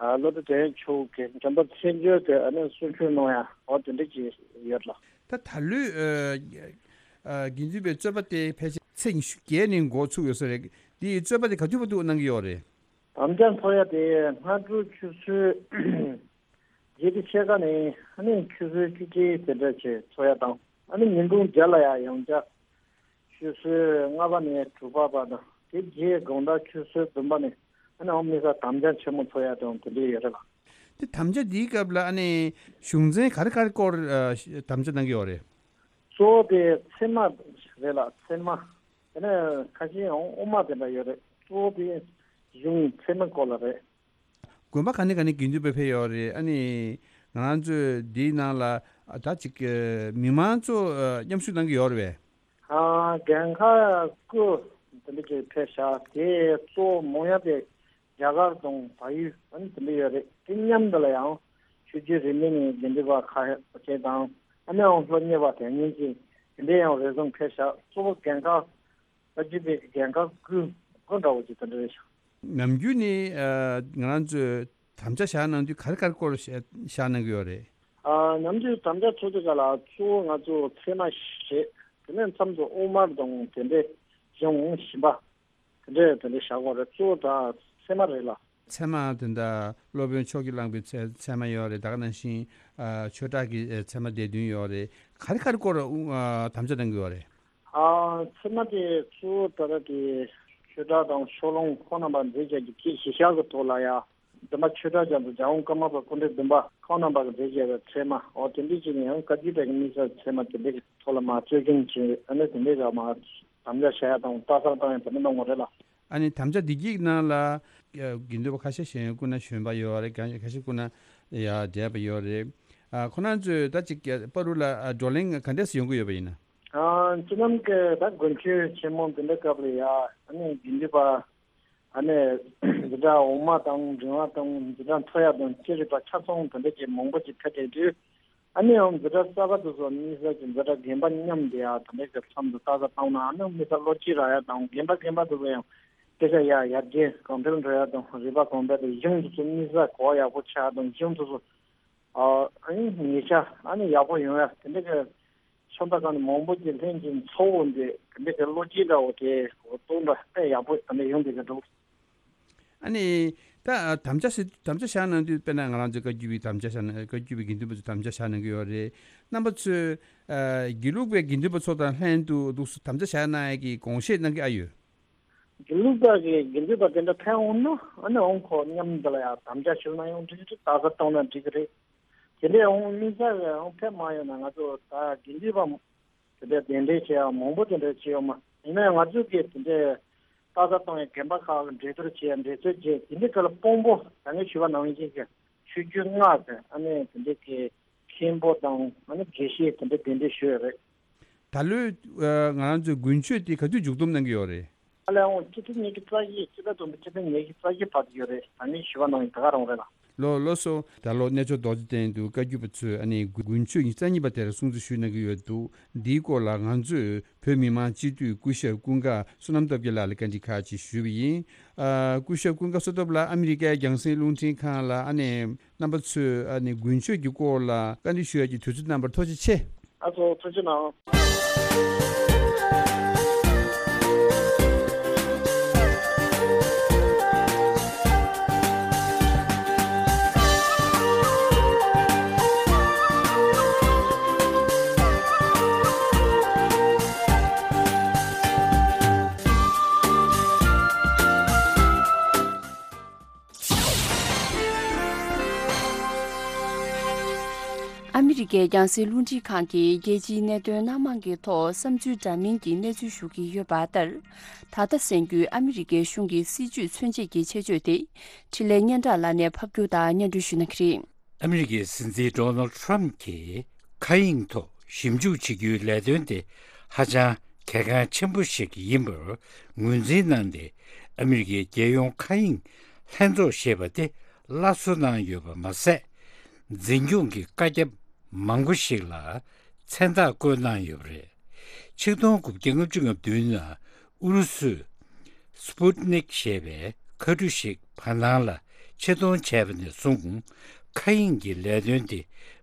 ཨ་བློ་གྲོས་དོན་གྲུབ་མཆོག་གིས་འཇམ་དཔལ་མཚན་བརྗོད་དེ་ཨ་ནི་གསུང་ཆོས་གནང་ཡ། འོ་དེ་འདྲ་ཅིག་ཡོད་ལགས། ད་ད་ལོའི་ཨ་ཨ་དགེ་འདུན་པའི་རྩོད་པ་དེ་ཕལ་ཆེར་ཚེས་ཉི་ཤུ་བརྒྱད་ནས་འགོ་ཚུགས་ཡོད་ས་རེད། འདིའི་རྩོད་པ་དེ་ག་དུས་བར་དུ་གནང་གི་ཡོད་རེད། དམ་བཅའ་འཚོགས་ཡ་དེ་སྔ་དྲོ་ཆུ་ཚོད་བརྒྱད་དང་ཕྱེད་ཀ་ནས་ཨ་ནི་ཆུ་ཚོད་བཅུ་གཅིག་དེ་འདྲ་བྱས་འཚོགས་ཡ་དང་། ཨ་ནི་ཉིན་གུང་བརྒྱད་ལ་ཡ་ཡང་བསྐྱར་ཆུ་ཚོད་ལྔ་པ་ནས་དྲུག་པ་བར་དང་། དེ་རྗེས་དགོང་དག་ཆུ་ཚོད་བདུན་པ་ནས་ཨ་ནི་ཨོ་དམིགས་བསལ་དམ་བཅའ་ཆེན་མོ་འཚོགས་ཡ་དང་དེ་འདྲ་ཡོད་རེད་ལགས། དེ་དམ་བཅའ་འདིའི་སྐབས་ལ་ཨ་ནི་གཞུང་ཚན་ག་རེ་ག་རེ་སྐོར་ཨ་དམ་བཅའ་གནང་གི་ཡོད་རེད། གཙོ་བོ་དེ་ཚད་མ་རེད་ལགས། ཚད་མ། དེ་ནས་ཁ་ཤས་ཡང་དབུ་མ་དེ་འདྲ་ཡོད་རེད། གཙོ་བོ་དེ་གཞུང་ཚད་མའི་སྐོར་ལ་རེད། དགོན་པ་ག་ནས་ག་ནས་དགེ་འདུན་པ་ཕེབས་ཡོད་རེད། ཨ་ནི་ང་རང་ཚོས་འདིའི་ནང་ལ་ཨ་ད་ཅིག་ཨ་མི་མང་ཚོ་ཨ་མཉམ་ཞུགས་གནང་གི་ཡོད་རེད་པས། ཨ་རྒན་ཁག་དགུ་དེ་འདྲ་ཅིག་ཕེབས་ཤག་དེ་གཙོ་བོ་མང་ཡ་དེ་རྒྱ་གར་དང་བལ་ཡུལ་ཨ་ནི་དེ་འདྲ་ཡོད་རེད། དེ་མཉམ་དུ་ལ་ཡང་ཆོས་བརྒྱུད་རིས་མེད་ནས་དགེ་འདུན་པ་ཁ་ཤས་དང་། ཨ་ནི་ཡང་སློབ་གཉེར་བ་དེ་སྔོན་གྱི་དེ་འདྲ་ཡང་རེ་ཟུང་ཕེབས་ཤག་གཙོ་བོ་རྒན་ཁག་བཀའ་བརྒྱུད་པའི་རྒན་ཁག་དགུ་དགུ་འདྲ་བོ་ཅིག་དེ་འདྲ་རེད་ཤག་ནམ་རྒྱུན་ནི་ཨ་ང་རང་ཚོས་དམ་བཅའ་བཞག་གནང་དུས་ག་རེ་ག་རེ་སྐོར་བཞག་གནང་གི་ཡོད་རེད། ཨ་ནམ་རྒྱུན་དམ་བཅའ་འཚོགས་དུས་སྐབས་ལ་གཙོ་བོ་ང་ཚོ་ཚད་མ་བཞི་རེད། དེ་ནས་མཚམས་སུ་དབུ་མ་དང་དེ་འདྲའི་གཞུང་བཞི་པ་དེ་འདྲའི་དེ་འདྲའི་བཞག་དགོས་རེད། གཙོ་བོ་ད་ཚད་མ་རེད་ལགས། ཚད་མ་དེ་འདྲ་སློབ་དཔོན་མཆོག་གིས་བླངས་པའི་ཚད་ཚད་མ་ཡོད་རེད། ད་ག་ནང་བཞིན་ཨ་ཆོས་གྲགས་ཀྱི་ཨ་ཚད་མ་སྡེ་བདུན་ཡོད་རེད། ག་རེ་ག་རེ་སྐོར་ཨ་དམ་བཅའ་གནང་གི་ཡོད་རེད། ཨ་ཚད་མ་དེ་གཙོ་བོ་ད་ལྟ་དེ་ཆོས་གྲགས་དང་ཕྱོགས་ལྷུང་ཁོང་རྣམ་པ་མཛད་བྱ་གི་སྐད་ཆ་བཞི་ཤག་གི་ཐོག་ལ་ཡ། འདུན་པ་ཆོས་གྲགས་རྒྱ་མཚོ་རྒྱལ་དབང་ཀརྨ་པ་སྐུ་ཕྲེང་བདུན་པ་ཁོང་རྣམ་པ་གི་མཛད་བྱ་བའི་ཚད་མ། འོ་དེ་འདྲ་ཅིག་ནས་ཡང་བཀའ་བརྒྱུད་པའི་དམིགས་བསལ་ཚད་མ་དེ་འདྲ་གི་ཐོག་ལ་མ་རྩོད་མཁན་ཅིག་ཨ་ནི་དེ་འདྲ་ག་མ་དམ་བཅའ་བྱ་ཡ་དང་ལྟ་གསར་བཏང་ཡ་དེ་འདྲ་གནང་བ་རེད་ལགས། ཨ་ནི་དམ་བཅའ་འདི་གི་ནང་ལ་དགེ་འདུན་པ་ཁ་ཤས་ཤིག་སྐུ་ན་གཞོན་པ་ཡོད་རེད། ཁ་ཤས་སྐུ་ན་ཡ་བགྲེས་པ་ཡོད་རེད། ཨ་ཁོ་རང་ཚོས་ད་ཅིག་བར་དུ་ལ་ཨ་བགྲོ་གླེང་ག་འདྲས་སེ་ཡོང་གི་ཡོད་པ་ཡིན་ན། ཨ་སྤྱི་ལམ་གྱི་ད་དགུན་ཆོས་ཆེན་མོ་འདི་འདྲ་སྐབས་ལ་ཡ་ཨ་ནི་དགེ་འདུན་པ་ཨ་ནི་འཛིན་གྲྭ་འོག་མ་དང་འབྲིང་བ་དང་འཛིན་གྲྭ་མཐོ་ཡ་དང་ཅི་རིགས་པ་ཆ་ཚང་དེ་འདྲ་ཅིག་མང་པོ་ཅིག་ཕེབས་བསྡད་དུས། ཨ་ནི་ཡང་འཛིན་གྲྭ་གསར་པ་དེ་ཚོ་དམིགས་བསལ་གྱི་འཛིན་གྲྭ་རྒན་པ་མཉམ་དུ་ཡ་དེ་འདྲ་གི་མཚམས་སུ་ལྟ་ས་བཏང་ན། ཨ་ནི་དམིགས་བསལ་བློ་སྐྱེད་རག་ཡ་དང་། རྒན་པ་རྒན་པ་དེ་ཚོ་ཡང་སྐད་ཆ་ཡ་ཡར་རྒྱས་གོང་འཕེལ་འགྲོ་ཡ་དང་། རིག་པ་གོང་འཕེལ་དང་། གཞུང་དེ་ཚོ་དམིགས་བསལ་གོ་བ་ཡག་པོ་ཆགས་དང་། གཞུང་དེ་ཚོ་ཨ་ཨ་ནི་ཉེ་ཆར་ཨ་ནི་ཡག་པོ་ཡོང་ཡ་དེ་འདྲ་གི་ཕྱོགས་མཐའ་ཁག་ནས་མང་པོ་ཅིག་ལྷན་ཅིག་འཚོགས་འོང་དུས་དེ་འདྲ་གི་བློ་སྐྱེད་འདྲ་བོ་དེ་གཏོང་འདྲ་དཔེ་ཡག་པོ་དེ་འདྲ་ཡོང་བསྡད་ཀྱི་འདུག་ཨ་ནི་ད་དམ་བཅའ་ཟེར་དམ་བཅའ་བཞག་གནང་དུས་དཔེར་ན་ང་རང་ཚོའི་བཀའ་བརྒྱུད་པའི་དམ་བཅའ་བཞག་གནང་། བཀའ་བརྒྱུད་པའི་དགེ་འདུན་པ་ཚོས་དམ་བཅའ་བཞག་གནང་གི་ཡོད་རེད། རྣམ་པ་ཚོས་ཨ་དགེ་ལུགས་པའི་དགེ་འདུན་པ་ཚོ་དང་ལྷན་དུ་འདུག་སེ་དམ་བཅའ་བཞག་གནང་ཡས་ཀྱི་དགོངས་བཞེས་གནང་གི་ཨ་ཡོད། དགེ་ལུགས་པ་གི་དགེ་འདུན་པ་དེ་འདྲ་ཕན་འོང་ན་ཨ་ནི་འོང་ཁོ་མཉམ་དུ་ལ་ཡང་དམ་བཅའ་ཞུ་ན་ཡང་འགྲིག་གི་རེད། རྟགས་གསལ་གཏོང་ན་འགྲིག་གི་རེད། དེ་འདྲའི་འོང་དམིགས་བསལ་གྱི་འོང་ཕན་མ་ཡོང་ན་ང་ཚོ་ད་དགེ་འདུན་པ་དེ་འདྲ་གདན་འདྲེན་བྱེད་ཡ་མང་པོ་དེ་འདྲ་བྱེད་ཡོད་མ། ཡིན་ན་ཡང་ང་ཚོ་གི་དེ་འདྲའི་རྟགས་གསལ་གཏོང་ཡ་དགོན་པ་ཁག་གི་འགྲན་བསྡུར་བྱེད་ཡ་འགྲན་རྩོད་བྱེད་དེ་འདྲའི་སྐབས་ལ་དཔང་པོ་ད་ངས་ཞུས་པ་ནང་བཞིན་གྱི་ཆོས་བརྒྱུད་ལྔ་དེ་ཨ་ནི་དེ་འདྲའི་གི་མཁན་པོ་དང་ཨ་ནི་དགེ་བཤེས་དེ་འདྲ་གདན་འདྲེན་ཞུས་ཡོད་རེད། ད་ལོའི་ཨ་ང་རང་ཚོའི་དགུན་ཆོས་དེ་ག་དུས་མཇུག་སྡོམ་གནང་གི་ཡོད་རེད། ཨ་ལས་འོང་སྤྱི་ཚེས་ཉི་ཤུ་རྩ་བཞི། སྤྱི་ཟླ་བདུན་པའི་སྤྱི་ཚེས་ཉི་ཤུ་རྩ་བཞི་བར་དུ་ཡོད་རེད། ད་ནི་ཞུ་བ་གནང་ཡིན་ད་ག་རང་རེད་ལ། ལོ་ལོ་སོ། ད་ལོ་གནས་མཆོག་རྡོ་རྗེ་གདན་དུ་བཀའ་བརྒྱུད་པ་ཚོས་ཨ་ནི་དགུན་ཆོས་ཉི་ཤུ་རྩ་གཉིས་པ་དེར་སྲུང་བརྩི་ཞུས་གནང་གི་ཡོད་འདུག་འདིའི་སྐོར་ལ་ང་ཚོས་བོད་མི་མང་སྤྱི་འཐུས་སྐུ་ཞབས་ཀུན་དགའ་བསོད་ནམས་སྟོབས་རྒྱལ་ལགས་ལ་བཀའ་འདྲི་ཁག་ཅིག་ཞུས་པ་ཡིན། ཨ་སྐུ་ཞབས་ཀུན་དགའ་བསོད་སྟོབས་ལགས་ཨ་མི་རི་ཀའི་རྒྱང་སྲིང་རླུང་འཕྲིན་ཁང་ལ་ཨ་ནི་རྣམ་པ་ཚོས་ཨ་ནི་དགུན་ཆོས་ཀྱི་སྐོར་ལ་བཀའ་འདྲི་ཞུ་ཡ་གི་དུས་ཚོད་གནང་བར་ཐུགས་རྗེ་ཆེ། ཨ་ཚོ་ཐུགས་རྗེ་གནང་། ཨ་མི་རི་ཀའི་རྒྱང་སྲིང་རླུང་འཕྲིན་ཁང་གིས་རྒྱལ་སྤྱིའི་གནད་དོན་སྣ་མང་གི་ཐོག་བསམ་ཚུལ་འདྲ་མིན་གྱི་གནས་ཚུལ་ཞུ་གི་ཡོད་པ་ལྟར། ད་ལྟ་གསན་རྒྱུའི་ཨ་མི་རི་ཀའི་གཞུང་གི་སྲིད་ཇུས་མཚོན་བྱེད་ཀྱི་ཆེད་བརྗོད་དེ་འཕྲིན་ལས་སྙན་གྲགས་ལགས་ནས་ཕབ་སྒྱུར་དང་སྙན་སྒྲོན་ཞུ་གནང་གི་རེད། ཨ་མི་རི་ཀའི་སྲིད་འཛིན་ཌོ་ནལ་ཌི་ཊརམ་གྱིས་མཁའ་དབྱིངས་ཐོག་ཞིབ་འཇུག་བྱེད་རྒྱུའི་ལས་དོན་དེ་ཧ་ཅང་གལ་འགངས་ཆེན་པོ་ཞིག་ཡིན་པར་ངོས་འཛིན་གནང་སྟེ། ཨ་མི་རི་ཀའི་རྒྱལ་ཡོངས་མཁའ་དབྱིངས་ལྷན་ཚོགས་ཞེས་པ་དེ་སླར་གསོ་གནང་ཡོད་པ་མ་ཟད། འཛིན་སྐྱོང་གི་བཀའ་ཁྱབ་མང་པོ་ཞིག་ལ་མཚན་རྟགས་བཀོད་གནང་ཡོད་པ་རེད། ཆིག་སྟོང་དགུ་བརྒྱ་ལྔ་བཅུ་ང་བདུན་ནང་ཨུ་རུ་སུས་སྤུ་ཏི་ནིག་ཞེས་པའི་མཁའ་གྲུ་ཞིག་བར་སྣང་ལ་ཆེད་གཏོང་བྱས་པ་ནས་བཟུང་། མཁའ་དབྱིངས་ཀྱི་ལས་དོན་དེ་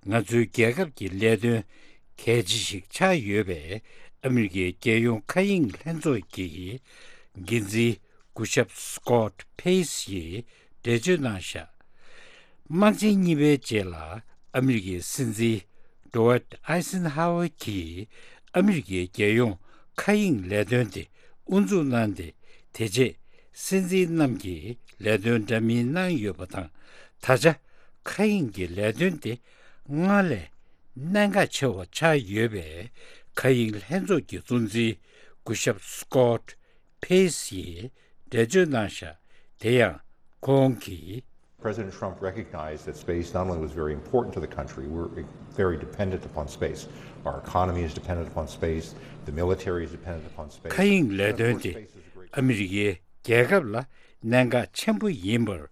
ང་ཚོའི་རྒྱལ་ཁབ་ཀྱི་ལས་དོན་གལ་ཆེ་ཞིག་ཆགས་ཡོད་པས། ཨ་མི་རི་ཀའི་རྒྱལ་ཡོངས་མཁའ་དབྱིངས་ལྷན་ཚོགས་ཀྱི་འགན་འཛིན་སྐུ་ཞབས་སི་ཀོ་ཊི་ཕེ་སི་ཡིས་འགྲེལ་བརྗོད་གནང་བཞག་དམག་ཆེན་གཉིས་པའི་རྗེས་ལ་ཨ་མི་རི་ཀའི་སྲིད་འཛིན་ཌོ་ཝཊ་ཨའི་སན་ཧའོ་ཝེ་གྱིས་ཨ་མི་རི་ཀའི་རྒྱལ་ཡོངས་མཁའ་དབྱིངས་ལས་དོན་དེ་དབུ་འཛུགས་གནང་སྟེ། དེ་རྗེས་སྲིད་འཛིན་རྣམས་ཀྱིས་ལས་དོན་འདྲ་མིན་གནང་ཡོད་པ་དང་། ད་ཆ་མཁའ་དབྱིངས་ཀྱི་ལས་དོན་དེ་སྔར་ལས་གནད་འགག་ཆེ་བ་ཆགས་ཡོད་པས། མཁའ་དབྱིངས་ལྷན་ཚོགས་ཀྱི་གཙོ་འཛིན་སྐུ་ཞབས་སི་ཀོ་ཊི་ཕེ་སི་ཡིས་འགྲེལ་བརྗོད་གནང་བཞག་དེ་ཡང་ཁོང་གིས། President Trump recognized that space not only was very important to the country, we're very dependent upon space. Our economy is dependent upon space. The military is dependent upon space. མཁའ་དབྱིངས་ལས་དོན་དེ་ཨ་མི་རི་ཀའི་རྒྱལ་ཁབ་ལ་གནད་འགག་ཆེན་པོ་ཡིན་པར་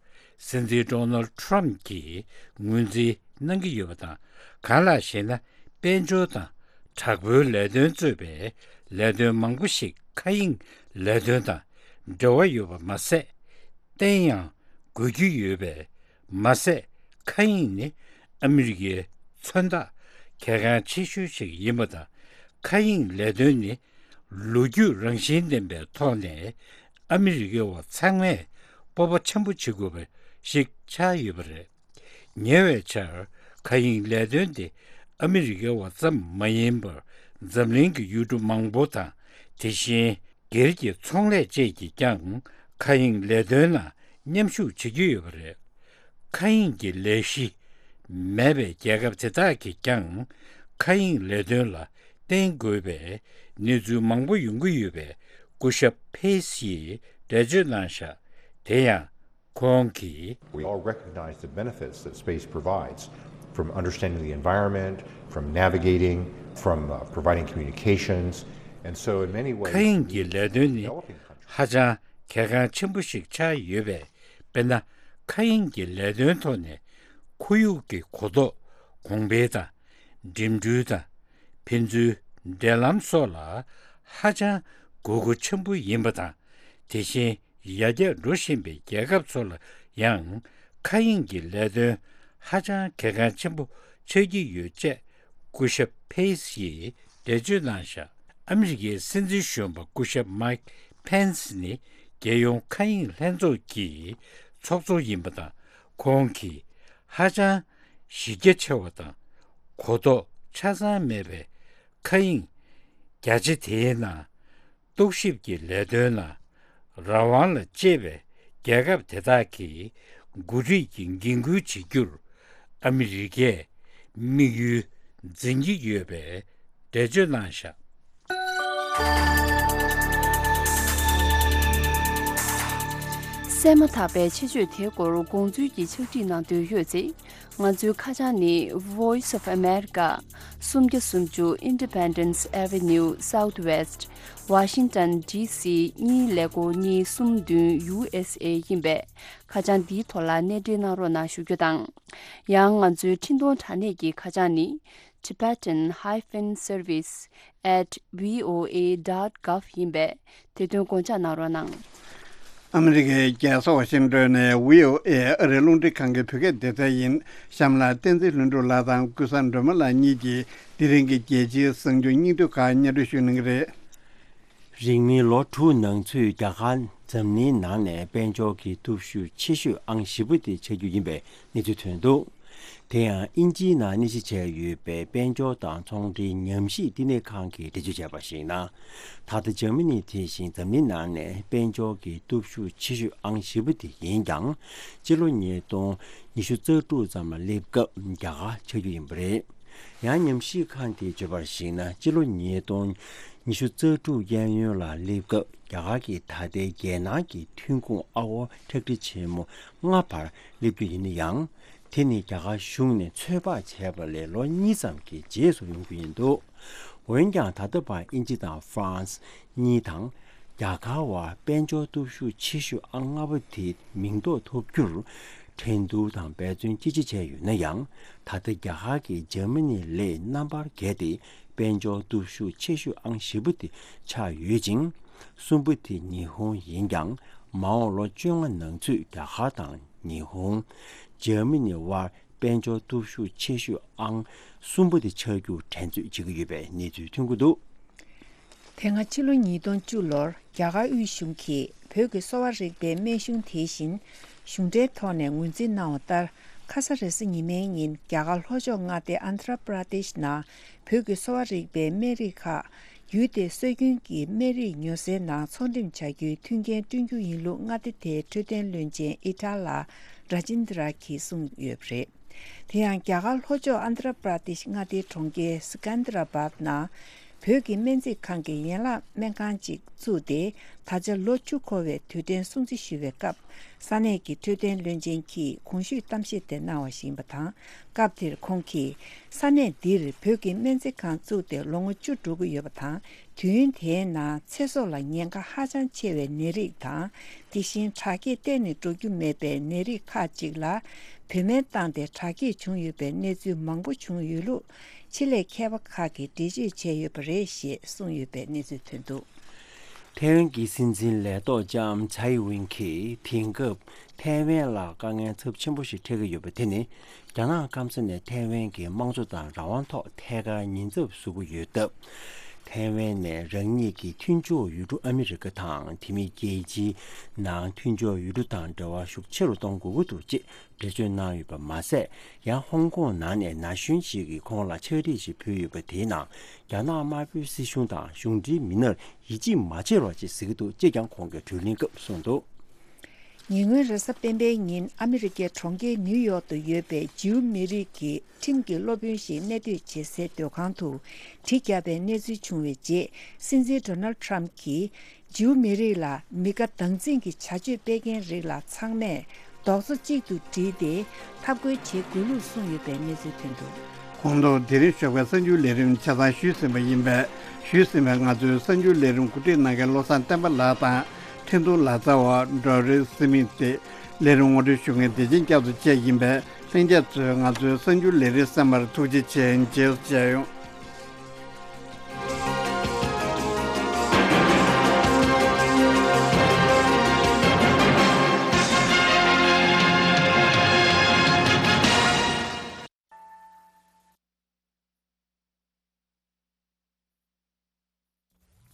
སྲིད་འཛིན་ཌོ་ནལ་ཌི་ཊརམ་གྱིས་ངོས་འཛིན་གནང་གི་ཡོད་པ་དང་། གང་ལགས་ཤེ་ན། དཔལ་འབྱོར་དང་དྲག་པོའི་ལས་དོན་གཙོས་པའི་ལས་དོན་མང་པོ་ཞིག་མཁའ་དབྱིངས་ལས་དོན་དང་འབྲེལ་བ་ཡོད་པ་མ་ཟད། བརྟན་ཡང་དགོས་ཀྱི་ཡོད་པས་མ་ཟད། མཁའ་དབྱིངས་ནི་ཨ་མི་རི་ཀའི་མཚོན་རྟགས་གལ་འགངས་ཆེ་ཤོས་ཤིག་ཡིན་པ་དང་། མཁའ་དབྱིངས་ལས་དོན་ནི་ལོ་རྒྱུས་རང་བཞིན་ལྡན་པའི་ཐོག་ནས་ཨ་མི་རི་ཀའི་བ་ཚང་མས་སྤོབས་པ་ཆེན་པོ་བྱེད་དགོས་པ་ཞིག་ཆགས་ཡོད་པ་རེད། ཉེ་བའི་ཆར་མཁའ་དབྱིངས་ལས་དོན་དེ་ཨ་མི་རི་ཀའི་བ་ཙམ་མ་ཡིན་པར་འཛམ་གླིང་གི་ཡུལ་གྲུ་མང་པོ་དང་། དེ་བཞིན་སྒེར་གྱི་ཚོང་ལས་བཅས་ཀྱིས་ཀྱང་མཁའ་དབྱིངས་ལས་དོན་ནང་མཉམ་ཞུགས་བྱེད་ཀྱི་ཡོད་པ་རེད། མཁའ་དབྱིངས་ཀྱི་ལས་གཞི་མེད་པའི་རྒྱལ་ཁབ་དེ་དག་གིས་ཀྱང་མཁའ་དབྱིངས་ལས་དོན་ལ་བརྟེན་དགོས་པའི་གནས་ཚུལ་མང་པོ་ཡོང་གི་ཡོད་པའི་སྐུ་ཞབས་ཕེ་སིས་འགྲེལ་བརྗོད་གནང་བཞག་དེ་ཡང་། ཁོང་གིས། We all recognize the benefits that space provides, from understanding the environment, from navigating, from uh, providing communications. And so, in many ways, མཁའ་དབྱིངས་ཀྱི་ལས་དོན་ནི་developing countries ཧ་ཅང་གལ་འགངས་ཆེན་པོ་ཞིག་ཆགས་ཡོད་པས། དཔེར་ན། མཁའ་དབྱིངས་ཀྱི་ལས་དོན་ཐོག་ནས་ཁོར་ཡུག་གི་གོ་རྟོགས་གོང་འཕེལ་དང་། འགྲིམ་འགྲུལ་དང་། ཕན་ཚུན་འབྲེལ་ལམ་སོགས་ལ་ཧ་ཅང་དགོས་མཁོ་ཆེན་པོ་ཡིན་པ་དང་། དེ་བཞིན་ཡར་རྒྱས་འགྲོ་བཞིན་པའི་རྒྱལ་ཁབ་ཚོ་ལ་ཡང་མཁའ་དབྱིངས་ཀྱི་ལས་དོན་ཧ་ཅང་གལ་འགངས་ཆེན་པོ་ཆགས་ཀྱི་ཡོད་ཅེས་སྐུ་ཞབས་ཕེ་སིས་འགྲེལ་བརྗོད་གནང་བཞག་ཨ་མི་རི་ཀའི་སྲིད་འཛིན་གཞོན་པ་སྐུ་ཞབས་མའིག་ཕེན་སི་ནི་རྒྱལ་ཡོངས་མཁའ་དབྱིངས་ལྷན་ཚོགས་ཀྱི་ཚོགས་གཙོ་ཡིན་པ་དང་། ཁོང་གིས་ཧ་ཅང་གཞི་རྒྱ་ཆེ་བ་དང་གོ་རྟོགས་ཆ་ཚང་མེད་པའི་མཁའ་དབྱིངས་རྒྱ་ཆེ་དེའི་ནང་རྟོག་ཞིབ་ཀྱི་ལས་དོན་ལ་ རང་དབང་ལ་གཅེས་པའི་རྒྱལ་ཁབ་དེ་དག་གིས་འགོ་ཁྲིད་ཀྱི་འགན་འཁུར་བྱེད་རྒྱུར་ཨ་མི་རི་ཀས་དམིགས་ཡུལ་འཛིན་གྱི་ཡོད་པའི་འགྲེལ་བརྗོད་གནང་བཞག། གསན་མ་ཐག་པའི་ཆེད་བརྗོད་དེའི་སྐོར་དགོངས་ཚུལ་གྱི་ཕྱག་བྲིས་གནང་འདོད་ཡོད་ཚེ། ང་ཚོའི་ཁ་བྱང་ནི་Voice of America། སུམ་བརྒྱ་སུམ་ཅུ་Independence Avenue Southwest Washington D C གཉིས་ཀླད་ཀོར་གཉིས་གསུམ་བདུན་U S A ཡིན་པས། ཁ་བྱང་འདིའི་ཐོག་ལ་གནས་འབྲེལ་གནང་རོགས་གནང་ཞུ་རྒྱུ་དང་། ཡང་ང་ཚོའི་འཕྲིན་གཏོང་དྲ་གནས་ཀྱི་ཁ་བྱང་ནི། Tibetan hyphen service at V O A dot gov ཡིན་པས། དེ་དོན་དགོངས་འཇགས་གནང་རོགས་གནང་། ཨ་མི་རི་ཀའི་རྒྱལ་ས་ཝ་ཤིང་ཏོན་ནས་V O A ཨ་རིའི་རླུང་འཕྲིན་ཁང་གི་བོད་སྐད་སྡེ་ཚན་ཡིན། གཤམ་ལ་བསྟན་འཛིན་ལྷུན་གྲུབ་ལགས་དང་ཀུན་བཟང་སྒྲོལ་མ་ལགས་གཉིས་ཀྱིས་དེ་རིང་གི་རྒྱལ་སྤྱིའི་གསར་འགྱུར་སྙིང་བསྡུས་ཁག་སྙན་སྒྲོན་ཞུ་གནང་གི་རེད། རིང་མིན་ལོ་དྲུག་ནང་ཚུད་རྒྱ་གར་འཛམ་གླིང་ནང་ནས་དཔལ་འབྱོར་གྱི་སྟོབས་ཤུགས་ཆེ་ཤོས་ཨང་བཞི་པ་དེ་ཆགས་རྒྱུ་ཡིན་པའི་གནས་ཚུལ་ཐོན་འདུག། དེ་ཡང་དབྱིན་ཇིའི་ནང་གནས་གཞི་བྱས་ཡོད་པའི་དཔལ་འབྱོར་དང་ཚོང་འབྲེལ་ཉམས་ཞིབ་བསྟི་གནས་ཁང་གིས་འགྲེལ་བརྗོད་བྱས་པར་གཞིགས་ན། ད་ལྟ་འཇར་མ་ནི་དེ་བཞིན་འཛམ་གླིང་ནང་ནས་དཔལ་འབྱོར་གྱི་སྟོབས་ཤུགས་ཆེ་ཤོས་ཨང་བཞི་པ་དེ་ཡིན་ཀྱང་། སྤྱི་ལོ་ཉིས་སྟོང་ཉི་ཤུ་རྩ་དྲུག་ཙམ་ལ་སླེབས་སྐབས་རྒྱ་གར་ཆགས་རྒྱུ་ཡིན་པ་རེད། ཡང་ཉམས་ཞིབ་ཁང་དེས་བརྗོད་པར་གཞིགས་ན། སྤྱི་ལོ་ཉིས་སྟོང་ཉི་ཤུ་རྩ་དྲུག་གཡས་གཡོན་ལ་སླེབས་སྐབས་རྒྱ་གར་གྱི་ད་ལྟའི་རྒྱལ་ནང་གི་ཐོན་ཁུངས་ཨ་སྒོར་ཁྲག་ཁྲིག་ཆེན་མོ་ལྔ་བར་སླེབས་རྒྱུ་ཡིན་ན་ཡང་། དེ་ནི་རྒྱ་གར་གཞུང་ནས་ཚོད་དཔག་བྱས་པ་ལས་ལོ་གཉིས་ཙམ་གྱི་རྗེས་སུ་ཡོང་རྒྱུ་ཡིན་འདུག། འོན་ཀྱང་ད་ལྟ་བར་དབྱིན་ཇི་དང་ཧྥ་རན་སི་གཉིས་དང་། རྒྱ་གར་བར་དཔལ་འབྱོར་སྟོབས་ཤུགས་ཆེ་ཤོས་ཨང་ལྔ་པ་དེ་མིང་འདོགས་ཐོབ་རྒྱུར་འགྲན་བསྡུར་དང་འབད་བརྩོན་ཅི་ཆེ་བྱས་ཡོད་ན་ཡང་། ད་ལྟ་རྒྱ་གར་གྱིས་འཇར་མ་ནི་ལས་རྣམ་པར་རྒྱལ་ཏེ་དཔལ་འབྱོར་སྟོབས་ཤུགས་ཆེ་ཤོས་ཨང་བཞི་པ་དེ་ཆགས་ཡོད་ཅིང་། གསུམ་པ་དེ་ཉི་ཧོང་ཡིན་ཀྱང་། མ་འོངས་ལོ་བཅོ་ལྔ་ནང་ཚུད་རྒྱ་གར་དང་ཉི་ཧོང་། འཇར་མ་ནི་དབར་དཔལ་འབྱོར་སྟོབས་ཤུགས་ཆེ་ཤོས་ཨང་གསུམ་པ་དེ་ཆགས་རྒྱུར་འགྲན་རྩོད་བྱེད་ཀྱི་ཡོད་པའི་གནས་ཚུལ་ཐོན་གྱི་འདུག། དེ་སྔ་ཕྱི་ལོ་ཉིས་སྟོང་བཅུ་ལོར་རྒྱ་གར་དབུས་གཞུང་གིས་བོད་ཀྱི་གསོ་བ་རིག་པའི་སྨན་གཞུང་དེ་བཞིན་གཞུང་འབྲེལ་ཐོག་ནས་ངོས་འཛིན་གནང་བ་ལྟར། ཁ་ས་རེས་གཟའ་ཉི་མའི་ཉིན་རྒྱ་གར་ལྷོ་ཕྱོགས་མངའ་སྡེ་ཨན་དྷ་ར་པྲ་དེཤ་ནང་བོད་ཀྱི་གསོ་བ་རིག་པའི་སྨན་རིགས་ཁག་ཡུལ་དེའི་སྲོལ་རྒྱུན་གྱི་སྨན་རིགས་ཉོ་སའི་ནང་ཚོང་འགྲེམས་བྱ་རྒྱུའི་མཐུན་རྐྱེན་བསྐྲུན་རྒྱུ་ཡིན་ལུགས་མངའ་སྡེ་དེའི་འཕྲོད་བསྟེན་བློན་ཆེན་ཨི་ཊ་ལ་ར་ཇིན་དྲ་གིས་གསུངས་ཡོད་པ་རེད། དེ་ཡང་རྒྱ་གར་ལྷོ་ཕྱོགས་ཨན་དྷ་ར་པྲ་དེཤ་མངའ་སྡེའི་གྲོང་ཁྱེར་སི་ཀན་དྷ་ར་བཱད་ནང་བོད་ཀྱི་སྨན་རྩིས་ཁང་གི་ཡན་ལག་སྨན་ཁང་ཅིག་བཙུགས་ཏེ། ད་ཆ་ལོ་བཅུ་འཁོར་བའི་དུས་དྲན་སྲུང་བརྩི་ཞུ་བའི་སྐབས། ས་གནས་ཀྱི་འཕྲོད་བསྟེན་བློན་ཆེན་གྱིས་གོང་ཞུས་གཏམ་བཤད་དེ་གནང་བ་ཞིག་ཡིན་པ་དང་། སྐབས་དེར་ཁོང་གིས། ས་གནས་འདིར་བོད་ཀྱི་སྨན་རྩིས་ཁང་བཙུགས་ཏེ་ལོ་ངོ་བཅུ་འགྲོ་གི་ཡོད་པ་དང་། དུས་ཡུན་དེའི་ནང་ཚེ་སྲོག་ལ་ཉེན་ཁ་ཧ་ཅང་ཆེ་བའི་ནད་རིགས་དང་། དེ་བཞིན་དྲག་སྐྱེད་གཏན་ནས་འགྲོ་རྒྱུ་མེད་པའི་ནད་རིགས་ཁག་ཅིག་ལ་བོད་སྨན་བཏང་སྟེ་དྲག་སྐྱེད་བྱུང་ཡོད་པའི་གནས་ཚུལ་མང་པོ་བྱུང་ཡོད་ལུགས་ཆེད་ལས་མཁས་པ་ཁག་གིས་འགྲེལ་བརྗོད་བྱས་ཡོད་པ་རེད་ཞེས་གསུངས་ཡོད་པའི་གནས་ཚུལ་ཐོན་འདུག། ཐའེ་ཝན་གྱི་སྲིད་འཛིན་ལས་ཐོག་ལྕམ་ཚའེ་ཝིན་གྱིས་དེང་སྐབས་ཐའེ་ཝན་ལ་དཀའ་ངལ་ཚབས་ཆེན་པོ་ཞིག་འཕྲད་ཀྱི་ཡོད་པ་དེ་ནི། རྒྱ་ནག་སྐམ་ས་ནས་ཐའེ་ཝན་གྱི་དམངས་གཙོ་དང་རང་དབང་ཐོག་ཐད་ཀར་ཉེན་ཚབས་བཟོ་གི་ཡོད་སྟབས། ཐའེ་ཝན་ནས་རང་ཉིད་ཀྱི་མཐུན་ཕྱོགས་ཡུལ་གྲུ་ཨ་མི་རི་ཀ་དང་དེ་མིན་རྒྱལ་སྤྱིའི་ནང་མཐུན་ཕྱོགས་ཡུལ་གྲུ་དང་འབྲེལ་བ་ཤུགས་ཆེ་རུ་གཏོང་དགོས་ཀྱི་འདུག་ཅེས་འགྲེལ་བརྗོད་གནང་ཡོད་པ་མ་ཟད། ཡང་ཧོང་ཀོང་ནང་ནས་ན་གཞོན་ཞིག་གིས་ཁོང་ལ་ཕྱག་བྲིས་ཤིག་ཕུལ་ཡོད་པ་དེའི་ནང་རྒྱ་ནག་དམར་པོའི་སྲིད་གཞུང་དང་གཞུང་འབྲེལ་མི་སྣར་ཡིད་ཆེས་མ་བྱེད་རོགས་ཅེས་ཟེར་གྱི་འདུག་ཅེས་ཀྱང་ཁོང་གིས་བགྲོ་གླེང་སྐབས་གསུངས་འདུག། ཉེ་སྔོན་རེས་གཟའ་སྤེན་པའི་ཉིན་ཨ་མི་རི་ཀའི་གྲོང་ཁྱེར་ནིའུ་ཡོག་ཏུ་ཡོད་པའི་ཇིའུ་མི་རིགས་ཀྱི་ཁྲིམས་ཀྱི་སློབ་དཔོན་ཞིག་གནས་སྡོད་བྱེད་སའི་སྡོད་ཁང་དུ་གྲི་བརྒྱབ་པའི་གནས་ཚུལ་བྱུང་བའི་རྗེས། སྲིད་འཛིན་ཌོ་ནལ་ཌི་ཊརམ་གྱིས་ཇིའུ་མི་རིགས་ལ་མི་དགའ་སྡང་འཛིན་གྱི་བྱ་སྤྱོད་སྤེལ་མཁན་རིགས་ལ་ཚང་མས་རྡོག་རྩ་གཅིག་ཏུ་སྒྲིལ་ཏེ་འཐབ་རྒོལ་བྱེད་དགོས་ལུགས་གསུངས་ཡོད་པའི་གནས་ཚུལ་ཐོན་འདུག། གོང་དུ་དེ་རིང་ཞོགས་པའི་གསར་འགྱུར་ལས་རིམ་ཆ་ཚང་ཞུས་ཟིན་པ་ཡིན་པས། ཞུས་ཟིན་པའི་ང་ཚོའི་གསར་འགྱུར་ལས་རིམ་གོ་སྒྲིག་གནང་མཁན་བློ་བཟང་བསྟན་པ་ལགས་དང་། འཕྲིན་གཏོང་ལག་རྩལ་བ་ཌོ་རི་སི་མིད་དེ། ལས་རིམ་ངོ་སྤྲོད་ཞུ་མཁན་བདེ་ཆེན་སྐྱབས་སུ་བཅས་ཡིན་པས། ལྷན་རྒྱས་ཚོས་ང་ཚོའི་གསར་འགྱུར་ལས་རིམ་གསན་པར་ཐུགས་རྗེ་ཆེ། མཇལ་ཡོང་།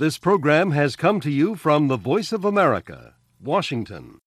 This program has come to you from the Voice of America, Washington.